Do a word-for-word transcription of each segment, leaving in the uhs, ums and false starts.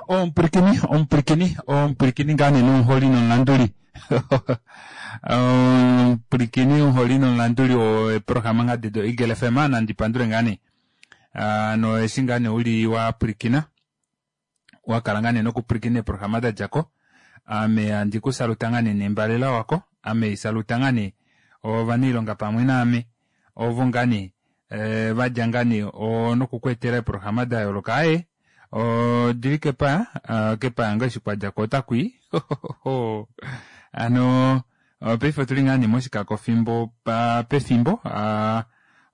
Omupulikini omupulikini omupulikini ngaa nee nomuholi nomulanduli omupulikini omuholi nomulanduli weeprograma ngaa do Eagle F M nandi pandule ngaa nee no eshi ngaa nee uli wapwilikina wakala ngaa nee nokupwilikina eeprograma dadjako ame handi kusaluta ngaa nee nembalela wako ame saluta ngaa nee ovanailonga pamwe naame ovo ngaa nee vadja ngaa nee nokukweetela eeprograma dayooloka aaye odili kepaya kepaya ngoo eshi kwadjako otakwii hano paife otuli ngaa nee moshikako fimbo pefimbo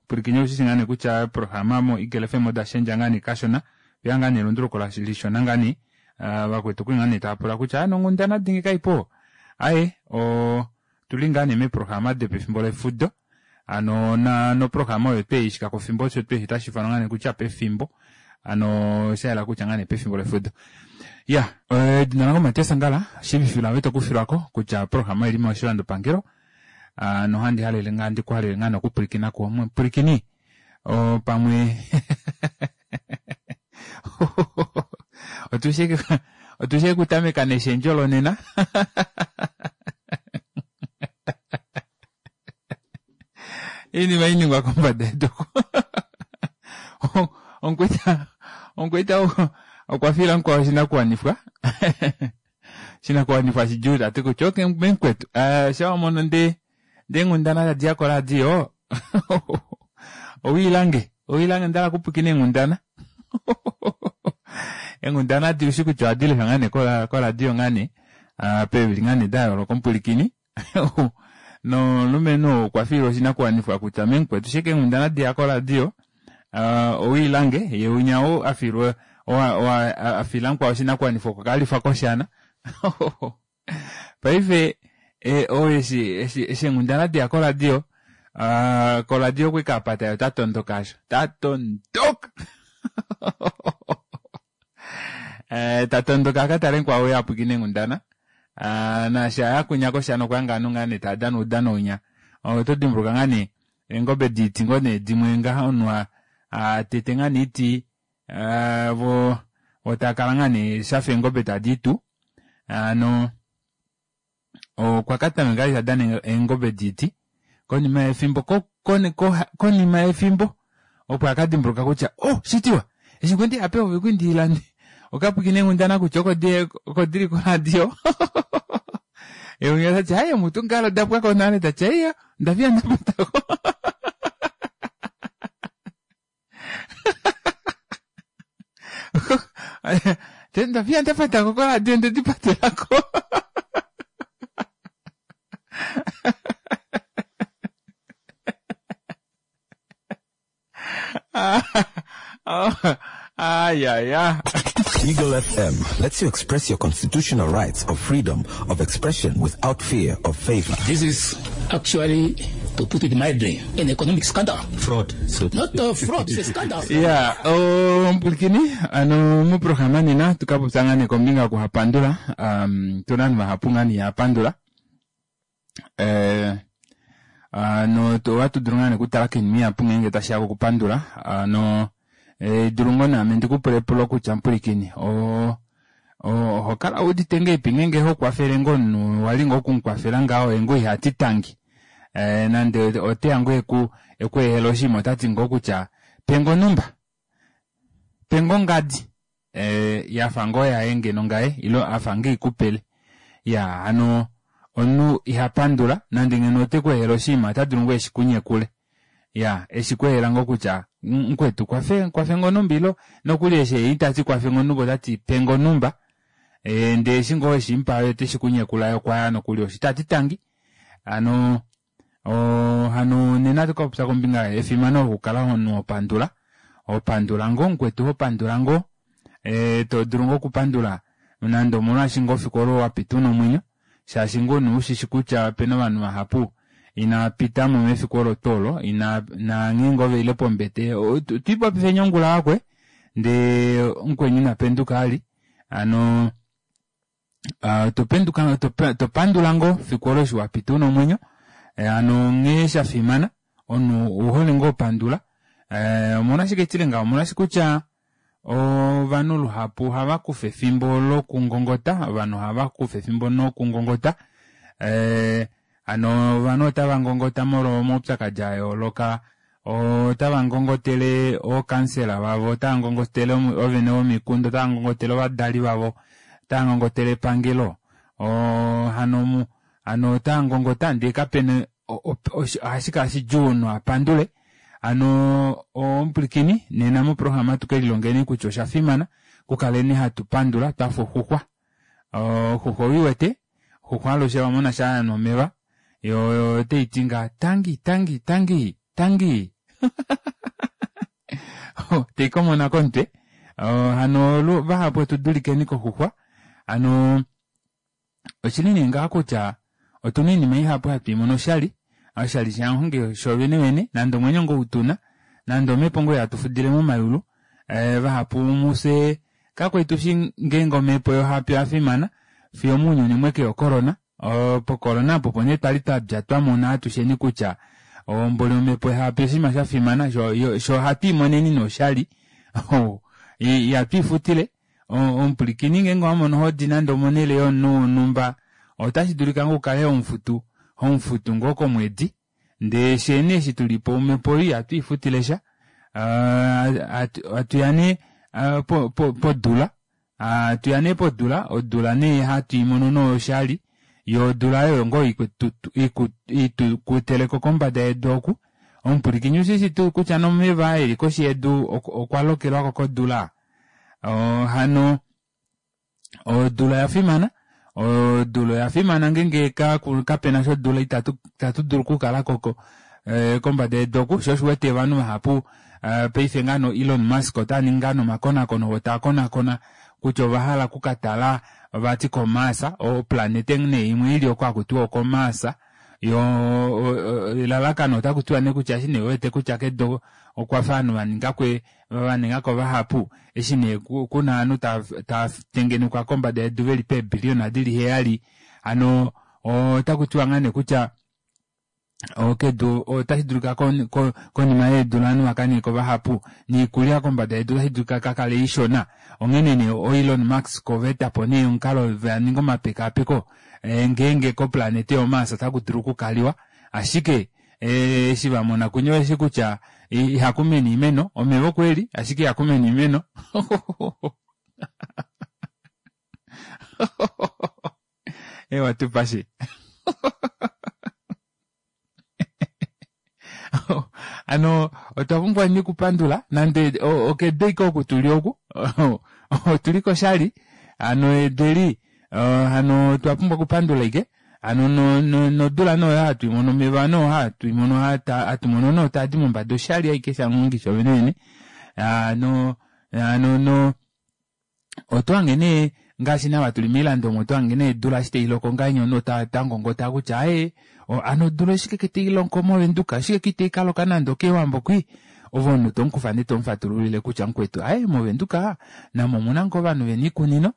pwilikini oushi ngaa nee kutya eeprograma mo Eagle F M oda shendja ngaa nee kashona opeya ngaa nee elunduluko lishona ngaa nee vakwetu okwali ngaa nee taapula kutya aa nonghundana dingi kaipo aaye otuli ngaa nee meeprograma dopefimbo lefudo hano noprograma oyo tweyi oshikako fimbo osho tweshi otashiifanwa ngaa nee kutya pefimbo hano shayela kutya ngaa nee pefimbo lefudo iya edina lange Matias Angala shiivifila ove tokufilwako kutya oprograma oili moshilando nohandi halele ngaa ndikuhalele ngaa nokupwilikina kuwa mupwilikini pamwe otushi okutameka neshendjo lonena iinima iningwa kombada yedu omukwaita omukwaita okwa fiila mukwao oshinakuwanifwa oshinakuwanifwa shidjuu tati kutya okey memukwetu shaa wamono ndee ndee eenghundana tadiya koradio owiilange owiilange ondahala okupwiikina eenghundana eenghundana adi ushi kutya ohadi leshwa ngaa nee koradio ngaa nee peevili ngaa nee dayooloka omupwilikini nomulumenhu okwa fiilwa oshinakuwanifwa kutya memukwetu shike eenghundana diya koradio owiilange yee winya ou afiilwa afiila mukwao oshinakuwanifwa okwa kalifwa koshana paife ou eshi eshi eenghundana deya koradio koradio okwali apata yee otatondoka aasho tatondoka tatondoka akatale mukwao uye apwiikine eenghundana naashi aya kwinya koshana okwahanga ovanhu ngaa nee taadana oudano winya oto dimbuluka ngaa nee eengobe diiti ngoo nee dimwe ngaha omunhu atete ngaa nee oiti vo taakala ngaa nee shafa eengobe tadiitu hano okwa katameka vali tadana eengobe diiti konima yefimbo konima yefimbo opo akadimbuluka kutya oh shitiwa eshi kwali ndiya pehovi okwali ndiilande okapwiikina eenghundana kutya oko dili koradio ye tati aaye mutu ngalo dapwako nale tati aiya ondafiya ndapatako ndafiya ndapatako koradio ndedipatelako ayaya. Eagle F M lets you express your constitutional rights of freedom of expression without fear of favor. This is actually, to put it mildly, an economic scandal. Fraud. So Not a fraud, it's a scandal. Yeah, omupulikini ano muprograma nena tukapopya ngaa nee kombinga yokuhapandula um, tuna ovanhu vahapu ngaa nee ihapandula eh, no ohatu dulu ngaa nee okutala koinima ihapu ngeenge tashiya kokupandula ano dulu ngoo naame ndikupule epulo kutya mupulikini oho kala wuudite ngahelipi ngeenge hokwafele ngoo omunhu wali ngoo okumukwafela ngaho ye ngoo ihati tangi nande oteya ngoo ekweehela oshinima otati ngoo kutya pengo onumba pengo ongadi yafa ngoo yaye ngeno ngaye ile afa ngoo ikupele iya hano omunhu ihapandula nande ngeno otekweehele oshinima otadulu ngoo eshikunyekule iya eshikweehela ngoo kutya mukwetu kwafe kwafe ngoo onumba ilo nokuli eshi itati kwafe ngoo onumba otati pengo onumba ndee eshi ngoo weshimupa oteshikunyekula okwaya nokuli osho itati tangi hano hano nena tukapopya kombinga efimano lokukala omunhu hopandula hopandula ngoo mukwetu hopandula ngoo todulu ngoo okupandula nande omolwaashi ngoo fiku olo wapita una omwenyo shaashi ngoo nee ushishi kutya opena ovanhu vahapu inapitamo mefiku olo tuu olo ina nanghee ngoo veile pombete twiipopifeni ongula wakwe ndee mukweni inapenduka ali hano topenduka topandula ngoo fiku olo eshi wapita una omwenyo hano nghee shafimana omunhu ouhole ngoo opandula omolwashike tile ngaho omolwaashi kutya Ovanhu luhapu ohava kufa efimbo lokungongota, ovanhu ohava kufa efimbo nokungongota. Eh, hano ovanhu otava ngongota molwa omaupyakadi a yooloka, otava ngongotele ookansela vavo, otava ngongotele ovene vomikunda, otava ngongotele ovadali vavo, otava ngongotele epangelo. Hano hano otava ngongota ndee kapena ohashi kala shidjuu omunhu apandule. Hano omupwilikini nena moprograma tukelilongeni kutya osha fimana kukaleni hatu pandula twafa oxuxwa. Oxuxwa owiwete, oxuxwa alushe wamona shaa yanwa omeva yoo otaiti nga tangi tangi tangi tangi teikomona komutwe. Hano vahapu otudulikeni koxuxwa. Hano oshili nee ngaha kutya otuna oinima ihapu hatu imono oshali, oshali shamuhongi shoovene vene, nande omwenyo ngoo utuna, nande omepo ngoo hatu fudile momayulu. Vahapu mufye kakwali tushi ngeenge omepo oyafimana fiyo mounyuni mwekeya ocorona. Pocorona opo opo nee twali twadja twamona atusheni kutya mboli omepo hapi oshinima shafimana, shoo ohatu imoneni nee oshali ihatu ifutile. Omupwilikini ngeenge owamono hodi nande omonele yomunhu wonhumba, otashi dulika ngoo ukale homufutu homufutu ngoo komwedi, ndee fyee nee eshi tulipo omepo oyo ihatu ifutile sha. Hatuya nee podula, hatuya nee podula, odula nee hatu imono nee oshali, yoo odula oyo ngoo itukuteleko kombada yedu oku. Omupwilikini ushishi tuu kutya nomeva aa eli koshi yedu okwa lokelwako kodula? Hano odula oyafimana, odula oyafimana ngeenge kapena sha odula itatu dulu okukalako kombada yedu oku, shoo osho uwete ovanhu vahapu paife ngaha Elon Musk otaningi ngaa nomakonakono voo taakonakona kutya ovahala okukatala vati ko Mars, oplanete nee imwe ili oko hakutiwa oko Mars. Yoo elalakano otakutiwa nee kutya eshi nee vewete kutya kedu okwafa ovanhu vaningako vaningako vahapu, eshi nee kuna ovanhu tava tengenekwa kombada yedu veli peebiliyona dili heyali, hano otakutiwa ngaa nee kutya kedu otashi dulika konima yeedula ovanhu vakaningeko vahapu, niikulya kombada yedu otashi dulika kakale ishona. Onghene nee Elon Musk ovaetapo nee omukalo vaninga omapekaapeko ngeenge koplanete yo Mars otaku dulu okukaliwa, ashike eshi vamona kunye osheshi kutya ihakumene oimeno, omeva okweli ashike ihakumene oimeno. Ewa tupashe. Hano otwa pumbwa nee okupandula nande okedu ashike oku tuli oku otuli koshali, hano edu eli hano otwa pumbwa okupandula ashike. Hano nodula nee oyo hatu imono, omeva nee oo hatu imono hatu mono nee taadi mombada oshali ashike shamuhongi shoovene vene. Hano hano otwahange nee ngaashi nava tuli moilando omo otwahange nee odula eshi tailoko ngahenya omunhu otangongota kutya aaye hano odula oshike tailoko movenduka, oshike itaikaloka nande okEwambo kwii. Ove omunhu tomukufa ndee tomufatululile kutya mukwetu aaye movenduka namo omuna ngoo ovanhu vena oikunino.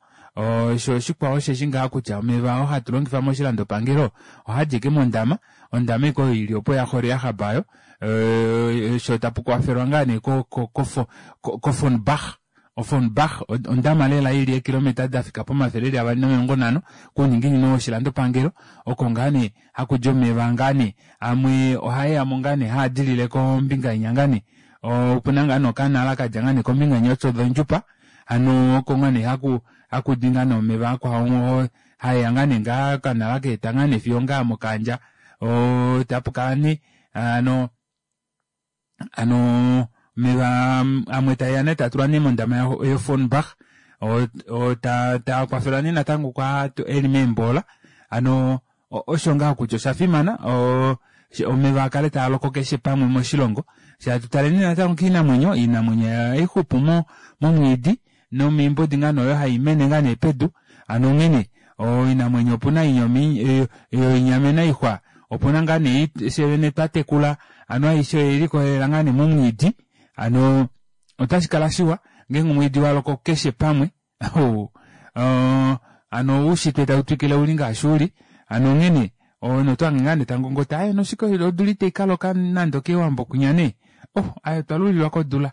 Sho oshikwao osheshi ngaha kutya omeva oo hatu longifa moshilandopangelo ohaadi ashike mondama, ondama ashike oyo ili opo yaxola yahabayo, sho tapu kwafelwa ngaa nee koFonbach. OFonbach ondama lela ili eekilometa dafika pomafele eli avali nomilongo nhano kouninginino woshilandopangelo, oko ngaa nee hakudi omeva ngaa nee amwe ohaeyamo ngaa nee haadilile kombinga inya ngaa nee, opuna ngaa nee okanala kadja ngaa nee kombinga inya yOtjozondjupa, hano oko ngaa nee hakudi ngaa nee omeva akwao haeya ngaa nee ngaa okanala kaeta ngaa nee fiyo ngaa mOkahandja tapukala nee hano hano omeva amwe taeya nee taatulwa nee mondama yoFonbach, taakwafelwa nee natango kwaa eli meembola. Hano osho ngaha kutya osha fimana omeva akale taaloko keshe pamwe moshilongo. Fye hatu taleni natango koinamwenyo, oinamwenyo ohaixupu momwiidi nomiimbodi ngaa nee oyo haimene ngaa nee pedu. Hano onghene oinamwenyo opuna yoinyamena oixwa, opuna ngaa nee fyee vene twatekula, hano aishe oyelikolelela ngaa nee momwiidi. Hano otashi kala shiwa ngeenge omwiidi waloko keshe pamwe. Hano oushitwe tautwikile uli ngaashi uli. Hano onghene omunhu otohange ngaa nee tangongota aaye noshike odula itaikaloka nande okEwambo kwinya nee, oh aaye otwa lulilwa kodula,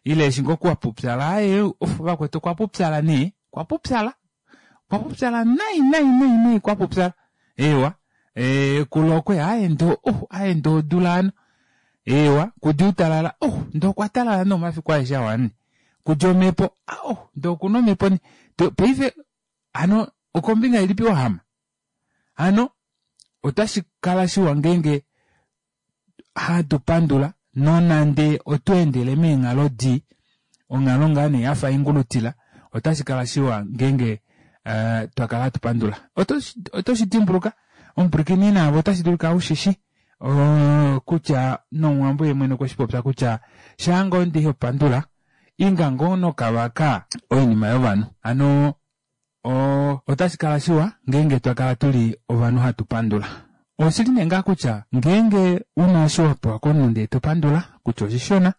Ile eshi ngoo kwapupyala aye vakwetu okwa pupyala nee kwa pupyala kwa pupyala nai nai nai nai kwa pupyala eewa ee kulokwe aye ndo oh aye ndo odula hano eewa kudi utalala oh ndo okwa talala nee omafiku aeshe awa kudi omhepo oh ndo okuna omhepo ne paife hano okombinga ilipi wahama hano otashi kala shiwa ngeenge hatu pandula nonande otweendele meenghalo dii onghalo ngaa nee yafa ingulutila otashi kala shiwa ngeenge uh, twakala hatu pandula oto shi dimbuluka omupwilikini naavo otashi dulika ushishi uh, kutya nomuwambo ye mwene okwe shi popya kutya shaanga ndi hopandula inga ngoo nokavaka oinima yovanhu hano otashi kala shiwa ngeenge twakala tuli ovanhu hatu pandula. Oshili nee ngaa kutya ngeenge una osho wapewa komunhu ndee topandula kutya oshishona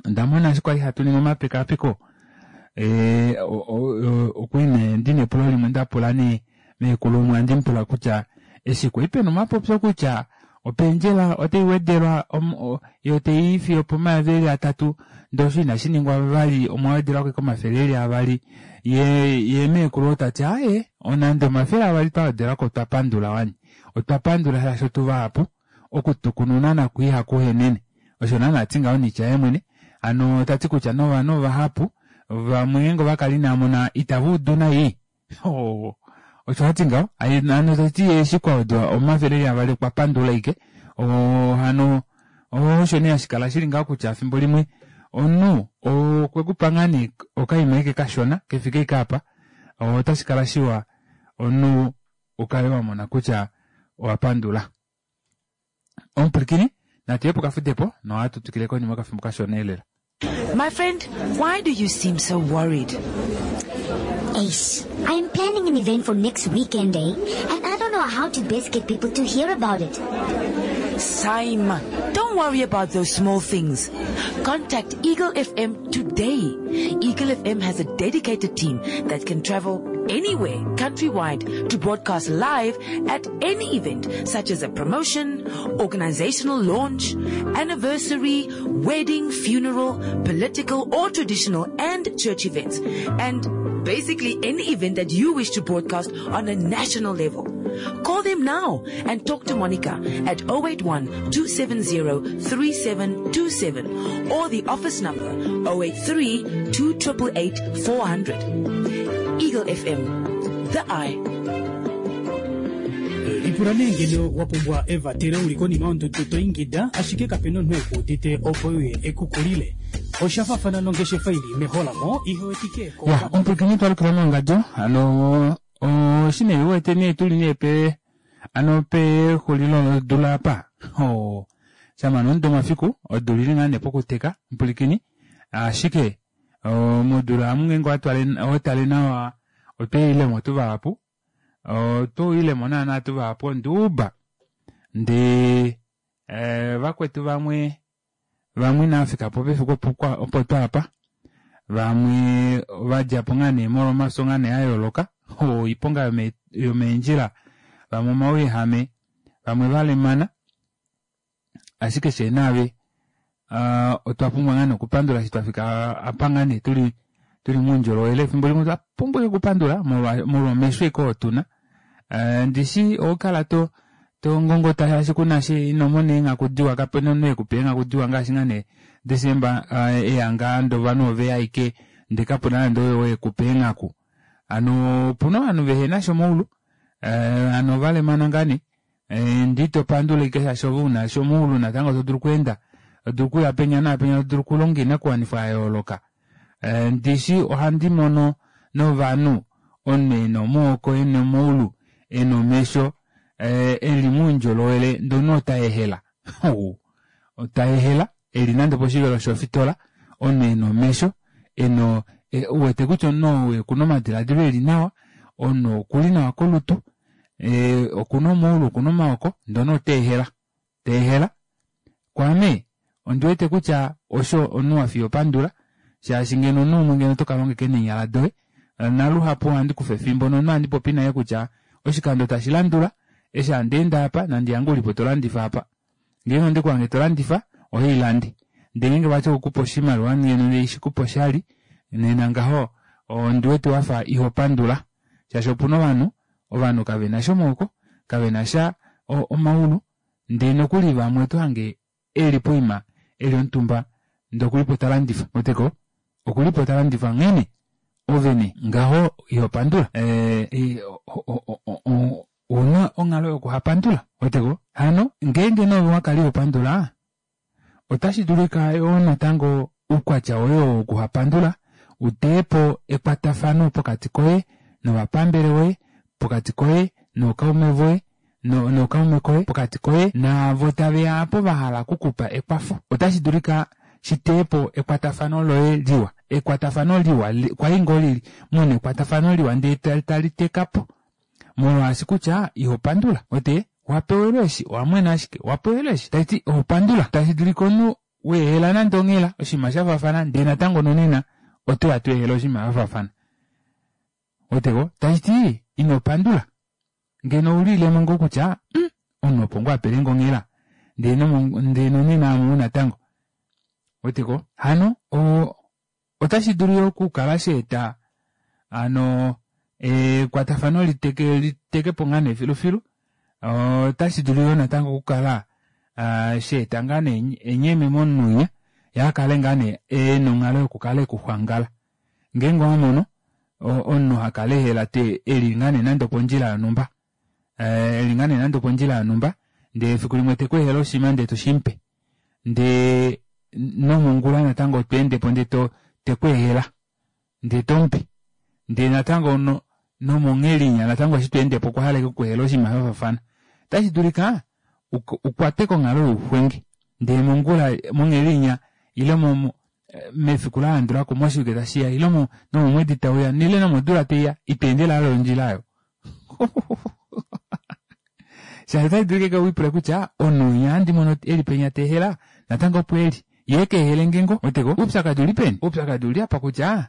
onda mona eshi kwali hatu ningi omapekapeko ee okwali nee ndina epulo limwe ndapula nee meekulu umwe handi mupula kutya eshi kwali pena omapopyo kutya opendjela otai wedelwa yo tei fiyo opomayovi eli atatu ndee osho inashi ningwa vali omwa wedelwako komafele eli avali ye ye meekulu tati aaye onande omafele avali twa wedelwako otwa pandula wani otwa pandula shaashi otuvahapu okutukununa nako ihaku henene osho naana ati ngaho niitya ye mwene hano tati kutya novanhu vahapu vamwe ngeenge ovakala inamona itava udu nai osho hati ngaho hano tati eshi kwawedwa omafele eli avali okwa pandula ike hano osho nee hashi kala shili ngaho kutya efimbo limwe omunhu okwekupa ngaa nee okaima ike kashona kefike ike apa otashi kala shiwa omunhu ukale wamona kutya owa pandula. Omupwilikini natu ye pokafudepo nohatu twikile konima okafimbo kashona elela. My friend, why do you seem so worried? Ace, I am planning an event for next weekend, eh? And I don't know how to best get people to hear about it. Saima, don't worry about those small things. Contact Eagle F M today. Eagle F M has a dedicated team that can travel anywhere, countrywide, to broadcast live at any event, such as a promotion, organizational launch, anniversary, wedding, funeral, political or traditional and church events, and basically any event that you wish to broadcast on a national level. Call them now and talk to Monica at oh eight one, two seven zero, three seven two seven or the office number oh eight three, two triple eight, four hundred. Eagle F M, the eye. Lipula nee ngeno wa pumbwa evatelo uli konima yondudu to ingida, ashike kapena omunhu ekuudite opo uye ekukulile. Osha faafana nongeshefa ili meholamo, ihe wetike ko- Ya, omupwilikini twalukila mongadio, hano, oshi nee uwete nee tuli nee pe, ano pexulilo lodula apa. Oh, shama nomudo omafiku, odula ili ngaa nee pokuteka, omupwilikini, ashike, oh, modula amu ngeenge watwale, watale nawa, otweilemo tuvahapu, otweilemo naana tuvahapu onduuba. Ndee, eh, vakwetu vamwe, vamwe inavafika po pefiku opo kwa, opo twapa, vamwe vadjapo ngaa nee molwa omafyo ngaa nee a yooloka, oiponga yome, yomeendjila, vamwe omauyehame, vamwe valemana, ashike shee naave, uh, otwa pumbwa ngaa nee okupandula eshi twafika apa ngaa nee tuli, tuli moundjolowele. Efimbo limwe otwa pumbwa okupandula molwa, molwa omesho eke oo tuna. Uh, ndishi oukala to, to ngongota shaashi kuna shi ino mona eenghaku diwa, kapena omunhu ekupa eenghaku diwa ngaashi ngaa nee Desemba, uh, eya ngaa ndee ovanhu oveya aike, ndee kapuna nande oyo ekupa eenghaku. Hano opuna ovanhu vehena sha omaulu, uh, hano ovalemana ngaa nee, eh, ndee ito pandula ike shaashi ove una sha omaulu natango to dulu okweenda, to dulu okuya penya naapenya, to dulu okulonga oinakuwanifwa ya yooloka. Eh, ndishi ohandi mono novanhu omunhu ena omaoko, ena omaulu, ena omesho, eh, eli moundjolowele, ndee omunhu ota ehela. Ota ehela, eli nande poshivelo shofitola, omunhu ena omesho, ena, e, uwete kutya omunhu ou okuna omadiladilo eli nawa, omunhu okuli nawa kolutu, e, okuna omaulu, okuna omaoko, ndee omunhu ota ehela. Ta ehela. Kwaame, ondi wete kutya osho omunhu wa fiya opandula, shaashi ngeno omunhu umwe ngeno oto ka longa ike neenyala doye, naluhapu ohandi kufa efimbo nomunhu ohandi popi naye kutya oshikando tashi landula, eshi handi ende apa, nandi yange ulipo to landifa apa. Ngeenge onde kuhange to landifa, ohailande. Ndee ngeenge vati okukupa oshimaliwa ngeno ishikupa oshali, nena ngaho ondiwete wafa ihopandula shaashi opuna ovanhu, ovanhu kavenasha omaoko, kavenasha omaulu ndee nokuli vamwe otohange eli poima eli omutumba ndee okulipo talandifa ouweteko okulipo talandifa onghene ove nee ngaho ihopandula ee ouna onghalo yokuhapandula ouweteko hano ngeenge nee ove owakala ihopandula otashi dulika yoo natango oukwatya woye oo wokuhapandula uteyepo ekwatafano pokati koye novapambele voye, pokati koye nookaume voye nookaume koye, pokati koye naavo taveya aapo vahala okukupa ekwafo. Otashi dulika shiteyepo ekwatafano loye liwa, ekwatafano liwa kwali ngoo lili muna ekwatafano liwa ndee tali tekapo molwaashi kutya ihopandula wete wapewelwe eshi owamwena ashike wapewelwe eshi tashiti ihopandula tashi dulika omunhu weehela nande onghela oshinima shafaafana ndee natango nonena otoya tweehela oshinima shafaafana weteko tashiti ino pandula ngeno oulilemo ngoo kutya mm, omunhu opo ngoo apelenge onghela ndee ndee nonena amu natango weteko hano otashi dulu yoo okukala shaeta hano ekwatafano liteke litekepo ngaa nee filufilu otashi dulu yoo natango okukala shaeta ngaa nee enyeme momunhu winya yee akale ngaa nee ena onghalo yokukala ekuxwangala ngeenge owamono omunhu hakala ehela eli ngaa nee nande opondjila yonhumba eli ngaa nee nande opondjila yonhumba ndee efiku limwe tekweehele oshinima ndee toshimupe ndee nomongula natango tweendepo ndee tekweehela ndee tomupe ndee natango nomonghelinya natango eshi tweendepo okwa hala okukweehela oshinima shafaafana otashi dulika ukwatwe konghalo youxwenge ndee mongula monghelinya ile mefiku lalandulako moshivike tashiya ile nomomwedi tauya ile nomodula taiya iteendele vali ondjila aayo shaashi otashi dulika wiipule kutya omunhu winya handi mono eli penya teehela natango opo eli yee keehelenge ngoo weteko oupyakadi uli peni oupyakadi uli apa kutya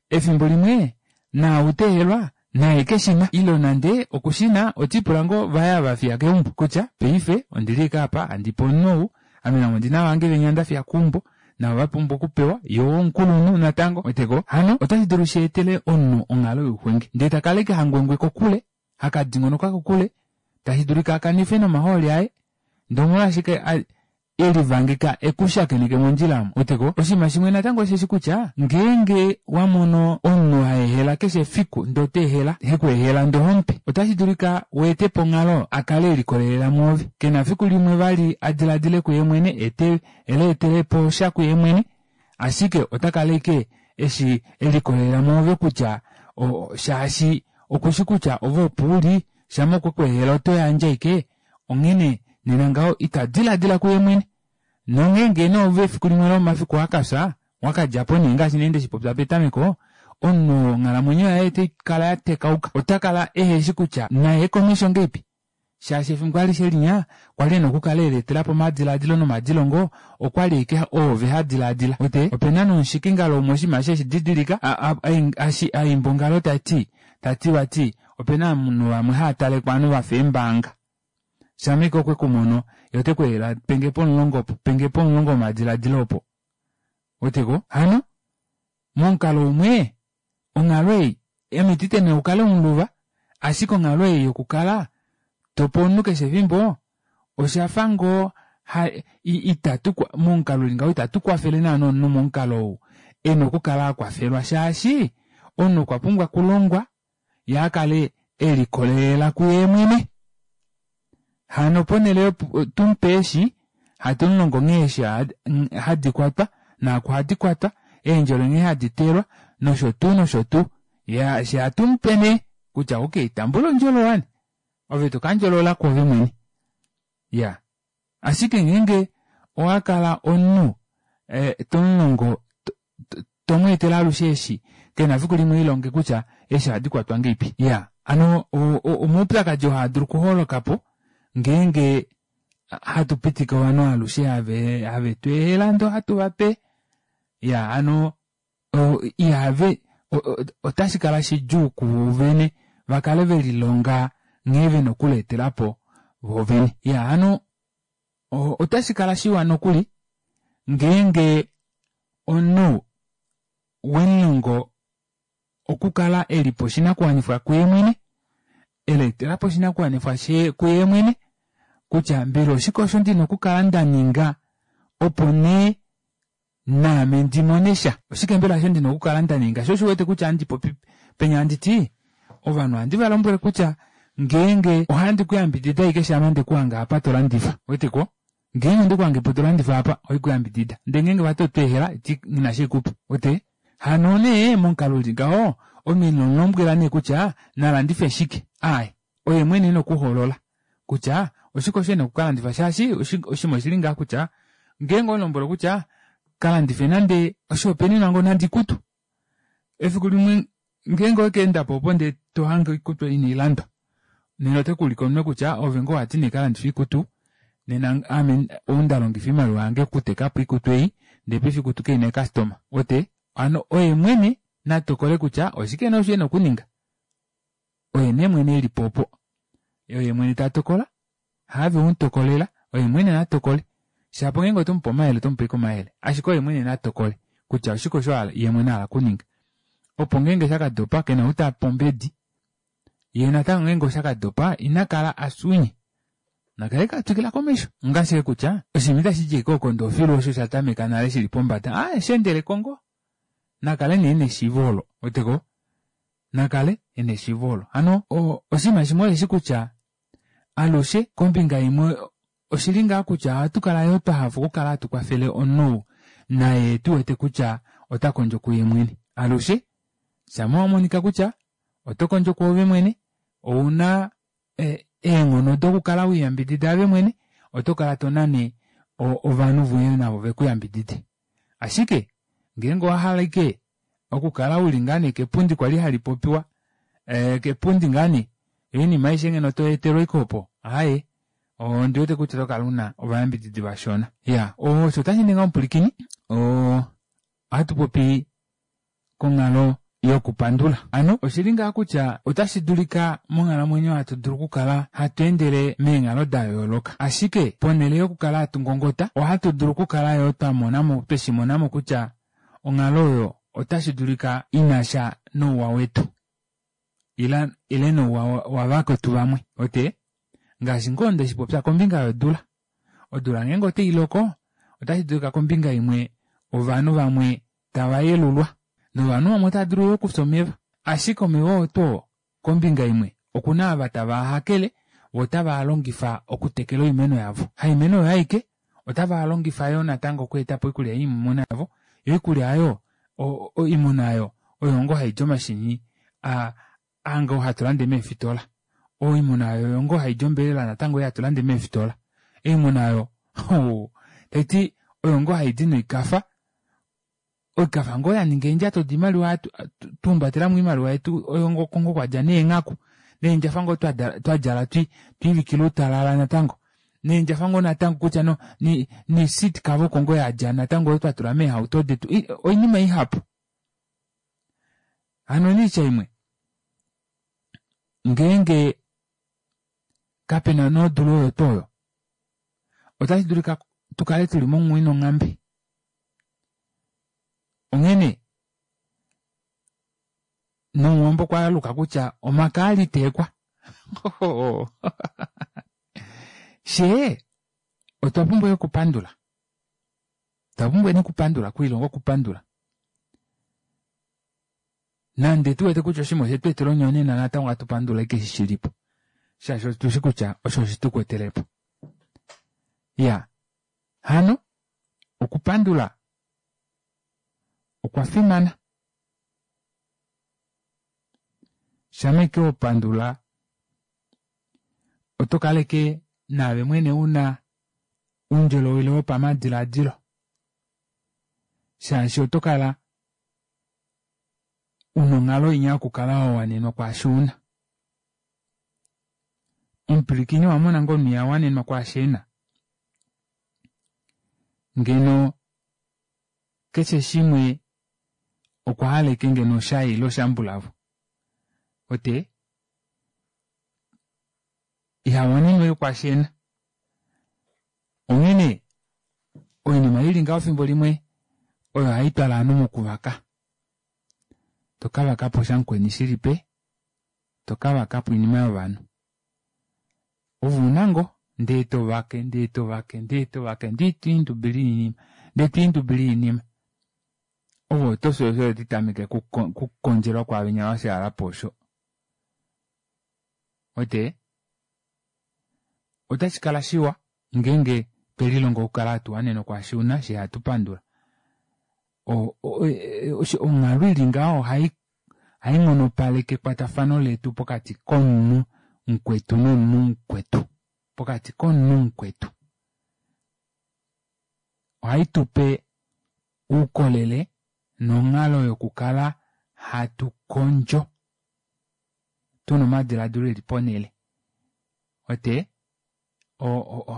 efimbo limwe naau teehelwa naye keshina ile nande okushina otiipula ngoo vaya vafiya keumbo kutya paife ondili ashike apa handipe omunhu ou ame namo ondina vange venya ndafiya keumbo navo vapumbwa okupewa yoo omukulunhu natango weteko hano otashi dulu sheetele omunhu onghalo youxwenge ndee takala ashike hangwengwe kokule hakadingonoka kokule tashi dulika akanife nomahooli aye ndee omolwashike elivangika ekushakeneke mondjila omo weteko oshinima shimwe natango osheshi kutya ngeenge wamono omunhu haehela keshe efiku ndee oteehela hekweehela ndee ohomupe otashi dulika weetepo onghalo akale elikolelela mwoove kena fiku limwe vali adiladile kuye mwene ete eleetelepo sha kuye mwene ashike otakala ashike eshi elikolelela mwoove kutya shaashi okushi kutya ove opo uli shama okwekweehela otoyandje ashike onghene nena ngaho ita diladila kuye mwene nongeenge nee ove efiku limwe lomomafiku wakafya wakadjapo nee ngaashi nee ndeshipopya petameko omunhu onghalamwenyo yaye otai kala yatekauka otakala eheshi kutya naye komesho ngeipi shaashi efimbo alishe linya kwali ena okukala eleetelapo omadiladilo nomadilongo okwali ashike oove hadilaadila wete opena nomushikingalo umwe oshinima eshi eshididilika aimba ongalo tati tati vati opena ovanhu vamwe haatalekwa ovanhu vafa eembanga shama ashike okwekumono yee otekweehela penge pomulongo opo penge pomulongo womadiladilo opo weteko hano momukalo umwe onghalo ei ame itite nee ukale omuluva ashike onghalo ei yokukala tope omunhu keshe efimbo oshafa ngoo itatu momukalo uli ngaho itatu kwafele naana omunhu momukalo ou ena okukala akwafelwa shaashi omunhu okwa pumbwa okulongwa yee akale elikolelela kuye mwene hano ponele tumupe eeshi hatumulongo nghee eeshi hadi kwatwa naaku hadi kwatwa eendjolo nghee hadi telwa nosho tuu nosho tuu she hatumupe nee kutya okey tambula ondjolo wani ove tokandjolola kwoove mwene iya ashike ngeenge owakala omunhu tomulongo tomweetele alushe eeshi kena fiku limwe elilonge kutya eeshi ohadi kwatwa ngeipi iya hano omaupyakadi oo haadulu okuholokapo ngeenge hatu pitike ovanhu alushe have tweehela ndee ohatu vape iya hano ihave otashi kala shidjuu kuvo vene vakale velilonga nghee vena okuleetelapo voovene iya hano otashi kala shiwa nokuli Ngeenge omunhu wemulongo okukala elipa oshinakuwanifwa kuye mwene, eleetelapo oshinakuwanifwa kuye mwene kutya mbela oshike osho ndina okukala ndaninga opo nee naame ndimonesha. Oshike mbela osho ndina okukala ndaninga, sho osho uwete kutya handi popi penya handiti ovanhu ohandi valombwele kutya ngeenge ohandi kuyambidida ashike shama ndekuhanga apa tolandifa, ouweteko ngeenge ondekuhange po tolandifa apa ohaikuyambidida ndee ngeenge vati otweehela nghina eshi haikupe uwete hano nee momukalo uli ngaho omunhu inomulombwela nee kutya nalandife shike aaye oye mwene ena okuhoolola kutya oshike osho ena okukalandifa shaashi oshinima oshili ngaha kutya ngeenge owemulombwele kutya kalandife nande oshihopaenenwa ngoo nande oikutu efiku limwe ngeenge owekeendapo opo ndee tohange oikutu inailandwa nena otekuulike omunwe kutya ove ngoo wati nekalandife oikutu nena ame ou ndalongifa oimaliwa yange okutekapo oikutu ei ndee paife oikutu kaina eecustoma uwete hano oye mwene natokole kutya oshike nee osho ena okuninga oye nee mwene elipo opo oye mwene tatokola haave wemutokolela oye mwene natokole shapo ngeenge otomupe omayele otomupe ashike omayele ashike oye mwene natokole kutya oshike osho yeemwene ahala okuninga opo ngeenge shakadopa kena ou tape ombedi yee natango ngeenge oshakadopa inakala afya ounye nakale ashike atwikila komesho onga ashike kutya oshinima itashidi ashike okondo filu osho shatameka nale shili pombada aaye sheendeleko ngoo nakale nee neshiivo olo ouweteko nakale ena eshiivo olo hano oshinima shimwe osheshi kutya alushe kombinga imwe oshili ngaa kutya ohatu kala yoo twahafa okukala hatu kwafele omunhu naye tuwete kutya ota kondjo kuye mwene alushe shama wamonika kutya oto kondjo kwoove mwene ouna eenghono dokukala weliyambidida ove mwene oto kala tonane ovanhu voye navo vekuyambidide ashike ngeenge owahala ashike okukala uli ngoo nee kepundi kwali hali popiwa ee kepundi ngoo nee oinima aishe ngeno toyeetelwa ashike opo aaye ondiwete kutya otokala una ovayambididi vashona iyaa osho otashiningi ngaho omupwilikini oo ohatu popi konghalo yokupandula hano oshili ngaha kutya otashi dulika monghalamwenyo hatu dulu okukala hatu endele meenghalo dayooloka ashike ponhele yokukala hatu ngongota ohatu dulu okukala yoo twamonamo tweshimonamo kutya onghalo oyo otashi dulika inasha nouwa wetu ile ile nouwa wavakwetu vamwe uwete ngaashi ngoo ndeshipopya kombinga yodula odula ngeenge otailoko otashi dulika kombinga imwe ovanhu vamwe tava yelulwa novanhu vamwe otava dulu okufya omeva ashike omeva oo tuu kombinga imwe okuna ava tava hakele voo otava longifa okutekela oimeno yavo haimeno oyo aike otava longifa yoo natango okweetapo oikulya yoimuna yavo yoo oikulya aayo oimuna aayo oyo ngoo haili omashini aa ngoo hatu lande meefitola oimuna aayo oyo ngoo haili ombelela natango ei hatu lande meefitola oimuna aayo taiti oyo ngoo haidi noikafa oikafa ngoo yaninga eendjato doimaliwa twahumbatelamo oimaliwa yetu oyo oko ngoo kwadja neenghaku neendjafa ngoo twadjala twiivikila outalala natango neendjafa ngoo natango kutya ne seat cover oko ngoo yadja natango oyo twatula meehauto detu oinima ihapu hano noitya imwe ngeenge kapena nee odula oyo tuu oyo otashi dulika tukale tuli monghumwe nonghambe onghene nomuwambo okwaluka kutya omaka aliteekwa fyee otwa pumbwa okupandula otwa pumbwa okupandula okwiilonga okupandula nande tuwete kutya oshinima oshetweetela onyonena natango ohatu pandula ashike eshi shilipo shaashi otushi kutya osho oshetukwetelepo iya hano okupandula okwa fimana shama ashike wapandula oto kaleke naave mwene una oundjolowele wopamadilaadilo shaashi oto kala una onghalo inya yokukala wawanenwa kwaashi una omupwilikini owamona ngoo omunhu ihawanenwa kwaashi ena ngeno keshe shimwe okwa hala ashike ngeno shaye ile shambulavo uwete ihawanenwa ashike kwaashi ena onghene Oinima ili ngaho fimbo limwe oyo hai twala ovanhu mokuvaka. Toka vaka po shamukweni shilipe, toka vaka po oinima yovanhu. Ove una ngoo ndee tovake ndee tovake ndee tovake ndee twiindubile oinima ndee twiindubile oinima. Ove otofi osho titameke kukondjelwa kwaavenya vashaalapo osho. Wete? Otashikala shiwa ngeenge twelilongo okukala hatu wanenwa kwaashi una shee hatu pandula. Onghalo ili ngaho ohai hainghonopaleke ekwatafano letu pokati komunhu mukwetu nomunhu mukwetu. Pokati komunhu mukwetu. Ohaitupe oukolele nonghalo yokukala hatu kondjo tuna omadilaadilo eli ponele. Wete?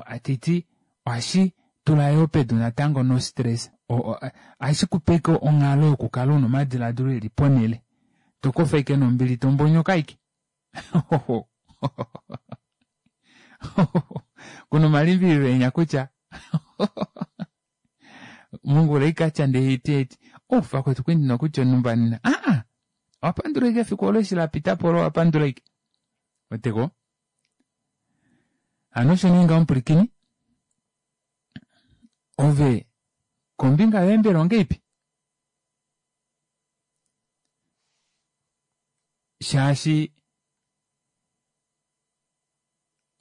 Atiti ohashi tula yoo pedu natango no stress ohashikupe onghalo yokukala una omadilaadilo eli ponele. Tokofa ashike nombili tombonyoka ashike. Kuna omalimbililo enya kutya mongula ikatya ndee eti eti oh vakwetu kwali ndina okutya onumba nena aa owapandula ashike efiku olo eshi lapitapo olo owapandula ashike. Weteko? Hano osho nee ngaho omupulikini ove kombinga yoye mbela ongeipi? Shaashi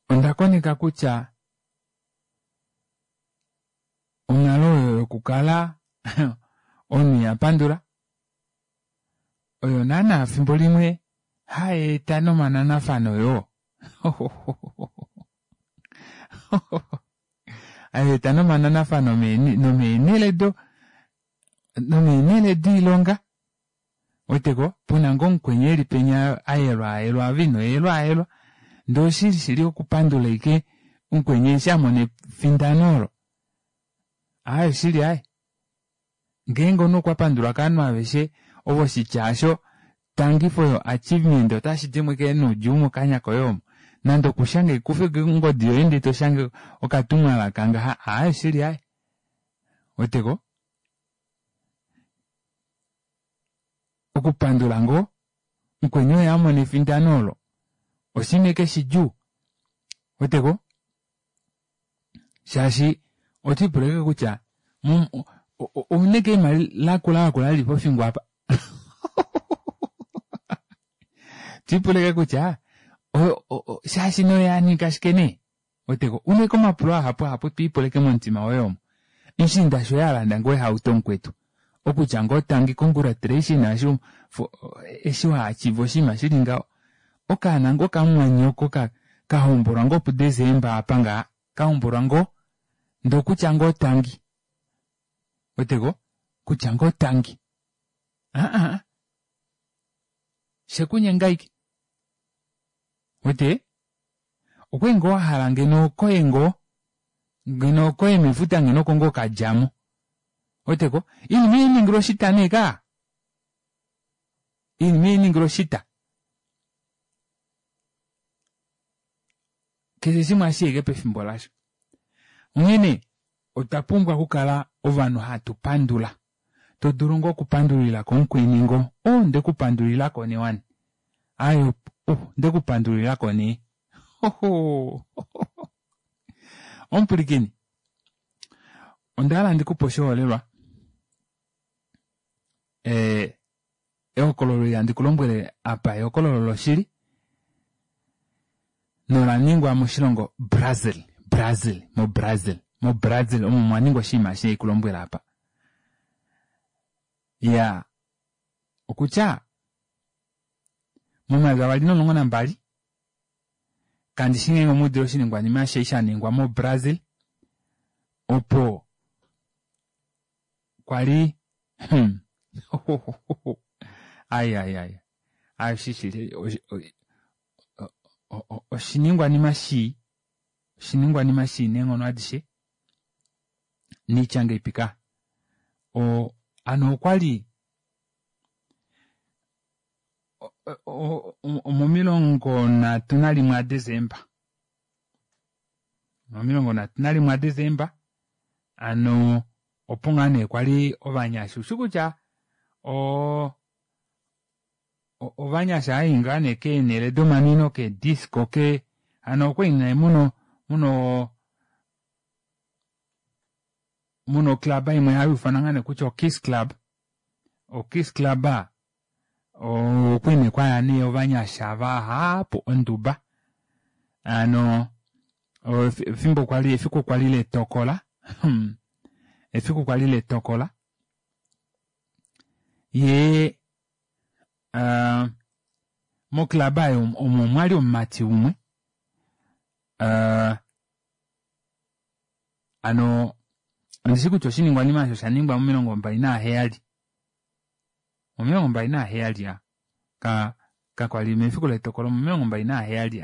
onda koneka kutya onghalo oyo yokukala omunhu iha pandula oyo naana fimbo limwe hayeeta nomananafano yoo. Hayeeta nomananafano nomeenele do nomeenele doilonga. Weteko puna ngoo mukweni eli penya ayelwaayelwa ove ino yelwaayelwa ndee oshili shili okupandula ashike mukweni eshi amona efindano olo. Aaye oshili aaye. Ngeenge omunhu okwa pandulwa kovanhu aveshe ovo oshitya aasho tangi for your achievement otashi dimo ashike noudjuu mokanya koye omo. Nande okushange kufa ongodi yoye ndee toshange okatumwalaka ngaha aaye oshili aaye. Weteko? Okupandula ngoo mukweni oye amona efindano olo oshinima ashike shidjuu. Weteko? Shaashi otwiipula ashike kutya ouna ashike eima lakula lakula lili pofingo apa. Twiipula ashike kutya shaashi noye aninga ashike nee. Weteko? Una ashike omapulo ahapu ahapu twiipula ashike momutima woye omo. Mushiinda shoye alanda ngoo ehauto mukwetu. Okutya ngoo tangi congratulation eshi waachiva oshinima shili ngaho. Okaana ngoo kamumwanyoko kahombolwa ngoo puDesemba apa ngaha. Kahombolwa ngoo ndee okutya ngoo tangi. Weteko? Kutya ngoo tangi. Aa shekunyenga ashike. Wete? Okwali ngoo wahala ngeno okoye ngoo ngeno okoye mefuta ngeno oko ngoo kadjamo. Weteko? Oinima ihainingilwa oshita nee kaa. Oinima ihainingilwa oshita. Keshe shimwe ohashiya ashike pefimbo lasho. Onghene otwa pumbwa okukala ovanhu hatu pandula. Todulu ngoo okupandulilako mukweni ngoo oh ndekupandulilako nee wani. Aaye oh ndekupandulilako nee. Omupulikini ondahala ndikupe oshiholelwa ee ehokololo eli handi kulombwele apa ehokololo loshili nolaningwa moshilongo Brazil. Brazil mo Brazil mo Brazil omo mwaningwa oshinima eshi haikulombwele apa. Iyaa okutya momayovi avali nomulongo nambali kandishi ngeenge omuudile oshiningwanima eshi shaningwa mo Brazil opo kwali ai ai ai ai shishili oshiningwanima shii oshiningwanima shii neenghono adishe niitya ngeipi ka o hano okwali omomilongo nhatu nalimwe aDesemba omilongo nhatu nalimwe aDesemba Ano opo ngaa nee kwali ovanyasha ushi kutya oo ovanyasha hai ngaa nee keenhele domanwino keedisco ke hano okwali nee muno muno muno club imwe hayuufanwa ngaa nee kutya okiss club. Okiss club okwali nee kwaya nee ovanyasha vahapu onduba. Hano efimbo kwali efiku kwali letokola efiku kwali letokola yee uh, moclub omo omwali omumati umwe uh, ano ondishi kutya oshiningwanima osho oshaningwa momilongo mbali naheyali omilongo mbali naheyali ya ka kakwali mefiku letokolo momilongo mbali naheyali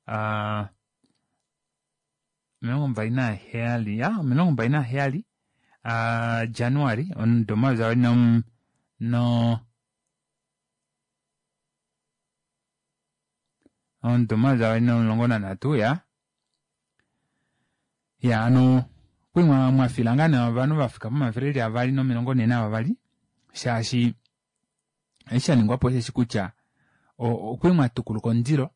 uh, omilongo mbali naheyali ya omilongo mbali naheyali uh, January omudo omayovi avali no no omudo omayovi avali nomulongo nanhatu ya ya ano okwali mwafila ngaa nee ovanhu vafika pomafele eli avali nomilongo nhee navavali shaashi eshi shaningwapo osheshi kutya okwali mwatukuluka omundilo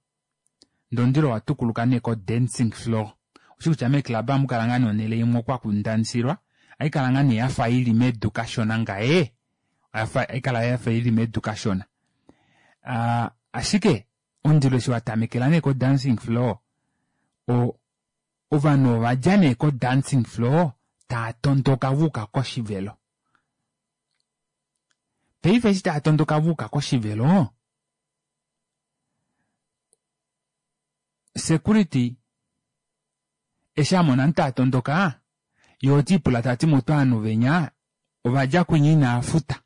ndee omundilo owatukuluka nee ko dancing floor. Ushi kutya meeclub ohamukala ngaa nee onhele imwe oko hakundansilwa haikala ngaa nee yafa ili medu kashona ngaye haikala yafa ili medu kashona. Uh, ashike omundilo eshi watamekela nee ko dancing floor o ovanhu ovadja nee ko dancing floor taa tondoka vuuka koshivelo. Paife eshi taa tondoka vuuka koshivelo security eshi amona ovanhu tava tondoka yee otiipula tati mutu ovanhu venya ovadja kwinya inaafuta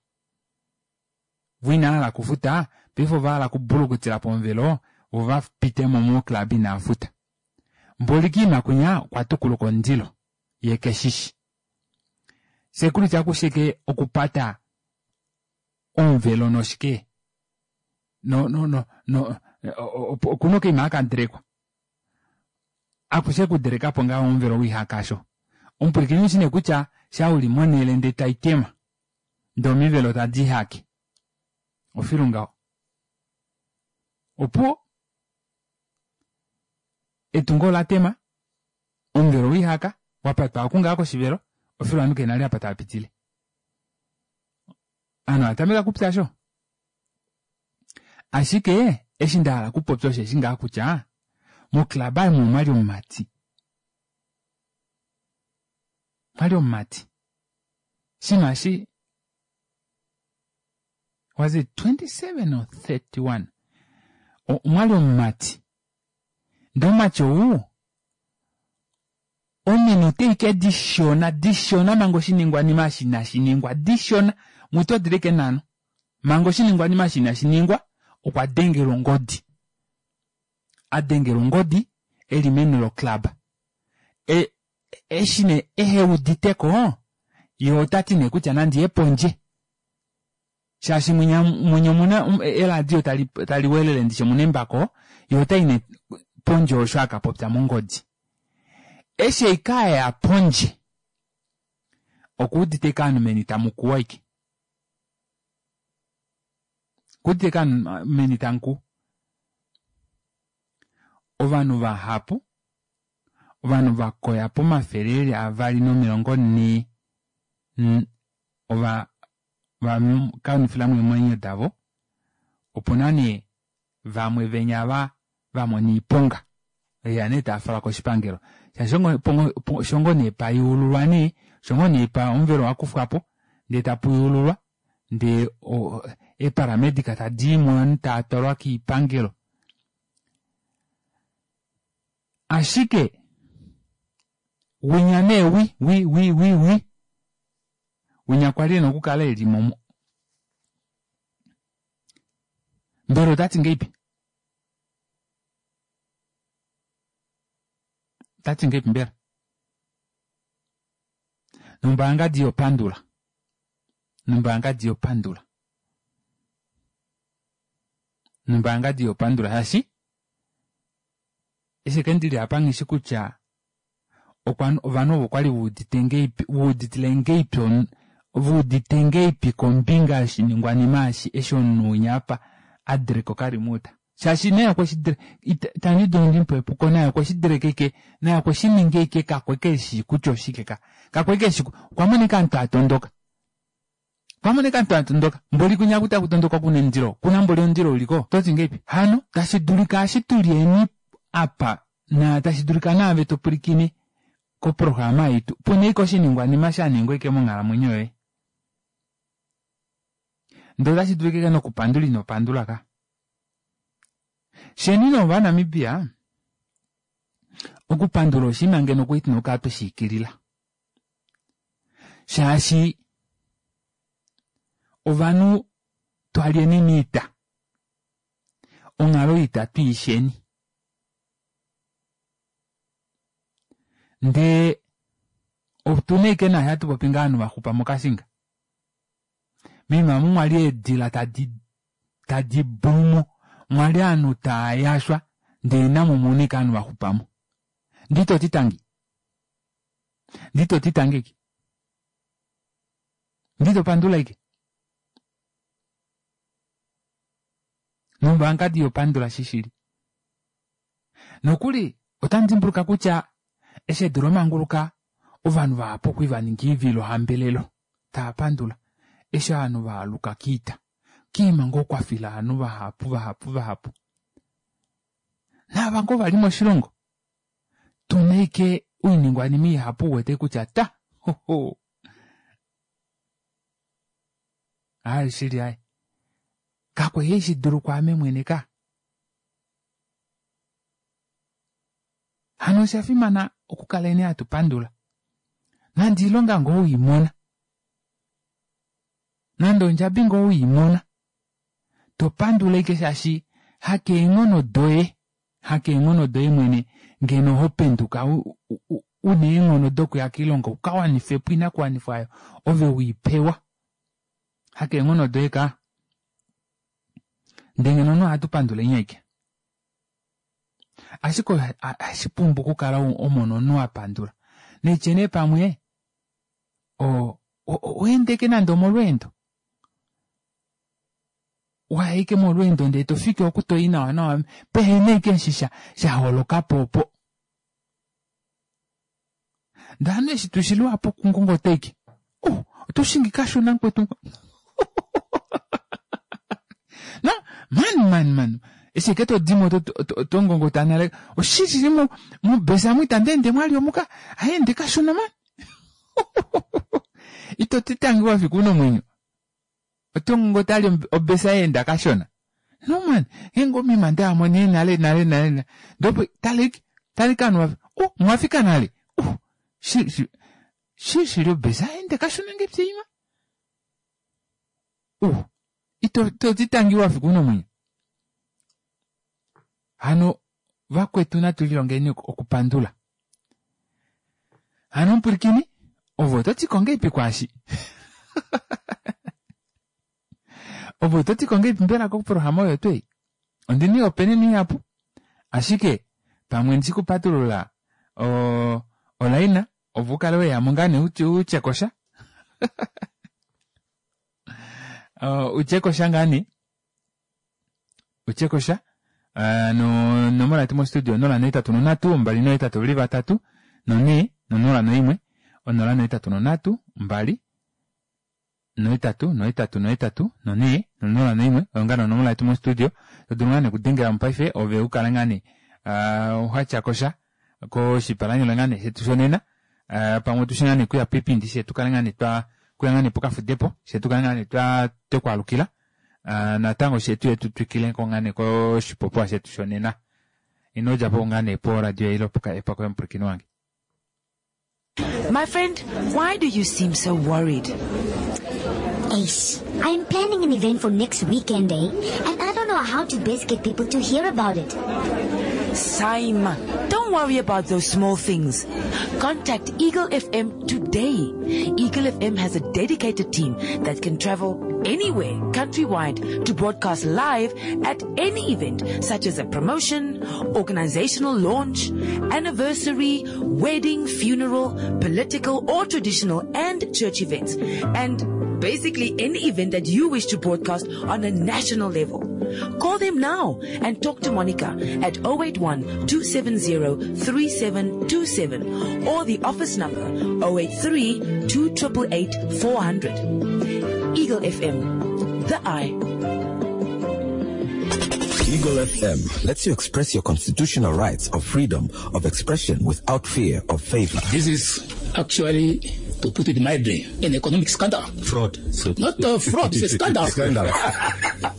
voo inavahala okufuta paife ovahala okubulukutila pomuvelo voo vapitemo mo club inaafuta. Mboli kiima kwinya okwa tukuluka omundilo yee keshishi. Security akushike okupata omuvelo noshike no no no no okuna okaima hakadelekwa akushe okudelekapo ngaho omuvelo wiihakasho. Omupwilikini ushi nee kutya sha uli monhele ndee taitema ndee omivelo tadiihake ofilu ngaho. Opuwo etungo olatema omuvelo wiihaka wapatwa okungaa koshivelo ofilu ovanhu kehena vali apa tavapitile. Ovanhu ovatameka kupya sho. Ashike eshi ndahala okupopya osheshi ngaa kutya moclub omo omwali omumati. Omwali omumati. Shinima eshi was it twenty seven or thirty one omwali omumati. Ndee omumati ou ominute ashike dishona dishona manga oshiningwanima eshi inashiningwa dishona mutu odili ashike nhano manga oshiningwanima eshi inashiningwa okwa dengelwa ongodi. Adengelwa ongodi eli meni loclub. E eshi nee eheuditeko yee otati nee kutya nandiye pondje shaashi mwinya mwinya omuna eladio tali tali welele ndishi omuna embako yee otai nee pondje osho akapopya mongodi. Eshi ashike aya pondje okuudite ashike ovanhu meni tamukuwu ashike. Okuudite ashike ovanhu meni tamukuwu. Ovanhu vahapu ovanhu vakoya pomafele eli avali nomilongo nhee ova vakanifilamo eemwenyo davo opuna nee vamwe venya va vamona oiponga veya nee taafalwa koshipangelo shaashi shongo nee payuululwa nee shongo nee pa omuvelo wakufwapo ndee tapuyuululwa ndee eeparamedic tadiimo ovanhu taatwalwa kiipangelo. Ashike winya nee wi wi wi wi wi winya kwali ena okukala elimo mbela otati ngahelipi? Otati ngahelipi mbela? Nombaangadi yopandula. Nombaangadi yopandula. Nombaangadi yopandula shaashi eshi eke ndili apa nghishi kutya okwa ovanhu ovo kwali veudite ngeipi veuditile ngeipi veudite ngeipi kombinga yoshiningwanima eshi eshi omunhu winya apa a direka okalimuta shaashi naye okweshi itandi dulu ndimupe epuko naye okweshi direka ike naye okweshi ninga ike kakwe keshi kutya oshike ka kakwe keshi okwa monika aantu atondoka okwa monika aantu atondoka mboli kunya kuta kutondoka kuna omundilo kuna mboli omundilo uliko toti ngeipi hano tashi dulika eshi tulyeni apa na tashi dulika naave topwilikine koprograma yetu puna ike oshiningwanima shaningwa ike monghalamwenyo yoye ndee otashi dulika ike nokupandula ino pandula ka sheni novanamibia okupandula oshinima ngeno kwali tuna okukala tweshiikilila shaashi ovanhu twalyeni miita onghalo oita twiisheni ndee otuna ashike naashi hatupopi ngaa ovanhu vaxupa mokashinga moima omu mwali eedila tadi tadi bumu mwali ovanhu taayashwa ndee namo omuna ashike ovanhu vaxupamo ndee itoti tangi ndee itoti tangi ashike ndee itopandula ashike nombaangadi ihopandula shishili nokuli otandidimbuluka kutya eshi edu lamanguluka ovanhu vahapu okwali vaninga oivilohambelelo taapandula eshi ovanhu vaaluka kiita kiima ngoo kwafila ovanhu vahapu vahapu vahapu naava ngoo vali moshilongo tuna ashike oiningwanima ihapu uwete kutya ta hoho aaye shili aaye kakwali haishidulu kwaame mwene ka hano oshafimana okukaleni hatu pandula nande oilonga ngoo weimona nande ondjabi ngoo weimona topandula ashike shaashi hakeenghono doye hakeenghono doye mwene ngeno hopenduka una eenghono dokuya koilonga ukawanifepo oinakuwanifwa aayo ove weipewa hakeenghono doye ka ndee ngeno omunhu ohatu panduleni ashike ashike ohashipumbu okukala omona omunhu apandula naitye nee pamwe oweenda ashike nande omolweendo waya ashike molweendo ndee tofiki oku toyi nawa nawa pehena ashike eshi shaholokapo opo ndee ovanhu eshi tushi luhapu okungongota ashike oh otoshingi kashona mukwetu na man man man eshi ashike todimo otongongota nale oshili mobesa omu itandeende mwali omuka haende kashona man ito ti tangi wafika una omwenyo otongongota ali obesa yaenda kashona no man ngeenge omima ndayamo nee nale nale nale ndopo tala tala ovanhu oh mwafika nale oh shi shi shili obesa yaenda kashona ngepye ima oh ito ito tangi wafika una omwenyo hano vakwetu natu lilongeni okupandula hano mupwilikini ove ototi ngahelipi kwaashi ove ototi ngahelipi mbela koprograma oyo tuu ei ondina oihopaenenwa ihapu ashike pamwe ndishikupatulula olaina ove ukale weyamo ngaa nee utyekosha utyekosha ngaa nee utyekosha nonomola yetu mostudio onola nohetatu nonhatu mbali nohetatu veli vatatu nonhee nonola noimwe onola nohetatu nonhatu mbali nohetatu nohetatu nohetatu nonhee nonola noimwe oyo ngaa onomola yetu mostudio todulu ngaa nee okudengelamo paife ove ukale ngaa nee watyakosha koshipalanyole ngaa nee shetu shonena pamwe otushi ngaa nee okuya poipindi fyee tukale ngaa nee twa kuya ngaa nee pokafudepo fyee tukale ngaa nee twa twekwaalukila natango fyee tuye tutwikileko ngaa nee koshipopiwa shetu shonena ino djapo ngaa nee poradio ile pokaepa koye omupwilikini wange. My friend, why do you seem so worried? Ace, I'm planning an event for next weekend, eh? And I don't know how to best get people to hear about it. Saima, don't worry about those small things. Contact Eagle F M today. Eagle F M has a dedicated team that can travel anywhere countrywide to broadcast live at any event, such as a promotion, organizational launch, anniversary, wedding, funeral, political or traditional and church events, and basically any event that you wish to broadcast on a national level. Call them now and talk to Monica at oh eight one, two seven zero, three seven two seven or the office number oh eight three, two triple eight, four hundred. Eagle F M, the eye. Eagle F M lets you express your constitutional rights of freedom of expression without fear of favor. This is actually, to put it mildly, an economic scandal. Fraud. So not a fraud, it's a scandal. Scandal.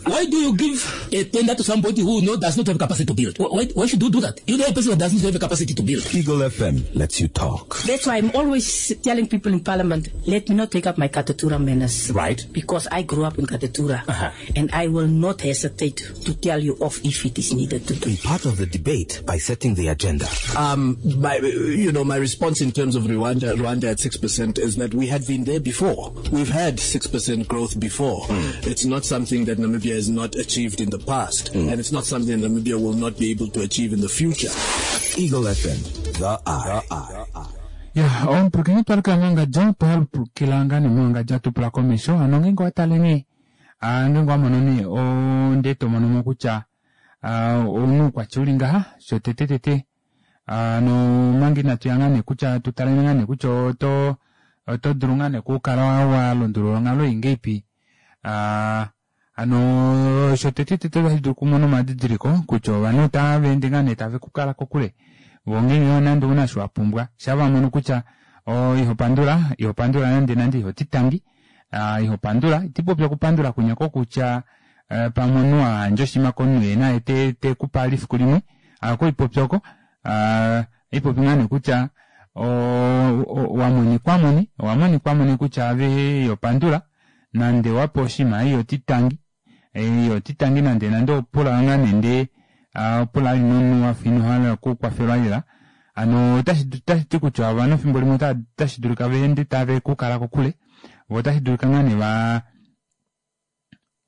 Why do you give a tender to somebody who no, does not have capacity to build? Why, why should you do that? You know a person who doesn't have the capacity to build. Eagle F M lets you talk. That's why I'm always telling people in Parliament, let me not take up my Katutura manners. Right. Because I grew up in Katutura. Uh-huh. And I will not hesitate to tell you off if it is needed to do. Be part of the debate by setting the agenda. Um, my, you know, my response in terms of Rwanda, Rwanda at six percent is that we had been there before. We've had six percent growth before. Mm. It's not something that Namibia has not achieved in the past, mm. and it's not something that Namibia will not be able to achieve in the future. Eagle F M, the eye. The eye. Yeah, on pulkini twalika mwangadja, twalukilanga ni mwangadja tupula komesho, ano ngengo ataleni, ngengo amononi, o ndeto monomo kutya, onu kwa chulinga, sho tete tete, no mangi natuyangane kutya, tutalengane kutya, oto, oto dulungane kukala wa lundulula ngalo ingeipi, ano sho tete tete vahidu kumono madidiliko kutya ovanhu tava ende ngane tave kukala kokule vongenge nande una sho wapumbwa shava mono kutya o iho pandula iho pandula nande nande iho titangi iho pandula itipopya kupandula kunyako kutya pamwe nwa njoshima konwe na ete te kupa lifiku limwe ako ipopyoko ipopi ngane kutya o wamoni kwamoni wamoni kwamoni kutya ave yo pandula nande wapo oshima iyo titangi iyo titangi nande nande opula ngane nde opula linono wafino hala kukwafelwa lela ano otashi ti kutya ovanhu fimbo limwe otashi dulika veende tave kukala kokule vo otashi dulika ngane va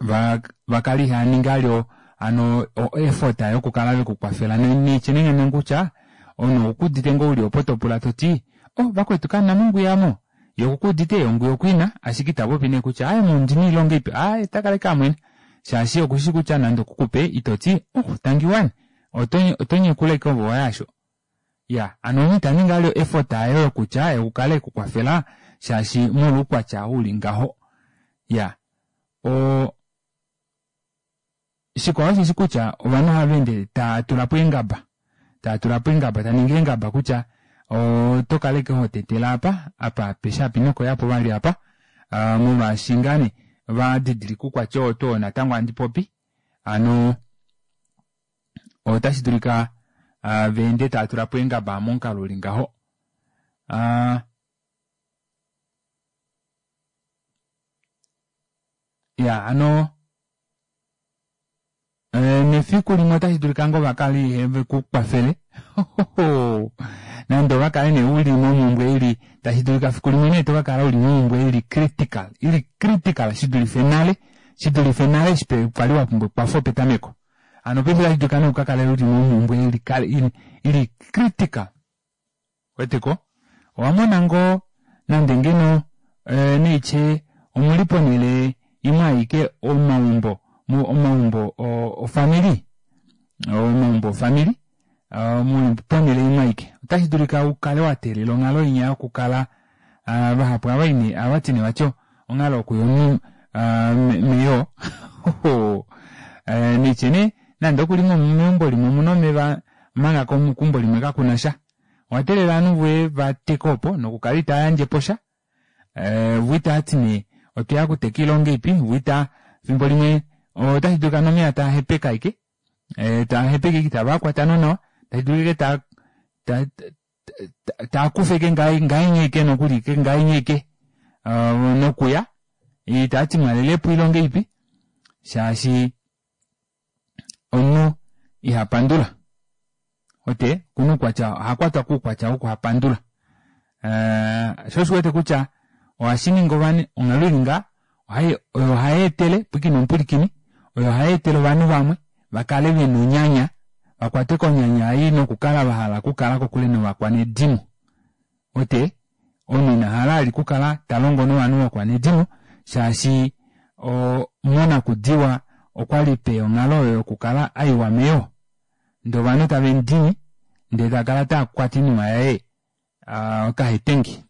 va vakali haninga lyo ano effort yokukala vekukwafela nechenengene kutya ono okudite ngo uli opo topula toti oh vakwetu kana mungu yamo yokukudite ongu yokwina ashike itapopi ne kutya aye mundini ilonga ipi aye takaleka mwene shaashi okushi kutya nande okukupe itoti oh tangiwani otonye kuleke ovo yasho ya ano nitaninga lyo effort ayo yokutya yokukala ekukwafela shaashi molukwatya uli ngaho ya o shikwao shishi kutya ovanhu havende tatulapo engaba tatulapo engaba taninga engaba kutya o tokaleke hotetela apa apa peshapi nokoyapo vali apa molwaashi ngane vadidilika ukwatya oto natango andipopi ano otashi dulika vende tatulapo engaba momukalo uli ngaho ya ano nefiku limwe otashi dulika ngo vakali vekukwafele nande ovakale ne uli momumbwe ili tashi dulika fiku limwe ne tovakala uli momumbwe ili critical ili critical shidulife nale shidulife nale shipe kwali wapumbwe kwafo petameko ano paife tashi dulika ne ukakale uli momumbwe ili, ili, ili critical weteko owamona ngo nande ngeno e, neiche omuli ponele imwe aike omaumbo omaumbo ofamili omaumbo ofamili muli ponele imwe aike otashi dulika ukale wateelela onghalo inya yokukala vahapu avaine avatine vatyo onghalo okuya meyo nichene nande okuli meumbo limwe omuna omeva omanga keumbo limwe kakuna sha owateelela ovanhu voye vateke opo nokukala itayandjepo sha vo itaatine otoya kuteka ilonga ipi vo ita fimbo limwe otashi dulika nomeya taahepeka aike taahepeka ike itavakwata nonawa tashi dulika ike taakufa ike ngaenye ike nokuli ike ngaenye ike nokuya itaati mwalelepo ilonga ipi shaashi omunhu ihapandula Ote kuna oukwatya ohakwatwa koukwatya wokuhapandula. Uh, sho oshiwete kutya ohashi ningi ovanhu onghalo ili ngaa oyo ohai etele pwiikina omupulikini oyo ohai etele ovanhu vamwe vakale vena onyanya vakwatwe konyanya ei nokukala vahala okukala kokule novakwanedimo. Ote omunhu ina hala ali kukala talongo novanhu vokwanedimo shaashi monakudiwa okwali peya onghalo oyo yokukala aiwa meyoo ndee ovanhu tavemudini ndee takala taakwata oinima yaye okahetengi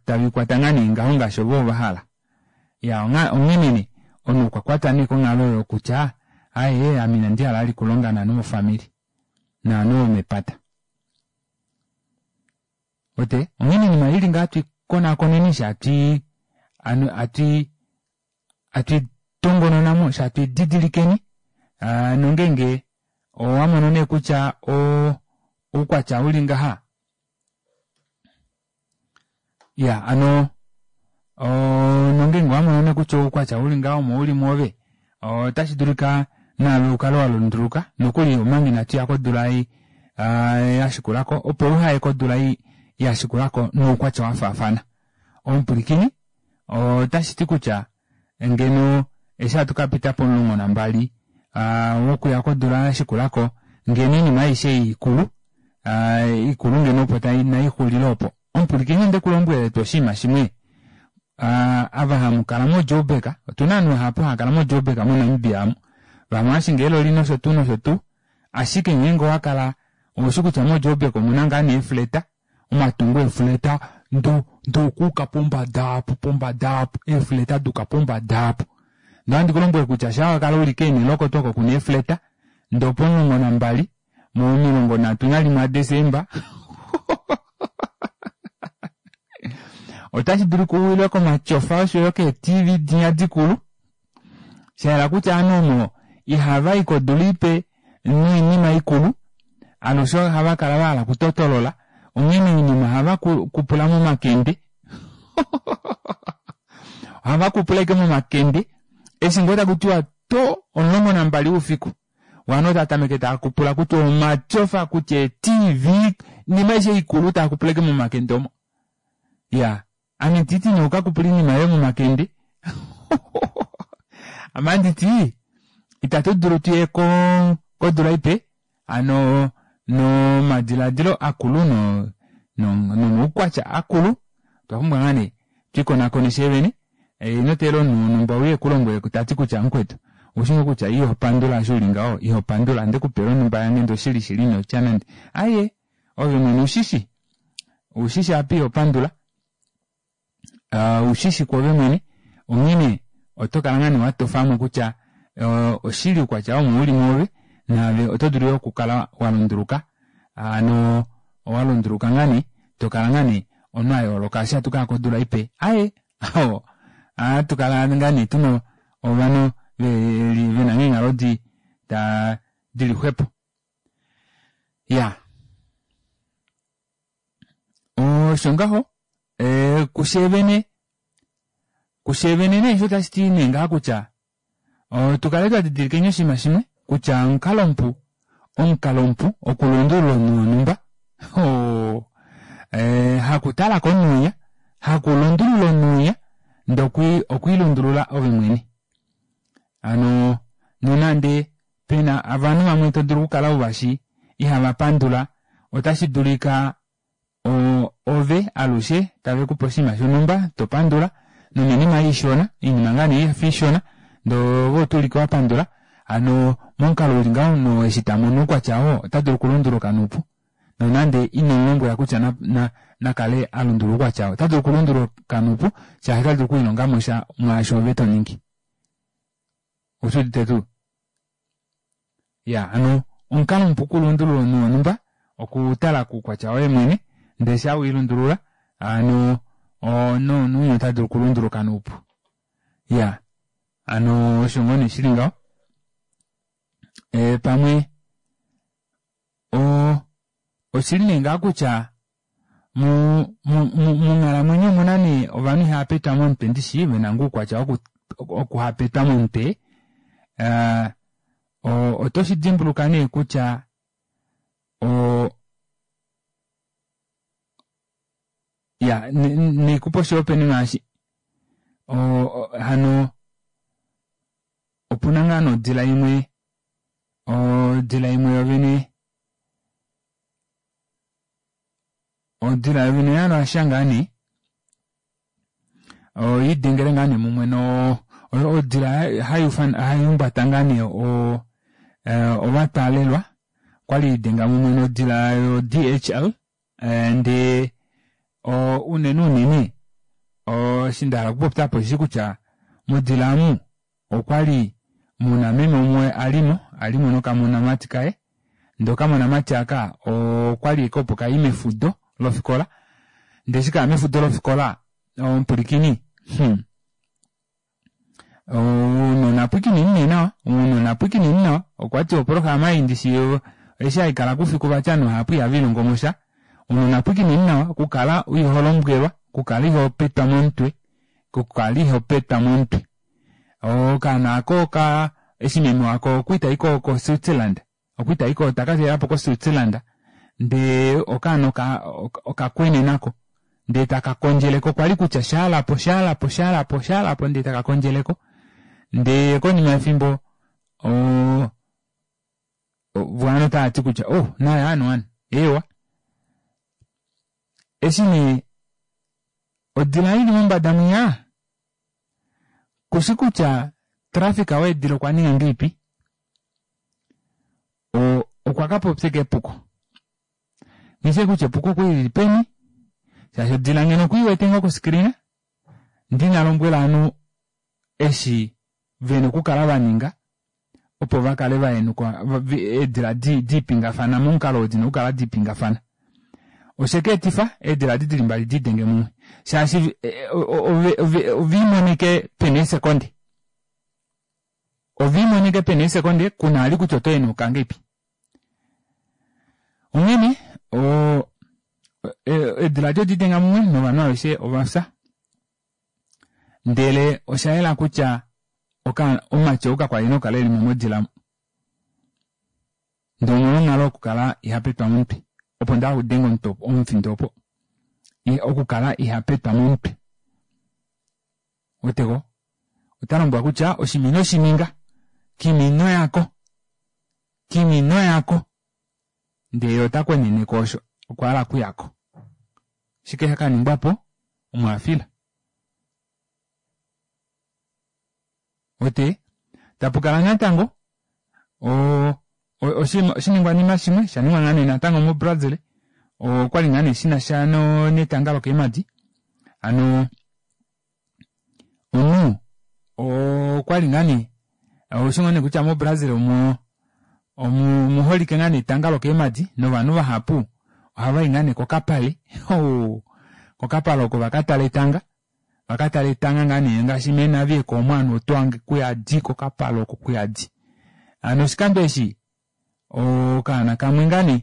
tavikwata ngaa nee ngaho ngaashi ovo vahala. Ya onghene omunhu okwa kwatwa nee konghalo oyo kutya aaye ame inandi hala vali okulonga novanhu vofamili novanhu vomepata. Ote onghene oinima ili ngaha tuikonakoneni fyee atwii atwi atwi tongononamo fyee atwididilikeni nongenge owamono nee kutya oukwatya uli ngaha iya hano nongenge owamono nee kutya oukwatya uli ngaha omo uli mwoove otashi dulika naave ukale walunduluka nokuli omanga inatuya kodula ei yashikulako opo uhaye kodula ei yashikulako noukwatya wafaafana. Omupwilikini otashiti kutya ngeno eshi hatu kapita pomulongo nambali wokuya kodula yashikulako ngeno oinima aishe ei ikulu ikulu ngeno opo naixulile opo. Omupwilikini ondekulombwela tuu oshinima shimwe ava hamukala mo Joburg otuna ovanhu vahapu haakala mo Joburg mo Namibia amu vamwe ohashingi eeloli nosho tuu nosho tuu ashike ngeenge owakala oushi kutya mo Joburg omuna ngaa nee eefleta omatungo eefleta ndoo okuuka pombada aapo pombada aapo eefleta duuka pombada aapo ndee ohandi kulombwele kutya shaa wakala uli keenele oko tuu oko kuna eefleta ndee opomulongo nambali momilongo nhatu nalimwe aDesemba otashi dulika uwilwe komatyofa oshoyo kee T V dinya dikulu shayela kutya ovanhu omo ihavayi kodula ipe noinima ikulu alushe ohava kala vahala okutotolola onghene oinima ohava kupula momakende ohava kupula ashike momakende eshi ngoo takutiwa to omulongo nambali woufiku ovanhu otava tameke tava kupula kutya omatyofa kutya ee T V oinima aishe ikulu tava kupula ashike momakende omo. Ya ame nditi nee ukakupula oinima yoye momakende ame anditi itatu dulu tuye kodula ipe hano nomadilaadilo akulu no nomaukwatya akulu otwa pumbwa ngaa nee twiikonakone fyee vene ino teelela omunhu wonhumba uye ekulombwele tati kutya mukwetu oushi ngoo kutya ihopandula eshi uli ngaho ihopandula ndekupela onhumba yange ndee oshili shili inotya nande aaye ove mwene ushishi ushishi apa ihopandula ushishi kwoove mwene onghene oto kala ngaa nee watofamo kutya oshili oukwatya omo uli mwoove naave oto dulu yoo okukala walunduluka hano owalunduluka ngaa nee tokala ngaa nee omunhu ayooloka eshi hatu kaya kodula ipe aaye ohatukala ngaa nee tuna ovanhu veli vena eenghalo di ta dili xwepo. Ya osho ngaho kusheevene kusheevene nee osho tashiti nee ngaha kutya tukale twadidilikeni oshinima shimwe kutya omukalo mupu omukalo mupu okulundulula omunhu wonhumba hakutala komunhu winya hakulundulula omunhu winya ndee okwiilundulula ove mwene. Hano nonande pena ovanhu vamwe todulu okukala uvashi ihavapandula otashi dulika ove alushe tavekupe oshinima shonhumba topandula nominima ishona oinima ngaa nee yafa ishona ndee ove otuulike wapandula hano momukalo uli ngaho omunhu eshi tamono oukwatya oo otadulu okulunduluka noupu nonande inomulombwela kutya nakale alundulula oukwatya oo otadulu okulunduluka noupu shaashi otadulu okwiilongamo sha mwaasho ove toningi. Oushudite tuu? Ya hano omukalo mupu okulundulula omunhu wonhumba okutala koukwatya woye mwene ndee shaa wiilundulula hano nomunhu otadulu okulunduluka noupu. Ya hano osho ngoo nee shili ngaho pamwe oshili nee ngaha kutya monghalamwenyo omuna nee ovanhu ihava petwa momutwe ndishi vena ngoo oukwatya okuhapetwa momutwe oto shidimbuluka nee kutya O ya nikupa oshihopaenenwa eshi o hano opuna ngaa nodila imwe odila imwe yovene odila yovene yaRussia ngaa nee oyiidengele ngaa nee mumwe no odila haihumbata ngaa nee o ovatwaalelwa okwali yiidenga mumwe nodila yo D H L ndee unene unene eshi ndahala okupopya apa osheshi kutya modila aamu okwali muna meme umwe alimo alimo nokamonamati kaye ndee okamonamati aaka okwali ashike opo kayi mefudo lofikola ndee eshi kaya mefudo lofikola omupwilikini hmm ounona pwiikineni nee nawa ounona pwiikineni nawa okwati oprograma ei ndishi eshi haikala koufiku vati ovanhu vahapu ihavelihongomosha ounona pwiikineni nawa okukala iholombwelwa okukala ihopetwa momutwe okukala ihopetwa momutwe okaana aako oka eshi meme wako okwali tai ko Switzerland okwali taiko takatalelapo ko Switzerland ndee okaana okakwenenako ndee taka kondjeleko kwali kutya shaalapo shaalapo shaalapo shaalapo ndee taka kondjeleko ndee konima yefimbo oo vo otavati kutya oh naye anu anu eewa eshi nee odila ili mombada mwinya kushi kutya traffic weedila okwa ninga ngahelipi okwa kapopya ashike epuko nghishi kutya epuko okwali lili peni shaashi odila ngeno okwiiwete ngoo koscreen ndee ina lombwela ovanhu eshi vena okukala vaninga opo vakale vahenuka eedila diipingafana momukalo oo dina okukala diipingafana oshekeetifa eedila edi dili mbali diidenge mumwe shaashi oviimonike pena eesekonde oviimonike pena eesekonde kuna vali kutya oto henuka ngahelipi onghene eedila edi odiidenga mumwe novanhu aveshe ovafya ndele oshayela kutya omumati ou kakwali nokukala elimo modila ndee omolwa onghalo yokukala ihapetwa momutwe opo ndahala okudenga omufindo opo okukala ihapetwa momutwe weteko otalombwelwa kutya oshinima inoshininga kimi inoyako kimi inoyako ndee yee otakweneneko osho okwahala okuyako oshike shakaningwapo omo afila wete tapukala natango oo oshiningwanima shimwe shaningwa ngaa nee natango mo Brazil okwali ngaa nee shinasha netanga lokeemadi hano omunhu okwali ngaa nee oushi ngoo nee kutya mo Brazil omo omuholike ngaa nee etanga lokeemadi novanhu vahapu ohavai ngaa nee kokapale kokapale oko vakatale etanga vakatale etanga ngaa nee ngaashi mee omo ovanhu otohange kuyadi kokapale oko kuyadi hano oshikando eshi okaana kamwe ngaa nee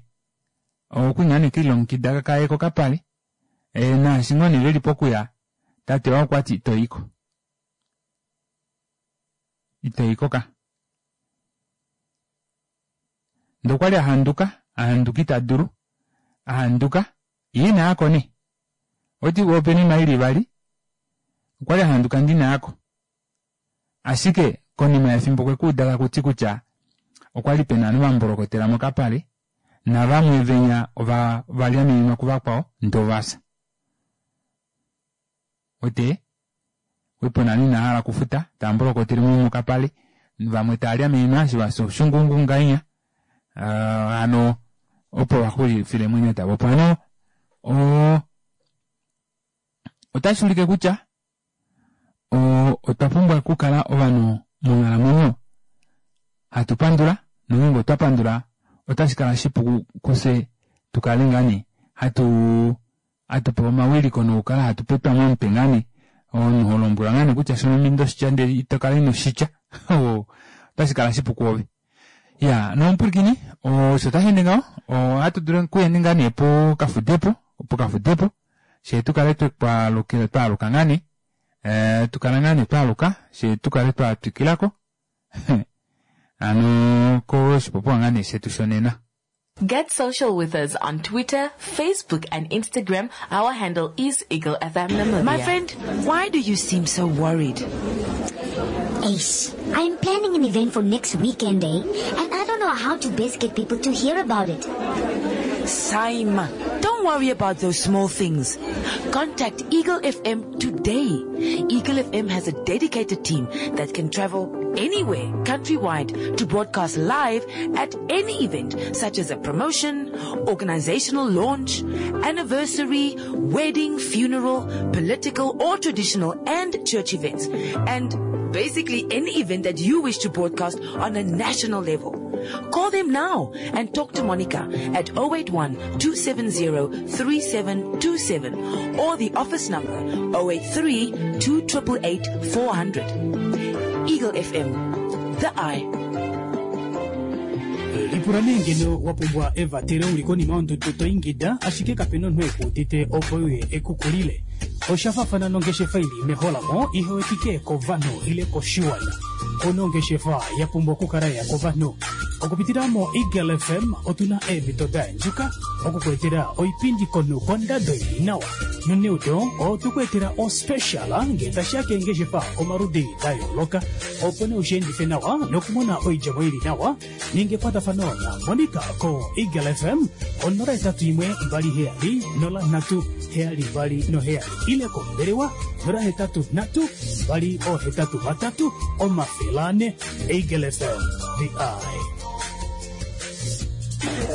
okwali ngaa nee kelilongekida kaye kokapale naashi ngoo nee veli pokuya tate wako okwati itoyiko itoyiko ka ndee okwali ahanduka ahanduka itadulu ahanduka yee inayako nee oti opena oinima ili ivali okwali ahanduka ndee inayako ashike konima yefimbo okwekuuda takuti kutya okwali pena ovanhu vambolokotela mokapale navamwe venya ovalyamenenwa kuvakwao ndee ovafya wete okwali pena ovanhu inavahala okufuta taambolokotele mokapale vamwe taalyamenenwa eshi vafya oshunguungu ngahenya hano opo vaxulifila eemwenyo davo opo hano oo otashuulike kutya otwa pumbwa okukala ovanhu monghalamwenyo hatu pandula nongeenge otwa pandula otashi kala shipu kufye tukale ngaa nee hatu hatupewa omawiliko nokukala hatu petwa momutwe ngaa nee omunhu holombwelwa ngaa nee kutya shono inoshitya ndee itokala inoshitya otashi kala shipu kwoove iya nomupwilikini osho tasheende ngaho ohatu dulu okuya ngaa nee pokafudepo pokafudepo fyee tukale twaaluka ngaa nee tukala ngaa nee twaaluka fyee tukale twatwikilako hano koshipopiwa ngaa nee shetu shonena. Get social with us on Twitter, Facebook, and Instagram. Our handle is Eagle F M Namibia. My friend, why do you seem so worried? Ace, I'm planning an event for next weekend, eh? And I don't know how to best get people to hear about it. Saima, don't worry about those small things. Contact Eagle F M today. Eagle F M has a dedicated team that can travel anywhere countrywide to broadcast live at any event, such as a promotion, organizational launch, anniversary, wedding, funeral, political or traditional and church events, and basically any event that you wish to broadcast on a national level. Call them now and talk to Monica at oh eight one two seven zero three seven two seven or the office number oh eight three two eight eight four hundred. Eagle F M, the eye. Lipula nee ngeno wa pumbwa evatelo uli konima yondudu to ingida ashike kapena omunhu ekuudite opo uye ekukulile. Osha faafana nongeshefa ili meholamo ihe wetike kovanhu ile koshiwana. Ono ongeshefa ya pumbwa okukala ya kovanhu. Okupitila mo Eagle F M otuna eemhito da endjuka okukuetela oipindi komunhu kondado ili nawa. Noneudo otukuetela ospecial ngee tashiya keengeshefa omaludi da yooloka opo nee ushiendife nawa nokumona oidjemo ili nawa. Ninga ekwatafano na Monica ko Eagle F M onola hetatu imwe mbali heyali nola nhatu heyali mbali noheyali ile kombelewa nola hetatu nhatu mbali ohetatu vatatu omafele ane. Eagle F M, the eye.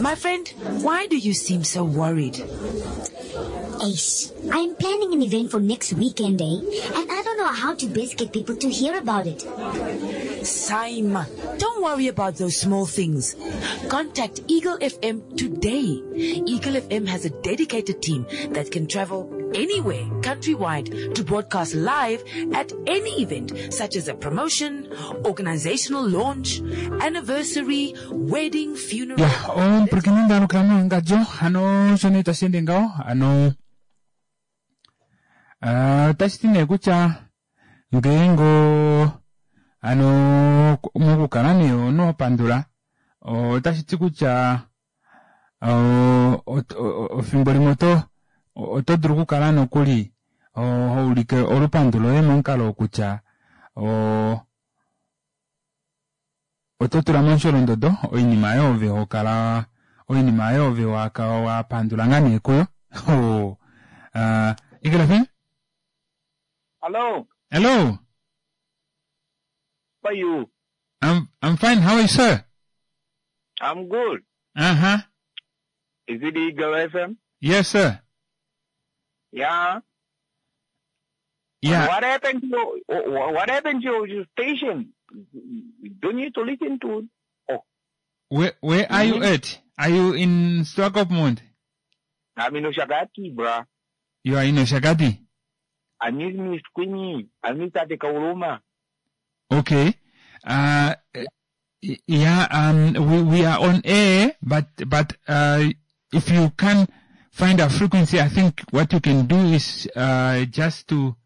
My friend, why do you seem so worried? Ace, I'm planning an event for next weekend, eh? And I don't know how to best get people to hear about it. Saima, don't worry about those small things. Contact Eagle F M today. Eagle F M has a dedicated team that can travel anywhere countrywide to broadcast live at any event, such as a promotion, organizational launch, anniversary, wedding, funeral. Ya omupulakeni ndalukila moongadjo hano osho nee tashi ende ngaho hano. Ah, otashi ti nee kutya ngeenge ano mokukala nee omunhu wa pandula otashi ti kutya efimbo limwe oto oto dulu okukala nokuli ho ulike olupandu loye momukalo wokutya oto tula momusholondodo oinima oyo ove hokala oinima oyo ove wapandula ngaa nee kuyo. Eagle F M. Hello. Hello. How are you? I'm I'm fine. How are you, sir? I'm good. Uh-huh. Is it Eagle F M? Yes, sir. Yeah. Yeah. What happened to your, what happened to your station? You don't need to listen to. Oh. Where where are you at? Are you in Swakopmund? I'm in Oshakati, bruh. You are in Oshakati? I miss Miss Queenie. I miss Tate Kauluma. Okay. Uh, yeah, um, we, we are on air, but, but, uh, if you can find our frequency, I think what you can do is, uh, just to,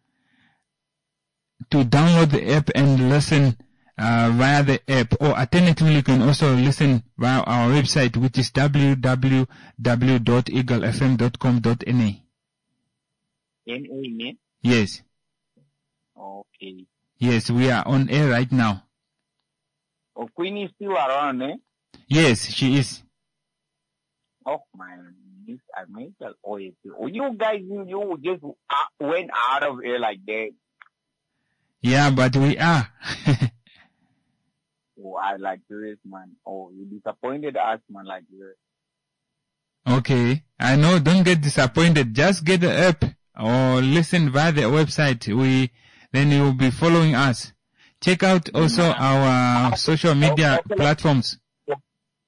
to download the app and listen, uh, via the app, or alternatively you can also listen via our website, which is w w w dot eagle f m dot com dot n a. N A, ne? Yes. Okay. Yes, we are on air right now. Oh, Queen is still around, eh? Yes, she is. Oh, my, I made that. Oh, you guys, you, you just uh, went out of here like that. Yeah, but we are. Oh, I like this, man. Oh, you disappointed us, man, like this. Okay. I know, don't get disappointed. Just get the app or listen via the website. We, then you will be following us. Check out also our social media Okay. platforms.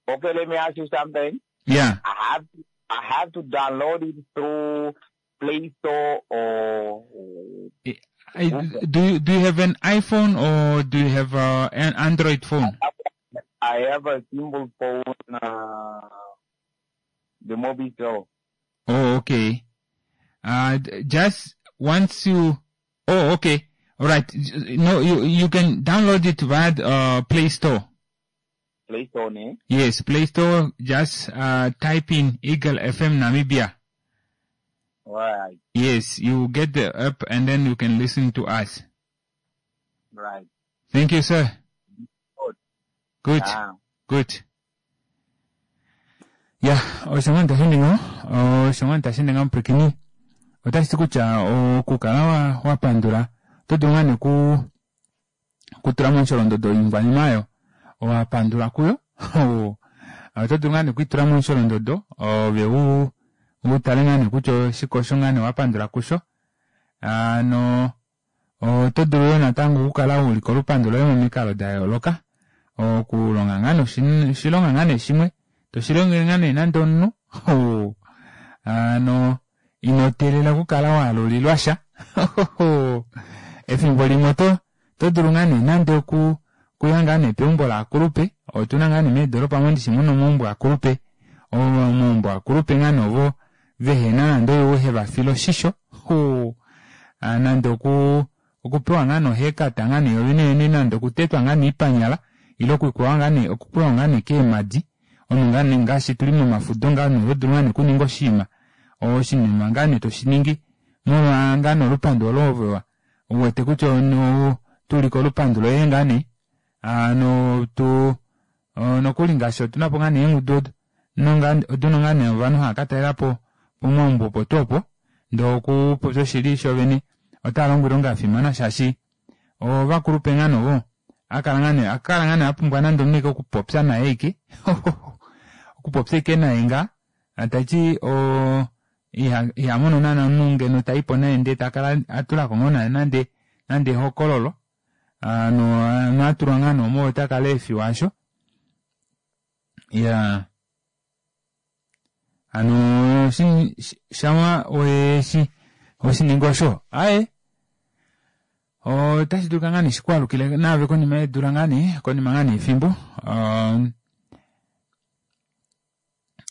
Okay, let me ask you something. Yeah. I have to, I have to download it through Play Store or I, do you, do you have an iPhone or do you have uh, an Android phone? I have a simple phone, uh, the Mobitel. Oh, okay. Uh, just once you, oh, okay. All right. No, you, you can download it via the, uh, Play Store. Play Store, ne? Yes, Play Store, just uh, type in Eagle F M Namibia. Right. Yes, you get the app and then you can listen to us. Right. Thank you, sir. Good. Good. Ah. Good. Ya, osho nga ntashininga, osho nga ntashininga mpwikini. Otashi ti kutya okukala wa, wa pandula, oto dulu ngaa nee ku, kutula momusholondodo oingwanima oyo wa pandula kuyo. Oto dulu ngaa nee kuitula momusholondodo, ove u, u tale ngaa nee kutya oshike osho ngaa nee wa pandula kusho. Ano, oto dulu yo natango okukala wa ulika olupandu loye momikalo da yooloka. Okulonga ngaa nee oshilonga ngaa nee shimwe, toshilongele ngaa nee nande omunhu. Ano, ino teelela okukala wa alulilwa sha. Efimbo limwe oto, oto dulu ngaa nee nande oku, okuya ngaa nee peumbo laakulupe. Otuna ngaa nee meedoropa mondishi muna omaumbo akulupe. Omaumbo akulupe ngaa nee ovo vehena nande oyo heva file oshisho. Nande oku, okupewa ngaa nee ohekata ngaa nee yovene yene nande okutetwa ngaa nee oipanyala ile okukwewa ngaa nee, okukwewa ngaa nee keemadi. Omunhu ngaa nee ngaashi tuli momafudo ngaa nee oto dulu ngaa nee okuninga oshinima. Oshinima ngaa nee toshiningi molwa ngaa nee olupandu olo ove uwete kutya ono tulike olupandu loye ngaa nee. Ano tu nokuli ngaashi otuna po ngaa nee eengudu oduna ngaa nee ovanhu hava ka talelapo pomaumbo opo tuu opo. Ndee okupopya oshili shovene otava longo oilonga yafimana shaashi ovakulupe ngaa nee ovo akala ngaa nee akala ngaa nee apumbwa nande omunhu eke okupopya naye ike. Okupopya ike naye ngaa taiti o iha iha mono naana omunhu ngeno taipo naye ndee takala atulako ngoo naye nande nande ehokololo. Ano atulwa ngaa nee omo otakala eefiwa aasho. Ya ano shawa oyeshi oshiningi osho aye otashi dulika ngaa nee shikwaalukile naave konima yeedula ngaa nee konima ngaa nee efimbo.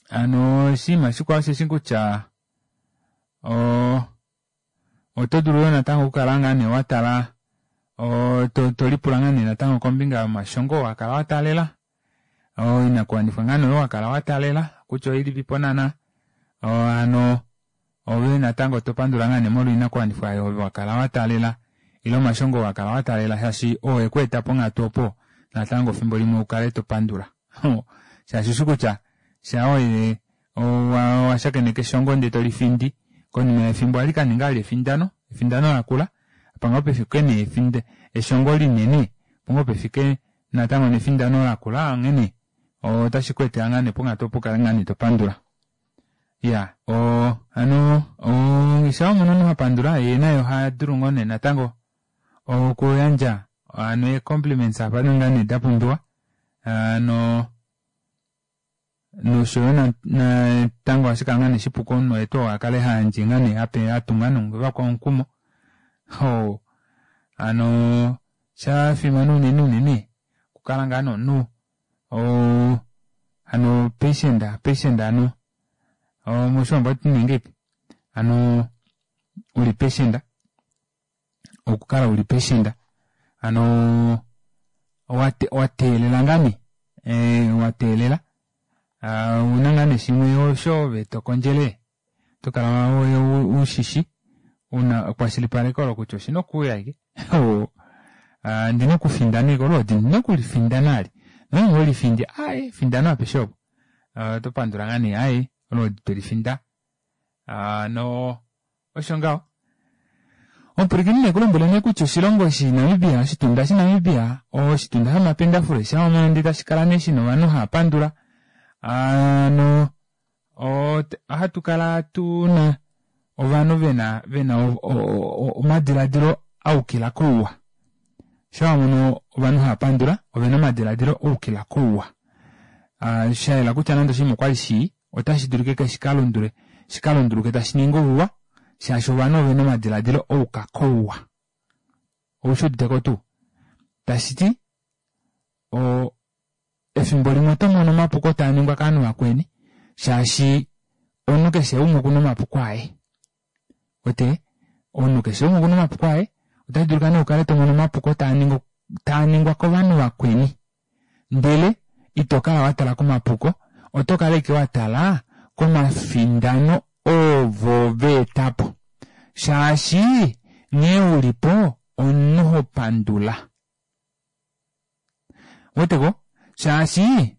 Ano oshinima shikwao osheshi kutya oto dulu yoo natango okukala ngaa nee watala tolipula ngaa nee natango kombinga yomashongo wakala wataalela oinakuwanifwa ngaa nee oyo wakala wataalela kutya oilipipo naana. Ano ove natango topandula ngaa nee molwa oinakuwanifwa oyo wakala wataalela ile omashongo wakala wataalela shaashi oo ekweeta ponghatu opo natango efimbo limwe ukale topandula. Shaashi ushi kutya sha oye washakeneka eshongo ndee tolifindi konima yefimbo ohali kaninga vali efindano, efindano lakula apa ngoo pefike nee eshongo linene opo ngoo pefike natango nefindano lakula onghene otashi ku etela ngaa nee ponghatu opo ukale ngaa nee topandula. Ya o ano sha wamono omunhu hapandula yee naye ohadulu ngoo nee natango okuyandja ano ee-compliments apa ngaa nee dapumbiwa. Ano noshoyo natango ohashi kala ngaa nee shipu komunhu oye tuu akale hayandje ngaa nee ape atunga novakwao omukumo. Ho ano shafimana unene unene okukala ngaa nomunhu o ano patient patient ano moshiwambo ohatu ti nee ngahelipi ano uli patient okukala uli patient ano wateelela ngaa nee wateelela ouna ngaa nee shimwe osho ove tokondjele tokala ushishi una ekwashilipaleko olo kutya oshina okuuya ashike. Ndina okufindana ashike olwoodi ndina okulifindana ali nonge olifindi aaye findano apeshe opo otopandula ngaa nee aaye olwoodi twelifinda. Ano osho ngaho. Omupwilikini nekulombwele nee kutya oshilongo eshi Namibia, oshitunda shaNamibia, oshitunda shomapendafule shaomano ndee tashi kala nee shina ovanhu hava pandula. Ano ohatu kala tuna ovanhu vena vena omadiladilo aukila kouwa. Shawamono ovanhu hava pandula ovena omadiladilo aukila kouwa. Shayela kutya nande oshinima okwali shii otashi dulika shikalundule shikalunduluke tashi ningi ouwa shaashi ovanhu ovena omadiladilo ouka kouwa. Oushi uditeko tuu? Tashiti o efimbo limwe oto mono omapuko taa ningwa kovanhu vakweni shaashi omunhu keshe umwe okuna omapuko aye. Ote omunhu keshe umwe okuna omapuko aye otashi dulika nee ukale tomono omapuko taa ningwa kovanhu vakweni ndele Ito kala wa tala komapuko, oto kala ike wa tala komafindano ovo va eta po. Shaashi nghee ulipo omunhu ho pandula. Weteko? Shaashi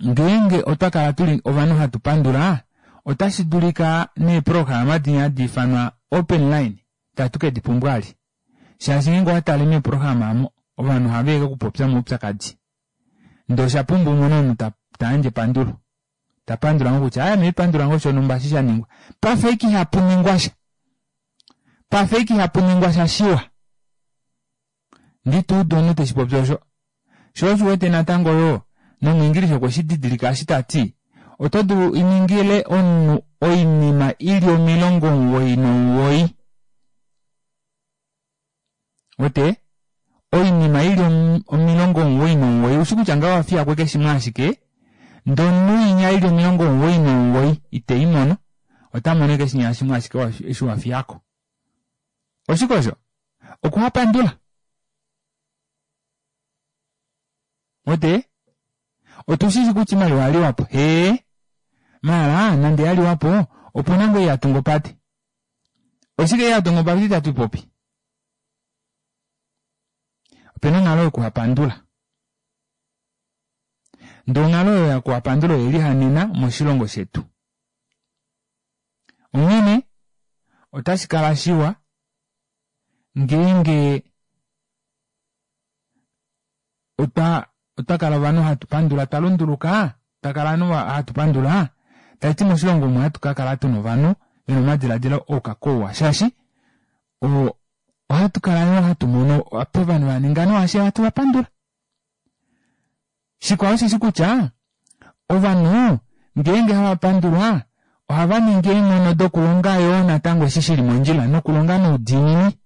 ngeenge otwa kala tuli ovanhu hatu pandula, otashi dulika neeprograma dinya hadi ifanwa open line tatu ke di pumbwa ali. Shaashi ngeenge owa tale meeprograma omo ovanhu ohava eke okupopya omaupyakadi. Ndee osha pumbwa umone omunhu ta yandje epandulo. Ta pandula ngoo kutya ame pandula ngoo shonhumba eshi sha ningwa. Pafa ashike ihapu ningwa sha. Pafa ashike ihapu ningwa sha shiwa. Ndituudu omunhu teshi popi osho. Sho osho uwete natango yoo nomwiingilisha okwe shi didilika eshi tati oto dulu ningile omunhu oinima ili omilongo omuwoi nomuwoi. Wete? Oinima ili omilongo omuwoi nomuwoi ushi kutya ngaho wafiyako ashike shimwe ashike ndee omunhu inya ili omilongo omuwoi nomuwoi ite imono ota mono ashike shinya shimwe ashike eshi wafiyako. Oshike osho? Okuhapandula. Wete? Otushishi kutya oimaliwa yaliwapo. Hee. Maala nande yaliwapo opuna ngoo ei yatunga opate. Oshike ei yatunga opate itatu ipopi? Opena onghalo yokuhapandula. Ndee onghalo oyo yokuhapandula oye lihanena moshilongo shetu. Onghene otashi kala shiwa ngeenge otwa otwa kala ovanhu hatu pandula twa lunduluka, twa kala ovanhu hatu pandula, tashiti moshilongo omu ohatu kakala tuna ovanhu vena omadiladilo ouka kouwa shaashi ohatu kala yoo hatu mono apa ovanhu vaninga nawa shaashi ohatu vapandula. Shikwao osheshi kutya ovanhu ngeenge hava pandulwa ohava ningi eenghono dokulonga yoo natango eshi shili mondjila nokulonga noudiinini.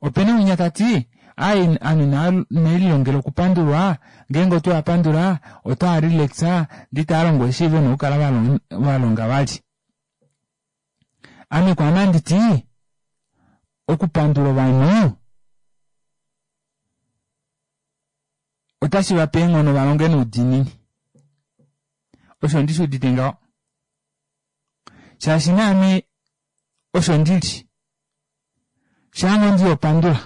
Opena winya tati ai ame inelilongela okupandulwa, ngeenge otweva pandula otava relaxa ndee itava longo eshi vena okukala valonga vali. Ame kwaame handiti okupandula ovanhu otashi vape eenghono valonge noudiinini. Osho ndishi udite ngaho. Shaashi naame osho ndili. Shaango ndiyopandula.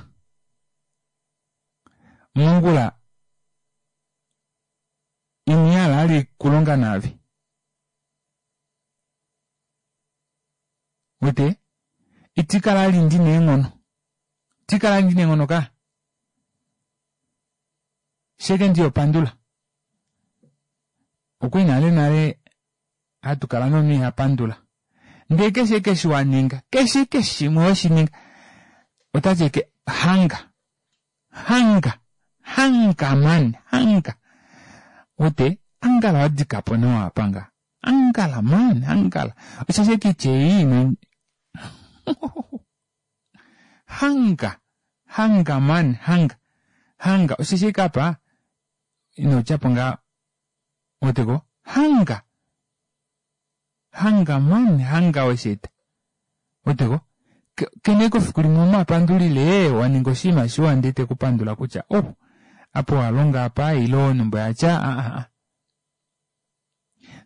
Mongula inihala ali kulonga naave. Wete? Itikala ali ndina eenghono. Itikala ali ndina eenghono ka. Sheke ndiyopandula. Okwali nale nale hatu kala nomunhu iha pandula. Ndee keshe keshe waninga, keshe keshe shimwe weshininga, otati eke hanga. Hanga. Hanga man. Hanga. Wete? Angala wadikapo nawa apanga. Angala man. Angala. Osheshi kitye ei hanga. Hanga man. Hanga. Hanga. Osheshi kapa ino tyapo nga weteko? Hanga. Hanga man. Hanga wesheeta. Weteko? Kene kofiku limwe omapandulile waninga oshinima shiwa ndee tekupandula kutya oh apo walonga apa ile onumba yatya a a a.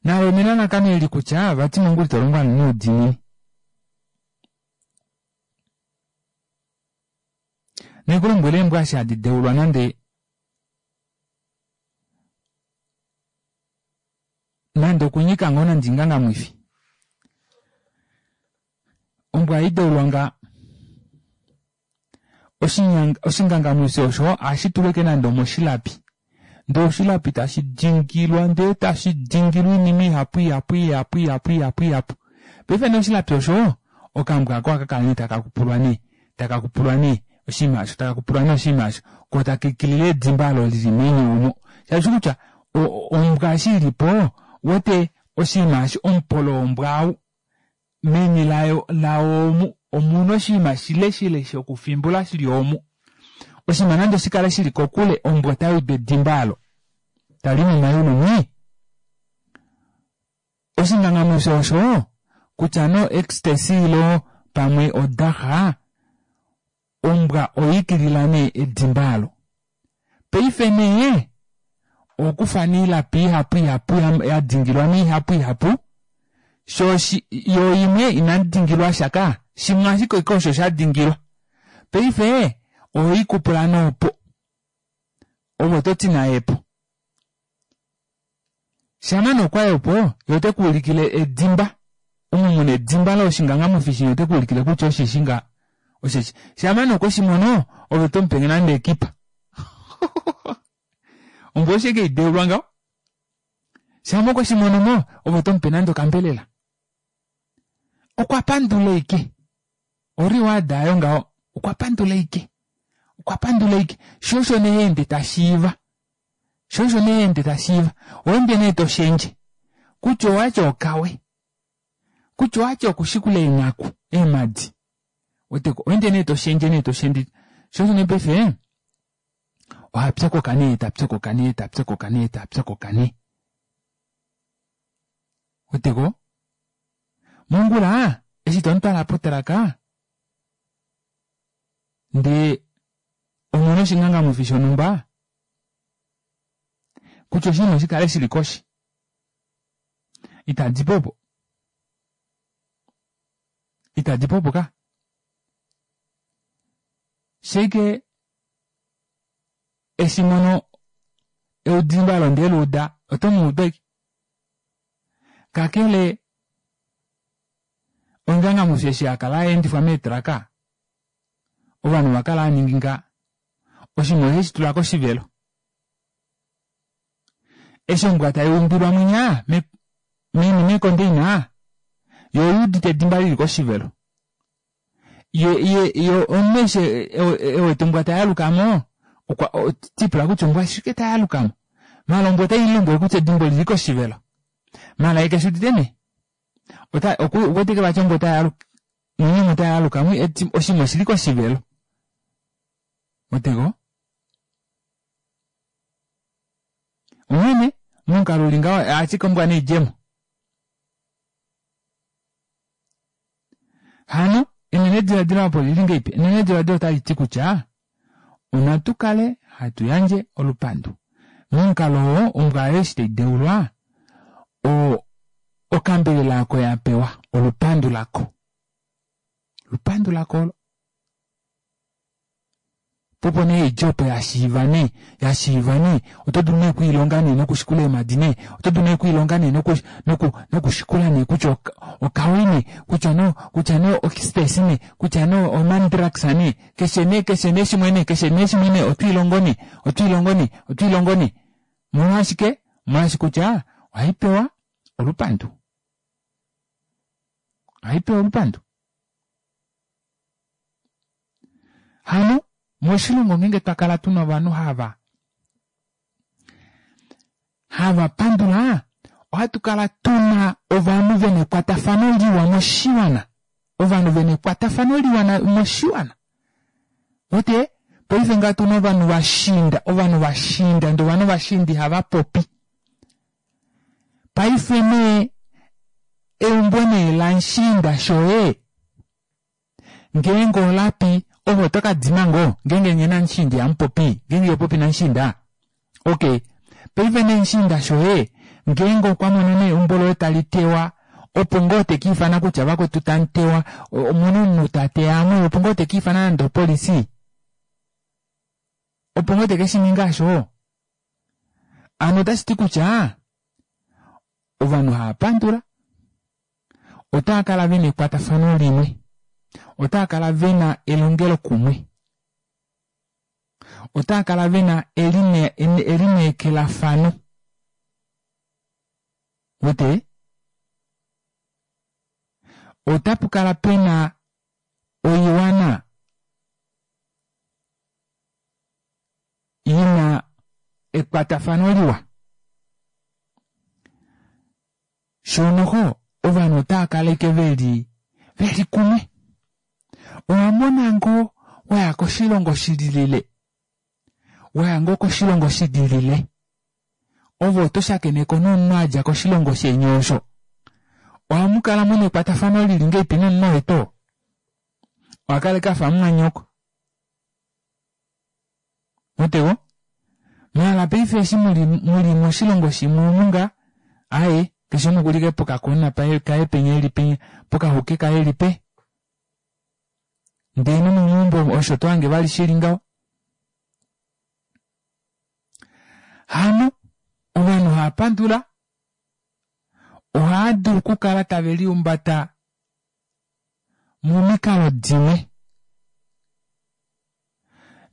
Nalo nelalakano eli kutya vati mongula ito longo noudiinini. Nekulombwele eembwa eshi hadi deulwa nande nande okunyika ngoo nande ingangamwifi. Ombwa haideulwa nga oshingangamwifi osho ohashi tulwa ashike nande omoshilapi. Ndee oshilapi tashi dingilwa ndee tashi dingilwa oinima ihapu ihapu ihapu ihapu ihapu ihapu. Paife nee oshilapi osho okambwa ako ohaka kala nee taka kupulwa nee taka kupulwa nee oshinima osho taka kupulwa nee oshinima osho koo taka ikilile edimba olo lili meni omo. Shaashi kutya ombwa eshi ilipo uwete oshinima eshi omupolo wombwa ou meni layo lao omu omuna oshinima shile shile shokufimbula shili omu. Oshinima nande oshikale shili kokule ombwa otayudu edimba alo tali momayulu mwii. Oshingangamwifi osho kutya no ecstasy ilo pamwe odaxa ombwa oyiikilila nee edimba alo. Paife nee okufa niilapi ihapu ihapu ya dingilwa niihapu ihapu sho yo imwe inadingilwa shaka shimwe ashike osho sha dingilwa paife oikupula nopo ovo toti nayepo shama nokwayopo yo tekuulikile edimba omo muna edimba loshingangamufi yo tekuulikile kutya oshishinga osheshi shama nokweshimono ove tomupenge nande ekipa ombo oshike ideulwa ngaho shama okweshimono mo ove tomupe nande okambelela okwa pandula ike oriward ayo ngaho okwa pandula ike okwa pandula ike sho osho neende tashiiva sho osho neende tashiiva oende nee toshendje kutya owatya okawe kutya owatya okushikula eenghaku eemadi oteko oende nee toshendje nee toshendje sho osho nee paife ohapyakoka nee tapyakoka nee tapyakoka nee tapyakoka nee oteko mongula eshi tomutwala potraka ndee omona oshingangamufi shonhumba kutya oshinima oshikale shili koshi itadi popo itadi popo ka sheke eshimono eudimba londeluuda otomuuda ike kakele ongangamufi eshi akala aendifwa meetraka ovanhu vakala aningi nga oshinima oheshi tula koshivelo eshi ombwa taiumbilwa mwinya meni mekondeina yo oyuudite edimba lili koshivelo ye ye yo omunhu eshi ewete ombwa tayalukamo okwa tipula kutya ombwa ashike tayalukamo mala ombwa otayilombwele kutya edimba olili koshivelo mala ye keshuudite nee ota okuwetike vati ombwa otayaluka mwinya otayalukamo oshinima oshili koshivelo otego omwene momukalo uli ngaho ashike ombwa neidjemo hano enenediladilo apo lili ngeipi enenediladilo otali ti kutya onatu kale hatu yandje olupandu momukalo oo ombwa ayo eshi taideulwa okambelela ako ya pewa olupandu lako olupandu lako olo popo nee idje opo yashiiva nee yashiiva nee oto dulu nee okwiilonga nee nokushikula eemadi nee oto dulu nee okwiilonga nee noku noku nokushikula nee kutya okawe nee kutya no kutya no oecstasy nee kutya no omandrax nee keshe nee keshe nee shimwe nee keshe nee shimwe nee otwiilongo nee otwiilongo nee otwiilongo nee molwashike molwashi kutya ohai pewa olupandu ohai pewa olupandu hano moshilongo ngenge twakala tuna ovanhu hava hava pandula ohatu kala tuna ovanhu vena ekwatafano liwa moshiwana ovanhu vena ekwatafano liwa moshiwana ote paife nga tuna ovanhu vashinda ovanhu vashinda ndee ovanhu vashindi hava popi paife nee eumbo nee lanshinda shoye ngeenge olapi ovo oto kadima ngoo ngeenge nye namushinda ihamupopi ngeenge ihopopi namushinda okay paife nee mushinda shoye ngeenge okwa mono nee eumbo loye tali tewa opo ngoo tekiifana kutya vakwetu tamutewa omuna omunhu tateya amwe opo ngoo tekiifana nande opolisi opo ngoo tekeshininga osho ano otashi ti kutya ovanhu hava pandula otava kala vena ekwatafano limwe otava kala vena elongelo kumwe otava kala vena elineekelafano wete otapu kala pena oiwana ina ekwatafano liwa shonoho ovanhu otava kaleke veli veli kumwe owamona ngoo waya koshilongo shililile waya ngoo koshilongo shililile ovo oto shakeneko nomunhu adja koshilongo sheni osho ohamukala muna ekwatafano lili ngeipi nomunhu wetu ohakaleke afa mumwanyoko mutego Maala paife eshi muli muli moshilongo shimwe omunga aye keshe umwe okuli pokakona paye kaye penya eli penya pokahuke kaye eli pe. Ndee nomeumbo osho tohange vali shili ngaho. Hano ovanhu hava pandula ohava dulu okukala tave liumbata momikalo dimwe.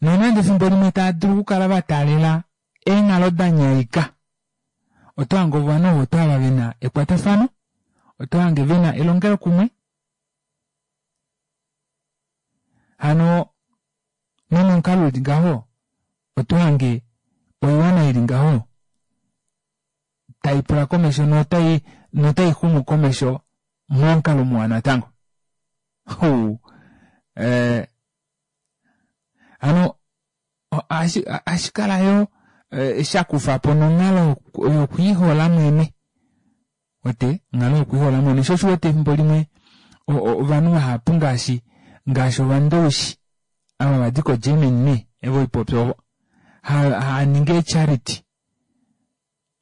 Nonande efimbo limwe tava dulu okukala va taalela eenghalo da nyaika, oto hange ovanhu ovo oto hava vena ekwatafano, oto hange vena elongelokumwe. Hano nomomukalo uli ngaho oto hange oiwana ili ngaho tai pula komesho notai notai xumu komesho momukalo muwa natango. Huu. Eh, hano ohashi kala yo shakufapo nonghalo yokwiihola mwene. Wete onghalo yokwiihola mwene sho osho uwete efimbo limwe ovanhu vahapu ngaashi ngaashi ovandowishi ava vadi ko Germany nee evo ipopi ovo haaningi eecharity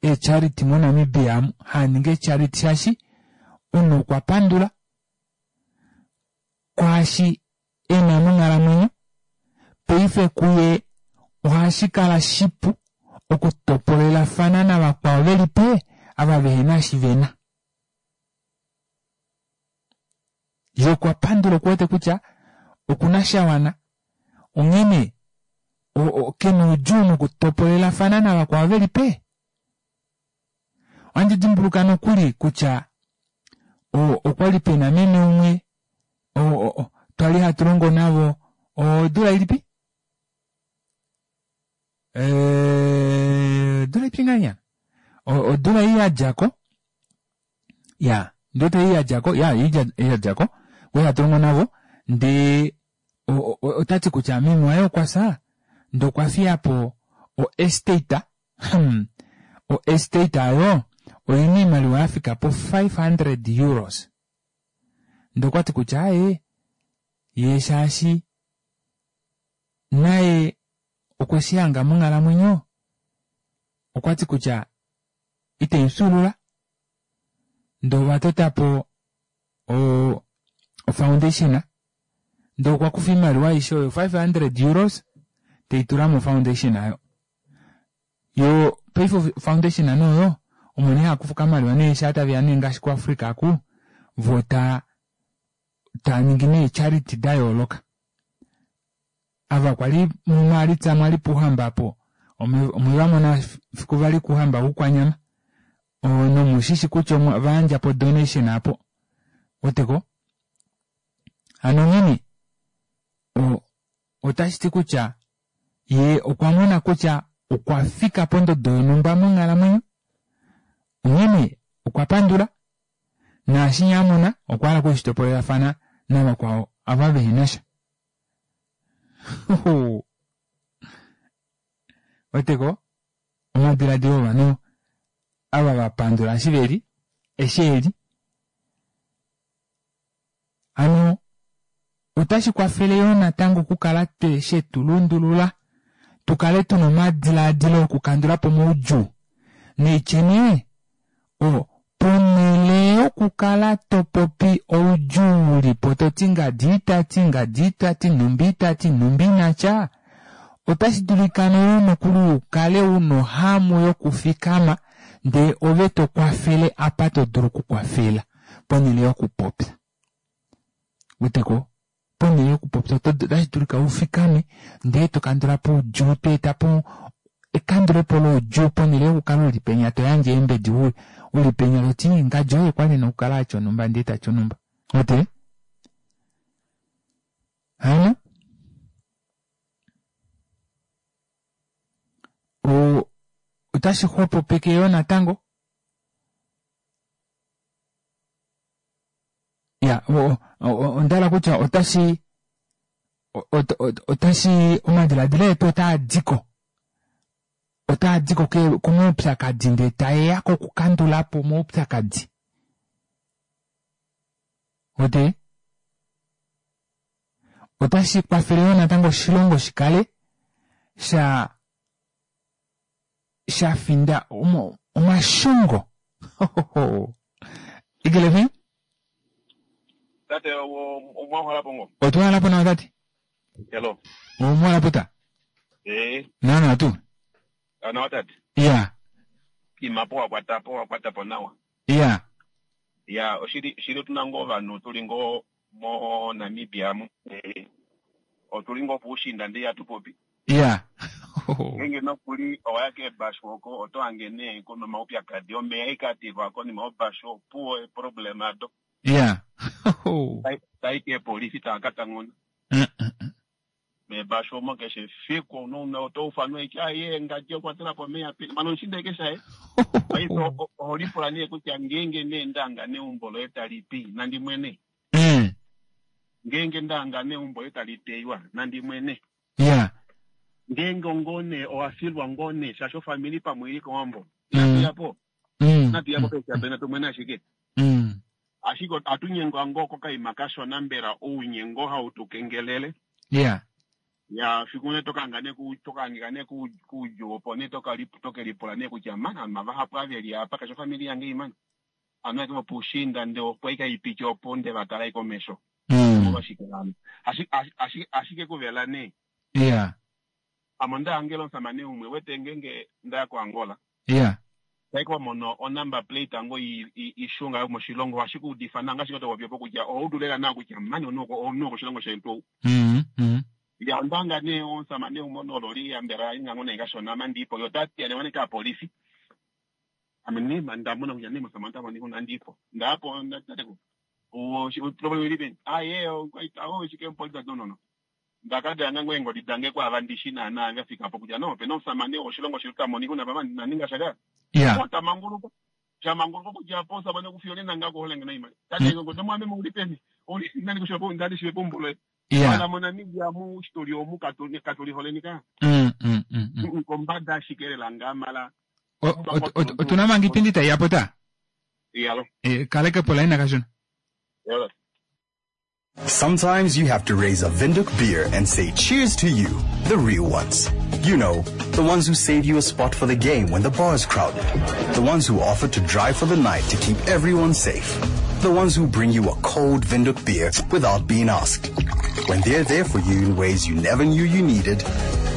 eecharity moNamibia amu haaningi eecharity shaashi omunhu okwa pandula kwaashi ena monghalamwenyo paife kuye ohashi kala shipu okutopolelafana navakwao velipe ava vehena eshi vena. Ye okwa pandula okuwete kutya okuna shawana onghene kena oudjuu nokutopolelafana navakwao velipe. Ohandi dimbuluka nokuli kutya okwali pena meme umwe twali hatu longo navo odula ilipi? Odula ilipi ngahenya? Odula ei yadjako ya ndiwete ei yadjako ya yadjako kwali hatu longo navo ndee otati kutya meme waye okwa fya ndee okwa fiyapo o estate hmm, o estate ayo oina oimaliwa yafika po five hundred euros. Ndee okwati kutya aaye ye shaashi naye okwe shihanga monghalamwenyo okwati kutya ite ifyuulula ndee ova totapo o foundation ndee okwa kufa oimaliwa aishe oyo five hundred euros teitula mo foundation ayo. Yo paife foundation oyo omo nee hakufa okamaliwa nee shaa taveya nee ngaashi kuAfrica aku vo taa taaningi nee charity da yooloka. Ava kwali muMaalitsa mwali puuhamba apo omwe vamona fiku vali kuhamba kukwanyama nomushishi kutya ovayandjapo donation apo weteko. Hano onghene otashi ti kutya ye okwa mona kutya okwa fika pondodo yonhumba monghalamwenyo onghene okwa pandula naashi amona okwa hala okushitopolelafana navakwao ava vehenasha. Weteko omadiladilo ovanhu ava vapandula eshi veli eshi eli. Hano otashi kwafele yoo natango okukala shetulundulula tukale tuna omadiladilo okukandulapo omaudjuu neitye nee o ponhele yokukala topopi oudjuu ulipo toti ngadi itati ngadi itati numbi itati numbi inatya otashi dulika yoo nokuli ukale una ohamu yokufikama ndee ove tokwafele apa todulu okukwafela ponhele yokupopya. Weteko ponhele yokupopya otashi dulika ufikame ndee tokandulapo oudjuu toetapo ekandulepo loudjuu ponhele yokukala uli penya toyandje eembedi uli penya toti ngadi oye kwali ena okukala atya onhumba ndee tatya onhumba. Wete? Hano otashi xwepopeke yoo natango ya ondahala kutya otashi otashi omadiladilo etu otaadiko otaadiko komaupyakadi ndee taeya kokukandulapo omaupyakadi. Wete? Otashi kwafele yoo natango oshilongo shikale sha sha finda omo omashongo. Eagle F M? Tate, omwahala po ngo? Otwahala po nawa tate. Hello. Omwahala po ta? Eh. Nawa tu? Nawa tate. Ya. Imapo wakwata po, wakwata po nawa. Ya. Ya, oshili shili otuna ngoo ovanhu tuli ngoo mo Namibia mu. Eh. Otuli ngoo puushinda ndee hatupopi. Ya. Ngenge nokuli owaya keebashu oko oto hange nee kuna omaupyakadi omeya ikatilwa konima yobashu opuwo eproblem ado. Ya. Tai keepolisi taa ka tanguna. Meebashu omo keshe fiku nouna oto ufanwa eke aye ngadi okwatela po omeya pe mano oshinda eke shaye. Paife oho lipula nee kutya ngeenge nee ndanga neumbo loye tali pi nandi mwene. Ngeenge ndanga neumbo loye tali teywa nandi mwene. Ya. Ngeenge ngone owafilwa ngone shaashi ofamili pamwe ili kowambo. Natuyapo. Natuyapo peshapena tumwene ashike. Ashike atunyengwa ngoo kokaima kashona mbela ounyengo hautukengelele. Yeah. Ya fiku ne tokanga ne ku tokangika ne ku kujo opo ne tokali tokelipula ne kutya mana mavahapu aveli apa kasho famili yange imana. Ano ke pushinda nde opo ikaipicha opo nde vatala ikomesho. Omolwashike hano? Ashike ashike kuvela ne. Yeah. Amo ndahangela omusamane umwe wete ngenge ndaya ko Angola. Yeah. Taiko mono o number plate ango ishunga moshilongo ashikuudifa nanga shiko topopya kutya oudulela na kutya mani onoko onoko oshilongo shetu. Mhm. Mm Ya ndanga ne omusamane umwe onololi yambela ingango neikashona mandipo yo tati ane waneka polisi. Ame ne ndamona kutya ne musamane tamoni kuna ndipo. Ndapo ndateko. O problem ili ben. Ah ye o o shike polisi no no no. Ndakada nango engodi dange kwa vandishi na na ngafika po kutya no peno omusamane oshilongo shetu tamoni kuna pama naninga shaka. Yeah. Ota manguluko. Sha manguluko kutya po sabane kufiole nanga kuholenge na imali. Tate ngo ndo mwame mulipeni. Oli nani kushopo ndani shiwe pombulo. Yeah. Wala mona Namibia mu story omu katoli katoli holeni ka. Mm mm mm. Kombada shikerela ngamala. Otuna mangi pindi ta yapota. Yalo. Eh kaleke pola ina kashona. Yalo. Sometimes you have to raise a Windhoek beer and say cheers to you, the real ones. You know, the ones who save you a spot for the game when the bar's crowded. The ones who offer to drive for the night to keep everyone safe. The ones who bring you a cold Windhoek beer without being asked. When they're there for you in ways you never knew you needed,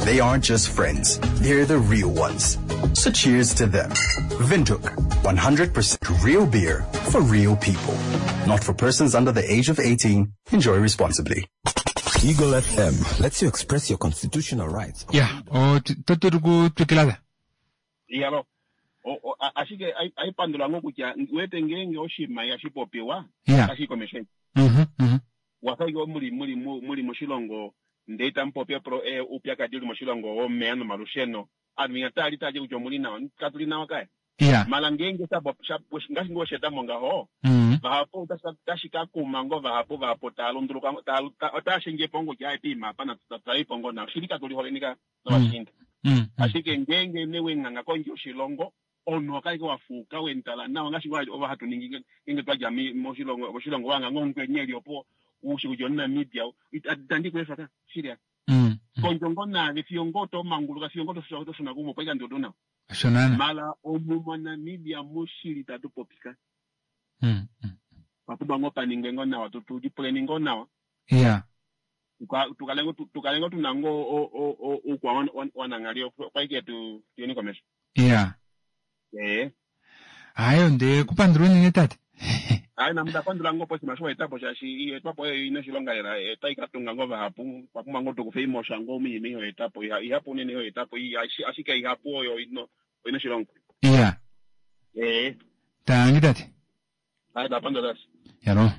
they aren't just friends, they're the real ones. So cheers to them. Windhoek, one hundred percent real beer for real people. Not for persons under the age of eighteen. Enjoy responsibly. Eagle F M lets you express your constitutional rights. Yeah, o toturuku tukilala. Yalo. O ashike aipandula ngo kutya wete ngenge oshima yashipopiwa. Yeah. Ashikomeshe. Mhm. Mhm. Wasayo muri muri muri moshilongo ndeita mpopya pro e upya kadiri moshilongo omeya nomalusheno. Anu tali taje kutya omuli nawa katuli nawa kaya. Yeah. Mala ngenge sabo ngashi ngo sheta monga ho. Mm. Vahapo tashika kuma ngo vahapo vahapo talunduluka otashinge pongo kya ipima pana tutaipongo na shirika tuli holenika no bashinda. Mm. Ashike ngenge newe nganga konje oshilongo ono akaike wafuka wentala nawa ngashi ngo ova hatu ningi ngenge twaja moshilongo moshilongo wanga ngongwe nyeli opo ushikujo Namibia itandi kwefaka shiria. Mm. Konjongo na fiongo to manguluka fiongo to to shona kumo paika ndodona. Shonana. Mala omu mwa Namibia mushiri tatu popika. Mm. Papuba ngo paninge ngo nawa tutu dipuleni ngo nawa. Yeah. Tukalengo tukalengo tunango o o o ukwa wanangalio paike tu tieni komesho. Yeah. Eh. Ayo nde kupandulwe nene tate. Ayi namda pandula ngo posi masho etapo shashi etapo ina shilonga era etaika tunga ngo vahapu papuma ngo tukufe imosha ngo mimi hiyo etapo ihapu nene hiyo etapo ashike ihapu oyo ino ina shilonga. Yeah. Eh. Tangi tate. Ayi da pandula. Yalo.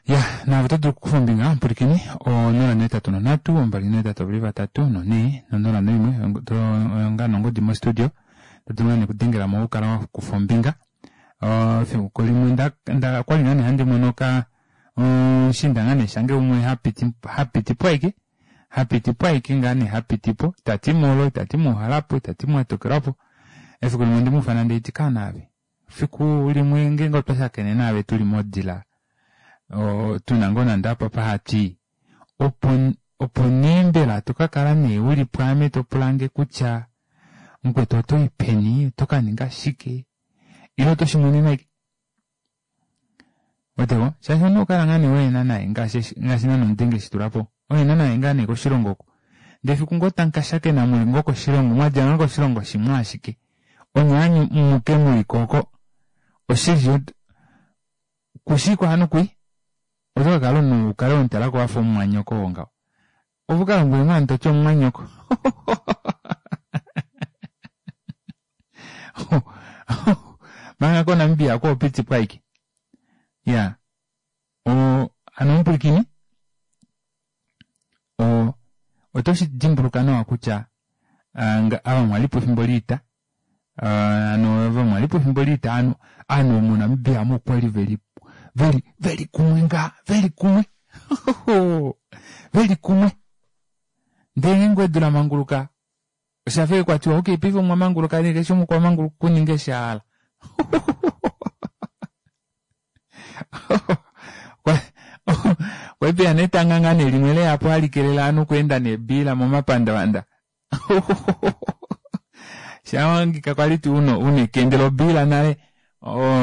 Ya, na vototo kufumbinga mpurikini o nola ne tatu no natu ombali ne tatu vili vatatu no ne no nola no imwe to nga nongo di mo studio tatumane kudengela mo ukala kufumbinga. Uh, fiku limwe nda nda kwali nani handi monoka um, shinda ngane shange umwe hapiti hapiti po aike hapiti po aike ngane hapiti po tati molo tati muhalapo tati mwatokerapo efiku limwe ndimufana ndeitika nave fiku limwe ngengo twashakene nave tuli modila o tunangona ndapa pahati opo opo nembela tukakala ne uli pwame topulange kutya Mukwetu oto i peni, oto ka ninga shike, ile oto shi monene ashike. Weteko, shaashi omunhu okala ngaa nee waena naye ngaashi ngaashi naana omudenge eshi tula po. Waena naye ngaa nee koshilongo oko. Ndee fiku ngoo tamu ka shakena muli ngoo koshilongo, mwadja ngoo koshilongo shimwe ashike, onye amuke muliko oko, oshili kushii hano kui, oto ka kala omunhu ukale wemutalako wafa omumwanyoko oo ngaho. Ove uka lombwele ngoo ovanhu toti omumwanyoko. Manga koNamibia ko opitikwa ashike. Ya, o hano omupwilikini, o oto shi dimbuluka nawa kutya ava mwalipo efimbo loita, hano ava mwalipo efimbo loita hano ovanhu moNamibia omu okwali veli veli veli kumwe ngaa veli kumwe veli kumwe. Ndee ngeenge edu lamanguluka oshafa kwatiwa okay paife omwa manguluka nee keshe umwe okwa manguluka okuninga eshi a hala. Kwali peya netanga ngaa nee limwe leyapo hali kelele ovanhu okweenda neebiila momapandavanda. Shawangika kwali tuu una ekende lobiila nale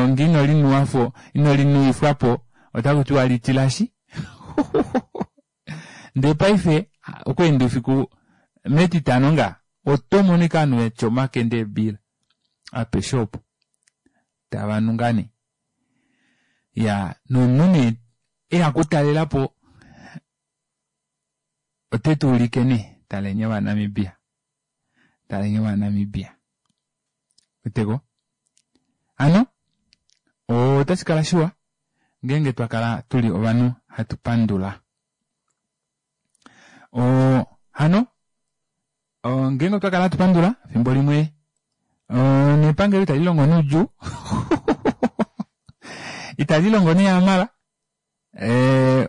ngee ino linuwafo ino linuwifwapo otakutiwa litilashi. Ndee paife okweenda oufiku metitano ngaa oto mono ashike ovanhu vatya omakende eebiila apeshe opo tavanu ngaa nee. Iyaa nomunhu nee eya okutalelapo otetuulike nee taleni ovaNamibia, taleni ovaNamibia. Weteko? Hano otashi kala shiwa ngeenge twakala tuli ovanhu hatu pandula. Oo hano ngeenge otwa kala hatu pandula efimbo limwe nepangelo itali longo noudjuu itali longo nehamala,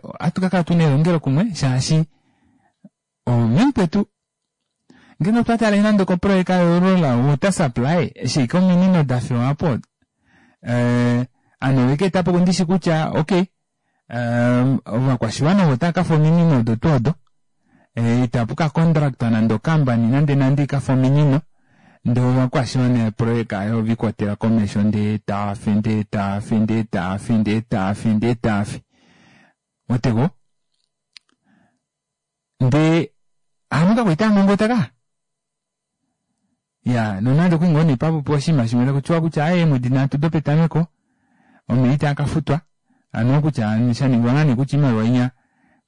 ohatu kakala tuna elongelo kumwe shaashi omemukwetu ngeenge otwa tale nande koprojeka yorural water supply eshi ashike ominino dafewa po, ovanhu oveka etapo ndishi kutya okay ovakwashiwana ovo otava kafa ominino odo tuu odo, itapu ka contractwa nande okambani nande nande ikafa ominino, ndee ovakwashiwana eprojeka ayo ovikwatela komesho ndee taafi ndee taafi ndee taafi ndee taafi ndee taafi. Weteko? Ndee hano kakwaita ngongota ka. Ya, nonande okwali ngoo nee papopiwa oshinima shimwe takutiwa kutya aaye eemwedi nhatu dopetameko omeva itaa kafutwa, hano kutya shaningwa ngaa nee kutya oimaliwa inya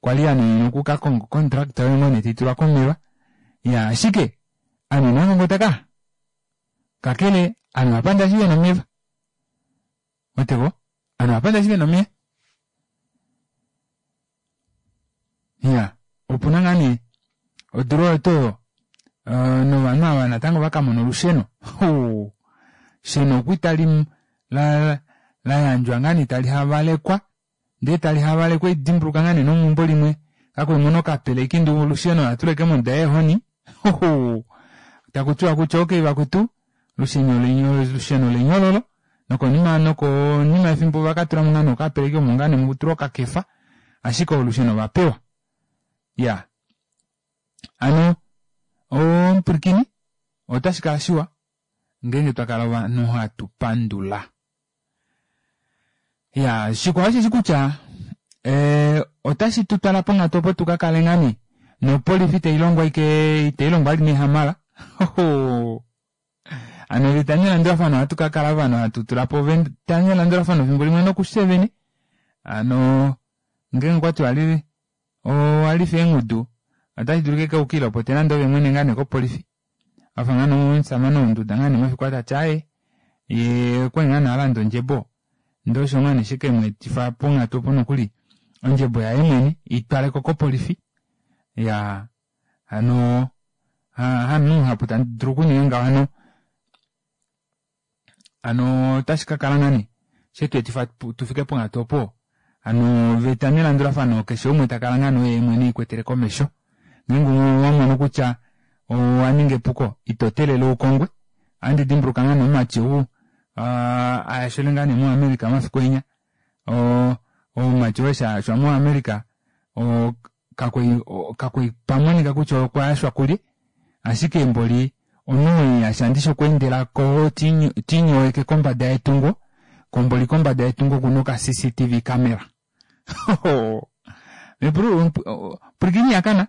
kwali yanuninwa oku ka konga contract oyo ngoo nee taitulwa komeva. Ya, ashike ovanhu inava ngongota ka. Kakele ovanhu ovapanda eshi vena omeva. Weteko? Ovanhu ovapanda eshi vena omeva. Ya, opuna ngaa nee odula oyo tuu oyo novanhu ava natango vakamona olusheno. Olusheno okuli tali la layandjwa ngaa nee tali havalekwa, ndee tali havalekwa dimbuluka ngaa nee nomeumbo limwe kakwali muna okapeleki ndee olusheno olatula ashike monduda yeehoni. Takutiwa kutya okay vakwetu olusheno olusheno lenyololo nokonima nokonima yefimbo vakatulamo ngaa nee okapeleki omo ngaa nee mutulwa okakefa, ashike olusheno ovapewa. Ya, hano omupwilikini otashi kala shiwa ngeenge twakala ovanhu hatu pandula. Ya, shikwao osheshi kutya ee otashi tutwala ponghatu opo tukakale ngaa nee nopolifi itailongo ashike itailongo vali nehamala. Hano oveta nelandulafano ohatu kakala ovanhu hatu tulapo oveta nelandulafano efimbo limwe nokufye vene. Hano ngeenge okwati wali owalifa eengudu otashi dulu ashike ukiilopote nande ove mwene ngaa nee kopolifi. Wafa ngaa nee omushamane wonduda ngaa nee mafiku aa tati aaye yee okwali ngaa nee alanda ondjebo ndee osho ngaa nee shekemweetifa ponghatu opo nokuli ondjebo yaye mwene itwaleko kopolifi. Iyaa hano hamunhu muhapu tadulu okuninga ngaho hano hano otashi kakala ngaa nee shetweetifa tufike ponghatu opo hano oveta nelandulafano keshe umwe takala ngaa nee oye mwene eikwetele komesho. Ngeenge owamono kutya owaninga epuko ito teelele ukongwe. Ohandi dimbuluka ngaa nee omumati ou ayashele ngaa nee mo America omafiku enya, omumati oo eshi ayashwa mo America kakwali kakwali pamonika kutya okwayashwa kulye, ashike mboli Omunhu yasha okweendela ko tinyoweke kombada yetungo komboli kombada yetungo okuna oka C C T V camera. Mepulu pwilikini yakana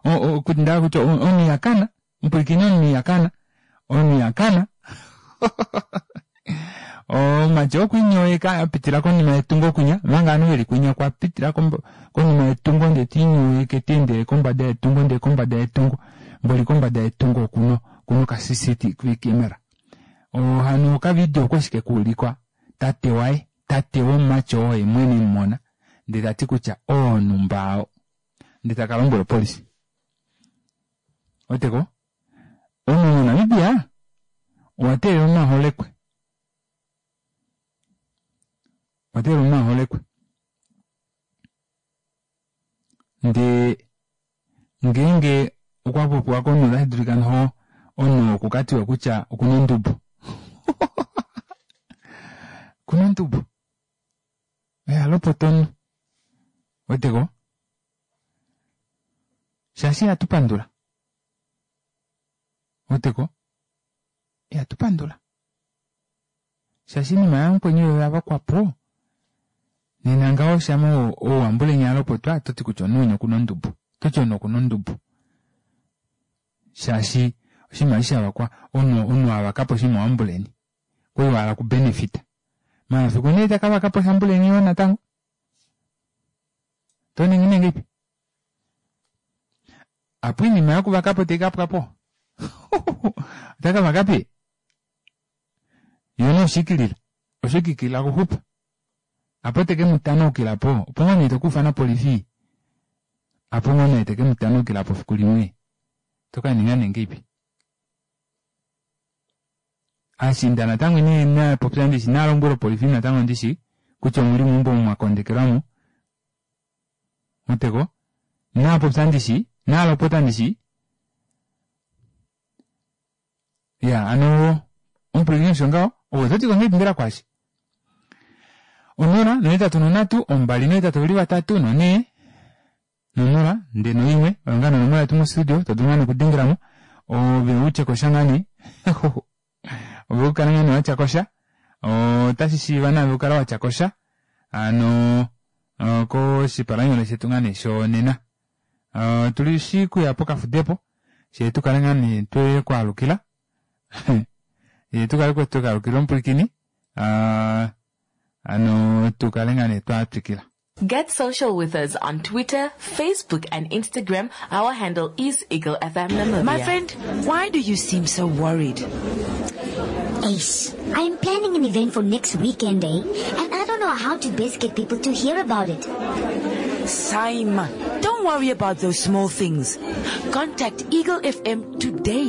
okutindala kutya omunhu yakana mpwilikini omunhu yakana omunhu yakana omati okwiinyoweka apitila konima yetungo kunya manga ovanhu veli kunya kwapitila konima yetungo ndee tiinyoweke teendele kombada yetungo ndee kombada yetungo mboli kombada yetungo okuno kuno ka C C T V camera. Ohano okavideo okwashike kuulikwa tate waye tate womumati oo ye mwene mumona ndee tati kutya oonumba ndee takalombwela opolisi. Oteko omunhu moNamibia owateelela omunhu aholekwe owateelela omunhu aholekwe ndee ngeenge okwapopiwa komunhu otashi dulika noho omunhu okukatiwe kutya okuna ondubo. Okuna ondubo oyalopota omunhu. Weteko shaashi ihatu pandula. Weteko ihatu pandula shaashi inima yamukweni oyo yavakwapo nena ngaho shama ouambulenya alopotwa toti kutya omunhu okuna ondubo toti omunhu okuna ondubo shaashi oshinima eshi shavakwa omunhu avakapo oshinima wambuleni kwali wahala kubenefita mafiku nee takavakapo shambuleni yoo natango toningi nengeipi apo inima yokuvakapo taikapwapo otakavakapi yona oshikilila oshikilila kuxupa apo teke mutanaukila po opo ngoo nee tokufana polifi apo ngoo nee teke mutanaukila po fiku limwe tokaninga nengeipi ashinda natango nee napopya ndishi nalombwela opolifi natango ndishi kutya omuli meumbo mwakondekelwamo muteko napopya ndishi nalopota ndishi ya ano omupwilikini osho ngaho owo toti kongeipi mbela kwashi onola nohetatu nonhatu ombali nohetatu oveli vatatu nonhee nonola ndee noimwe oyo ngaa nonomola yetu mostudio todulu ngaa nokudengelamo ove utye kosha ngaa nee ove ukale ngaa nee watya kosha otashi shiiva naave ukale watya kosha ano koshipalanyole shetu ngaa nee shonena tuli shi kuya pokafudepo shee tukale ngaa nee twekwaalukila ye tukale twekwaalukila omupwilikini ano tukale ngaa nee twatwikila. Get social with us on Twitter, Facebook and Instagram. Our handle is Eagle F M Namibia. My friend, why do you seem so worried? Ace, I'm planning an event for next weekend, eh? And I don't know how to best get people to hear about it. Saima, don't worry about those small things. Contact Eagle F M today.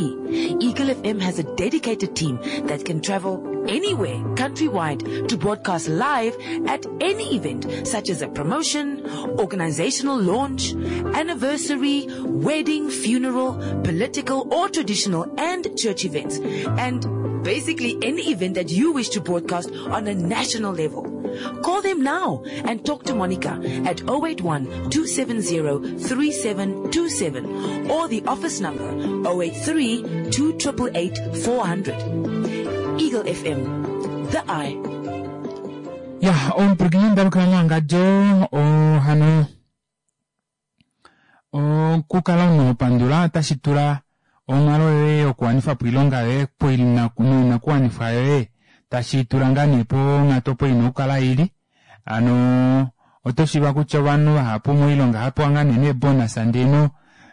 Eagle F M has a dedicated team that can travel anywhere countrywide to broadcast live at any event such as a promotion, organizational launch, anniversary, wedding, funeral, political or traditional and church events, and basically any event that you wish to broadcast on a national level. Call them now and talk to Monica at oh eight one, two seven zero, three seven two seven or the office number oh eight three, two triple eight, four hundred. Eagle F M, the eye. Ya, omupwilikini ndalukila mwangadjo ohano okukala unopandula otashi tula onghalo yoye yokuwanifa po oilonga yoye noinakuwanifwa yoye tashi tula ngaa nee ponghatu opo ina okukala ili ano oto shiiva kutya ovanhu vahapu moilonga hapewa ngaa nee neebonus ndee no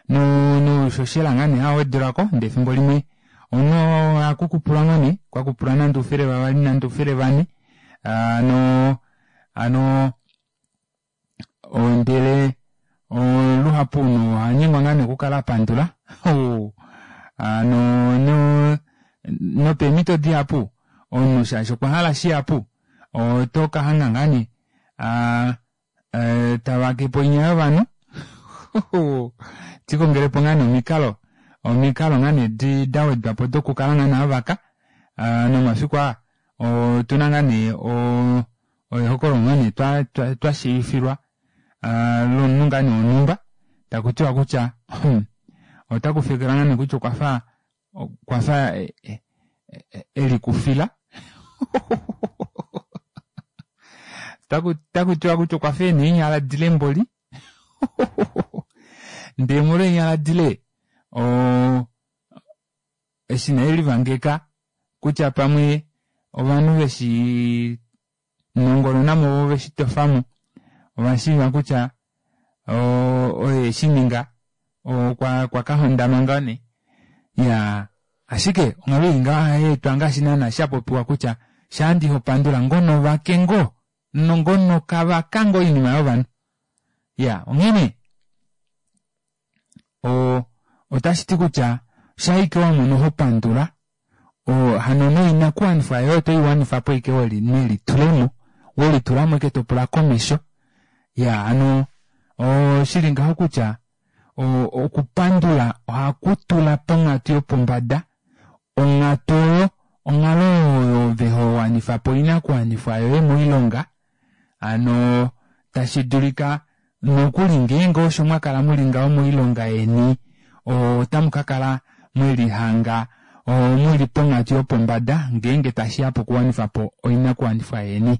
noushoshela ngaa nee hawedulako ndee efimbo limwe omunhu akukupula ngaa nee kwakupula nande oufele vavali nande oufele vane ano ano ndele luhapu nohanyengwa ngaa nee okukala apandula ano no nopeemhito dihapu omunhu shaashi okwa hala shihapu oto kahanga ngaa nee tavakepo inya yovanhu tikongelepo ngaa nee omikalo omikalo ngaa nee dawedwapo dokukala ngaa nee avaka nomafiku aa otuna ngaa nee ehokololo ngaa nee twashiivifilwa lomunhu ngaa nee wonhumba takutiwa kutya otakufekelwa ngaa nee kutya okwafa Okwa fa e- e- e- elikufila. Taku taku tiwa kutya okwa fa ena eenyala dile mboli. Ndee molwa eenyala dile oo eshi nee elivangeka kutya pamwe ovanhu veshi nongononamo vo veshi tofamo ovashiiva kutya oye eshininga okwa okwa kahondama ngoo nee iyaa ashike onghalo ili ngaho ohayeetwa ngaashi naana shapopiwa kutya shaandi ihopandula ngono vake ngoo nongono kavaka ngoo oinima yovanhu iya onghene oo otashiti kutya shaike wamono hopandula oo hano noinakuwanifwa yoye otoiwanifapo ashike weli nelitulemo welitulamo ashike topula komesho iya hano oshili ngaho kutya okupandula ohakutula ponghatu yopombada onghatu oyo onghalo oyo ove howanifapo oinakuwanifwa yoye moilonga hano tashi dulika nokuli ngeenge osho mwakala muli ngaho moilonga yeni otamu kakala mwelihanga muli ponghatu yopombada ngeenge tashiya pokuwanifapo oinakuwanifwa yeni.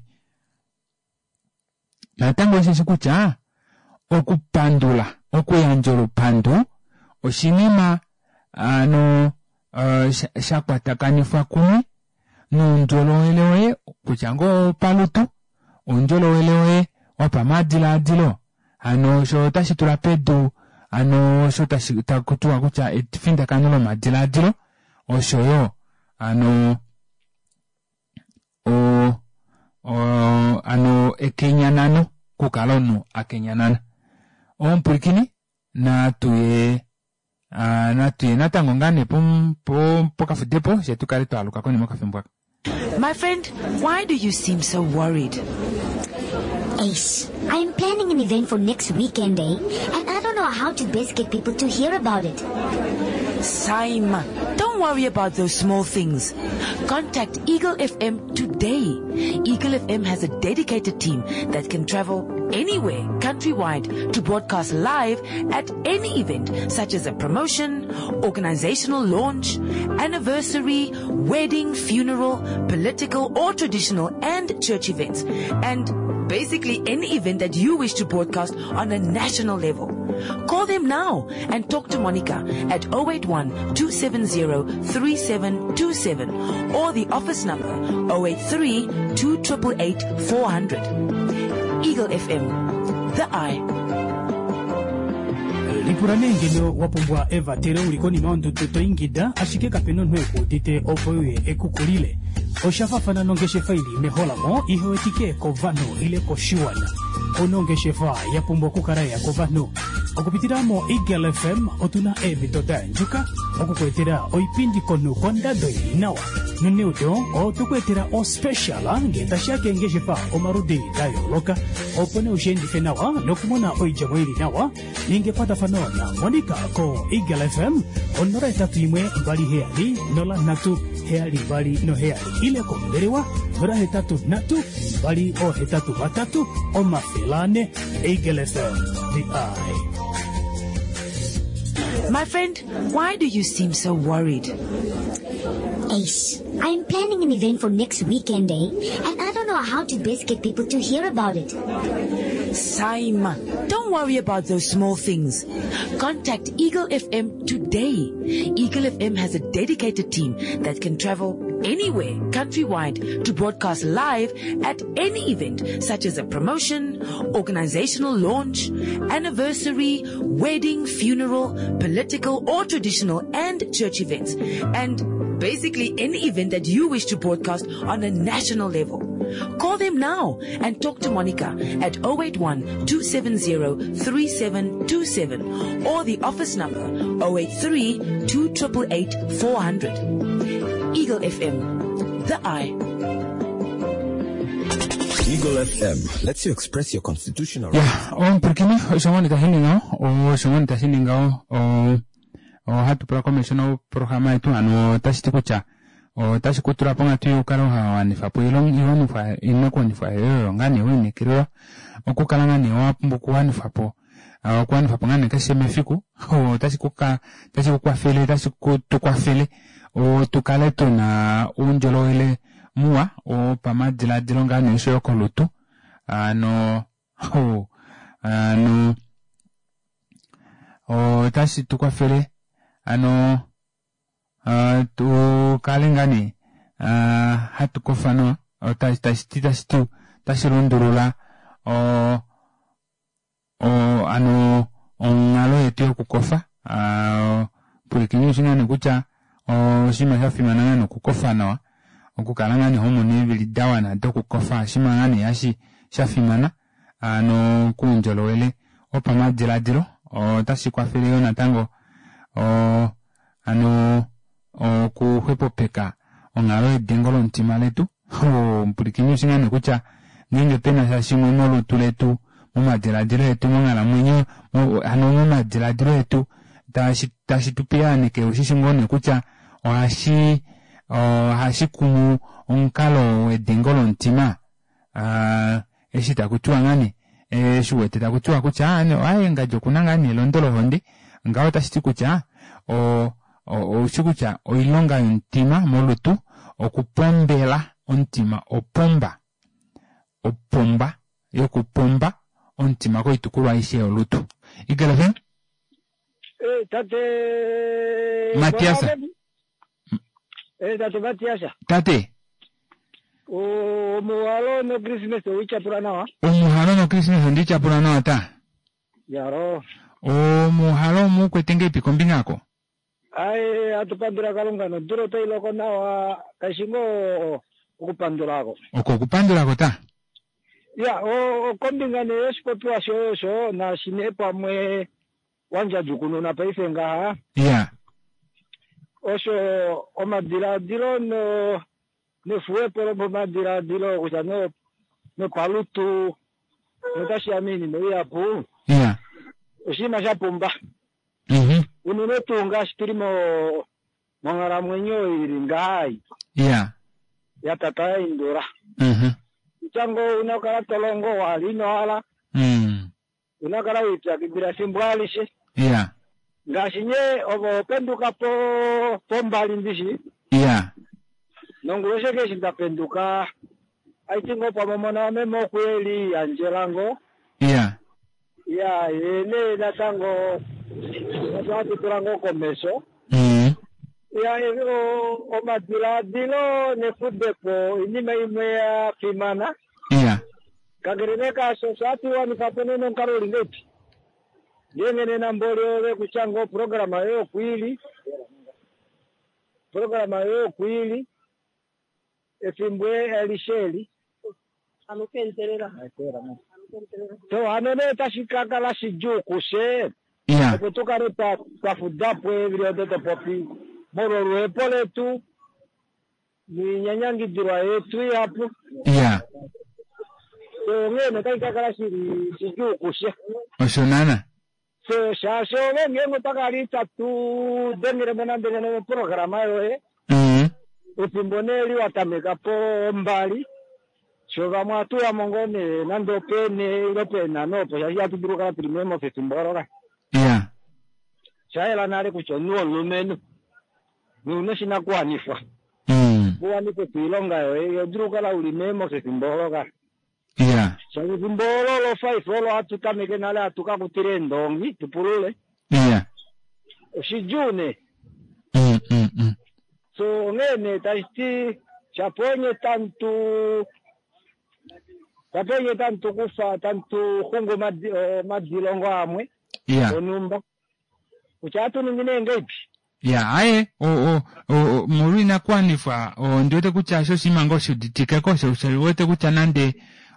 Natango osheshi kutya okupandula okuyandja olupandu oshinima ano shakwatakanifwa kumwe noundjolowele woye kutya ngoo opalutu oundjolowele woye wopamadilaadilo hano osho otashi tula pedu hano osho tashi takutiwa kutya efindakano lomadilaadilo oshoyo hano o o hano ekenyanano okukala omunhu akenyanana. Omupwilikini natuye natuye natango ngaa nee pokafudepo fyee tukale twaaluka konima yokafimbo aka. My friend, why do you seem so worried? Ace, I'm planning an event for next weekend, eh? And I don't know how to best get people to hear about it. Saima, don't worry about those small things. Contact Eagle F M today. Eagle F M has a dedicated team that can travel anywhere, countrywide, to broadcast live at any event, such as a promotion, organizational launch, anniversary, wedding, funeral, political or traditional and church events, and basically any event that you wish to broadcast on a national level. Call them now and talk to Monica at oh eight one, two seven zero, three seven two seven or the office number oh eight three, two triple eight, four hundred. Eagle F M, the eye. Lipula nee ngeno wa pumbwa evatelo uli konima yondudu to ingida, ashike kapena omunhu ekuudite opo uye ekukulile. Osha faafana nongeshefa ili meholamo ihe wetike kovanhu ile koshiwana. Onongeshefa ya pumbwa okukala ya kovanhu. Okupitila mo Eagle F M otuna eemhito da yandjuka okukuetela oipindi komunhu kondado ili nawa. Noneudo otokuetela ospecial ngee tashiya keengeshefa omaludi da yooloka, opo nee ushiendife nawa nokumona oidjemo ili nawa. Ninga ekwatafano na Monica ko Eagle F M onola etatu imwe mbali heyali nola nhatu heyali mbali noheyali ile kombelewa nola hetatu nhatu mbali ohetatu vatatu omafele ane. Eagle F M, the eye. My friend, why do you seem so worried? Ace, I'm planning an event for next weekend, eh? And I don't know how to best get people to hear about it. Saima, don't worry about those small things. Contact Eagle F M today. Eagle F M has a dedicated team that can travel anywhere, countrywide, to broadcast live at any event, such as a promotion, organizational launch, anniversary, wedding, funeral, political or traditional and church events, and basically any event that you wish to broadcast on a national level. Call them now and talk to Monica at oh eight one, two seven zero, three seven two seven or the office number oh eight three, two triple eight, four hundred. Eagle F M, the eye. Eagle F M lets you express your constitutional Yeah, rights. omupulakeni, osho ngoo tashi ningaho, osho ngoo tashi ningaho, ohatu pula komesho noprograma yetu, hano otashi ti kutya otashi ku tula ponghatu yokukala wanifa po iinakuwanifwa yoye oyo ngaa nee wiinekelelwa okukala ngaa nee wa pumbwa okuwanifa po Okuwanifa po ngaa nee keshe mefiku otashi kuka otashi kukwafele otashi tukwafele tukale tuna oundjolowele muwa wopamadilaadilo ngaa nee oshoyo kolutu ano ano otashi tukwafele ano tukale ngaa nee hatu kofa nawa tashiti tashiti otashi lundulula oo ano onghalo yetu yokukofa pwilikini ushi ngaa nee kutya oshinima shafimana ngaa nee okukofa nawa okukala ngaa nee homono eevili dawana dokukofa oshinima ngaa nee hashi shafimana ano koundjolowele wopamadilaadilo otashi kwafele yoo natango oo ano okuxwepopeka onghalo yedengo lomutima letu pwilikini ushi ngaa nee kutya ngeenge pena sha shimwe molutu letu momadilaadilo etu monghalamwenyo hano momadilaadilo etu tashi tashi tupiyaaneke ushishi ngoo nee kutya ohashi ohashi kumu omukalo wedengo lomutima eshi takutiwa ngaa nee eshi uwete takutiwa kutya aaye ngadi okuna ngaa nee elondo lohonde ngaho otashiti kutya oushi kutya oilonga yomutima molutu okupombela omutima opomba opomba yokupomba omutima koitukulwa aishe yolutu. Eagle F M? Eh, tate Matiasa. Eh, tate Matiasa. Tate. Omuhalo no Christmas owichapula nawa. Omuhalo no Christmas ondichapula nawa ta. Yaro. Omuhalo omukwete ngeipi kombinga ako? Ai, atupandula Kalunga nodula otai loko nawa kaishi ngoo okupandulako. Oko okupandulako ta? Ya, okombinga nee yoshipopiwa shoye osho naashi nee pamwe wandjadjukununa paife ngaha. Ya. Osho omadilaadilo no nefuwepo lomomadilaadilo kutya no nopalutu notashiya miinima ihapu. Ya. Oshinima sha pumba. Mhm. Unene tuu ngaashi tuli mo monghalamwenyo ili ngaha. Ya. Ya tata ya indula. Mhm. Kutya una kala tolongo wali ino Mm. Una kala wipyakidhila efimbo alishe. Ya. Ngaashi nye ovo penduka po pombali ndishi. Ya. Nonguloshe keshi ndapenduka aiti ngo pamwe omona wameme okuyeli yandjela ngo. Ya. Ya, yene natango otwatutula ngo komesho. Mm. Ya, omadilaadilo nefudepo inima imwe ya fimana. Ya. Kakele nee kaasho osho hatuwanifa po nee nomukalo uli ngeipi. Ngeenge nena mboli ove kutya ngo programa yoye okwili. Programa yoye okwili. Efimbo alishe eli. So hano nee tashi kakala shidjuu kushe. Ya. Opo tukale twafudapo eevili odo topopi molwa oluhepo letu niinyanyangidilwa yetu ihapu. Ya. So onghee notashi kakala shili shidjuu kushe. Osho naana. So shaashi ove ngeenge otwakala itatu dengelemo nande ngeno moprograma yoye. Mm. Efimbo nee li watameka pombali sho vamwe atuyamo ngoo nee nande opene ile peenhano opo shaashi ihatu dulu okukala tuli meemofi efimbo olo ka. Ya. Shayela nale kutya omunhu womulumenhu nouna oshinakuwanifwa. Mm. Uwanife po oilonga yoye iho dulu okukala uli meemofi efimbo olo ka. Ya. Shaashi efimbo olo lo five olo hatu tameke nale hatu kakutila eendongi tupulule. Ya. Oshidjuu nee. Mm, mm, mm. So onghee nee tashiti shapo onye tamutu shapo onye tamutu kufa tamutu xungu omadilongo amwe Ya. onhumba kutya ohatu ningi nee ngeipi. Ya, aye o o o molwa inakuwanifwa ondiwete kutya osho oshinima ngoo shiuditikeko sho oshiwete kutya nande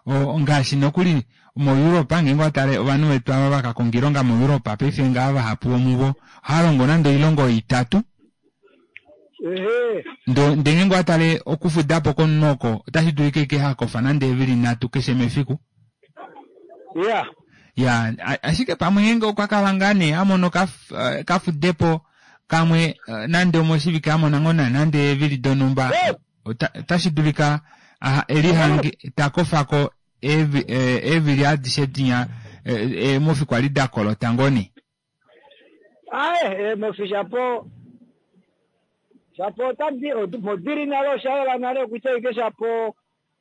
ngaashi nokuli moEurope ngeenge watale ovanhu vetu ava vakakonga oilonga moEurope paife ngaha vahapu vomuvo ohava longo nande oilongo itatu. Ehe. Ndo ndee ngeenge owatale okufudapo komunhu oko otashi dulika ashike hakofa nande eevili nhatu keshe mefiku. Ya. Ya, ashike pamwe ngeenge okwa kala ngaa nee amono kafudepo kamwe nande omoshivike amona ngoo nande eevili donhumba otashi dulika elihange takofako eevili adishe dinya eemofi kwali dakolota ngoo nee. Aye eemofi shapo shapo otadi modili nale oshayela nale kutya ike shapo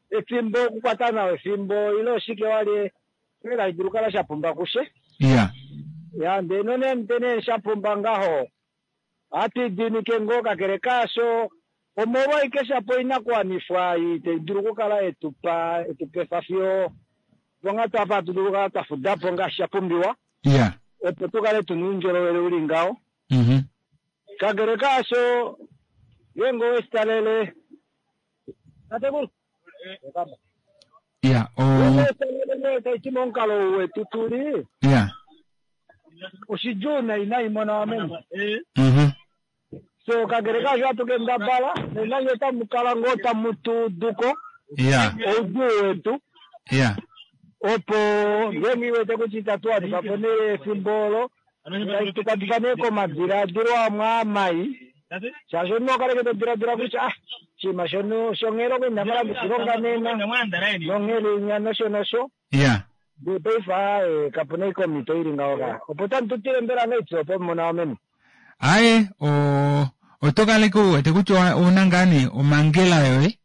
efimbo okukwata nawa efimbo ile oshike wali ela dulu kala shapumba kushe. Ya. Ya ndee nonande nee shapumba ngaho hatwidinike ngoo kakele kaasho omolwa ike shapo oinakuwanifwa itai dulu okukala etupa etupefa fiyo ponghatu apa hatu dulu okukala twafudapo ngaashi shapumbiwa. Ya. Opo tukale tuna oundjolowele uli ngaho. Mhm. Kakele kaasho ngeenge oweshitalele tatekulu Ya o oweshitalele taiti momukalo wetu tuli ya. Oshidjuu nai nai mona wameme. Mhm. So kakele kaasho hatu kendabala nenange otamukala ngoo tamu tuuduko Ya. oudjuu wetu Ya. Opo ngeenge iwete kutya itatu wanifa po nee efimbo olo tukwatifa nee komadiladilo amwe amai shaashi omunhu okaleke todiladila kutya ah oshinima shono shonghelo ko inamala ndishilonga nena nonghelo inya nosho nosho. Ya. Ndee paife aaye kapuna ike omhito ili ngaho ka opo tamu tutile mbela ngaitsi opo mona wameme. Aye o oto kaleke uwete kutya ouna ngaa nee omangela yoye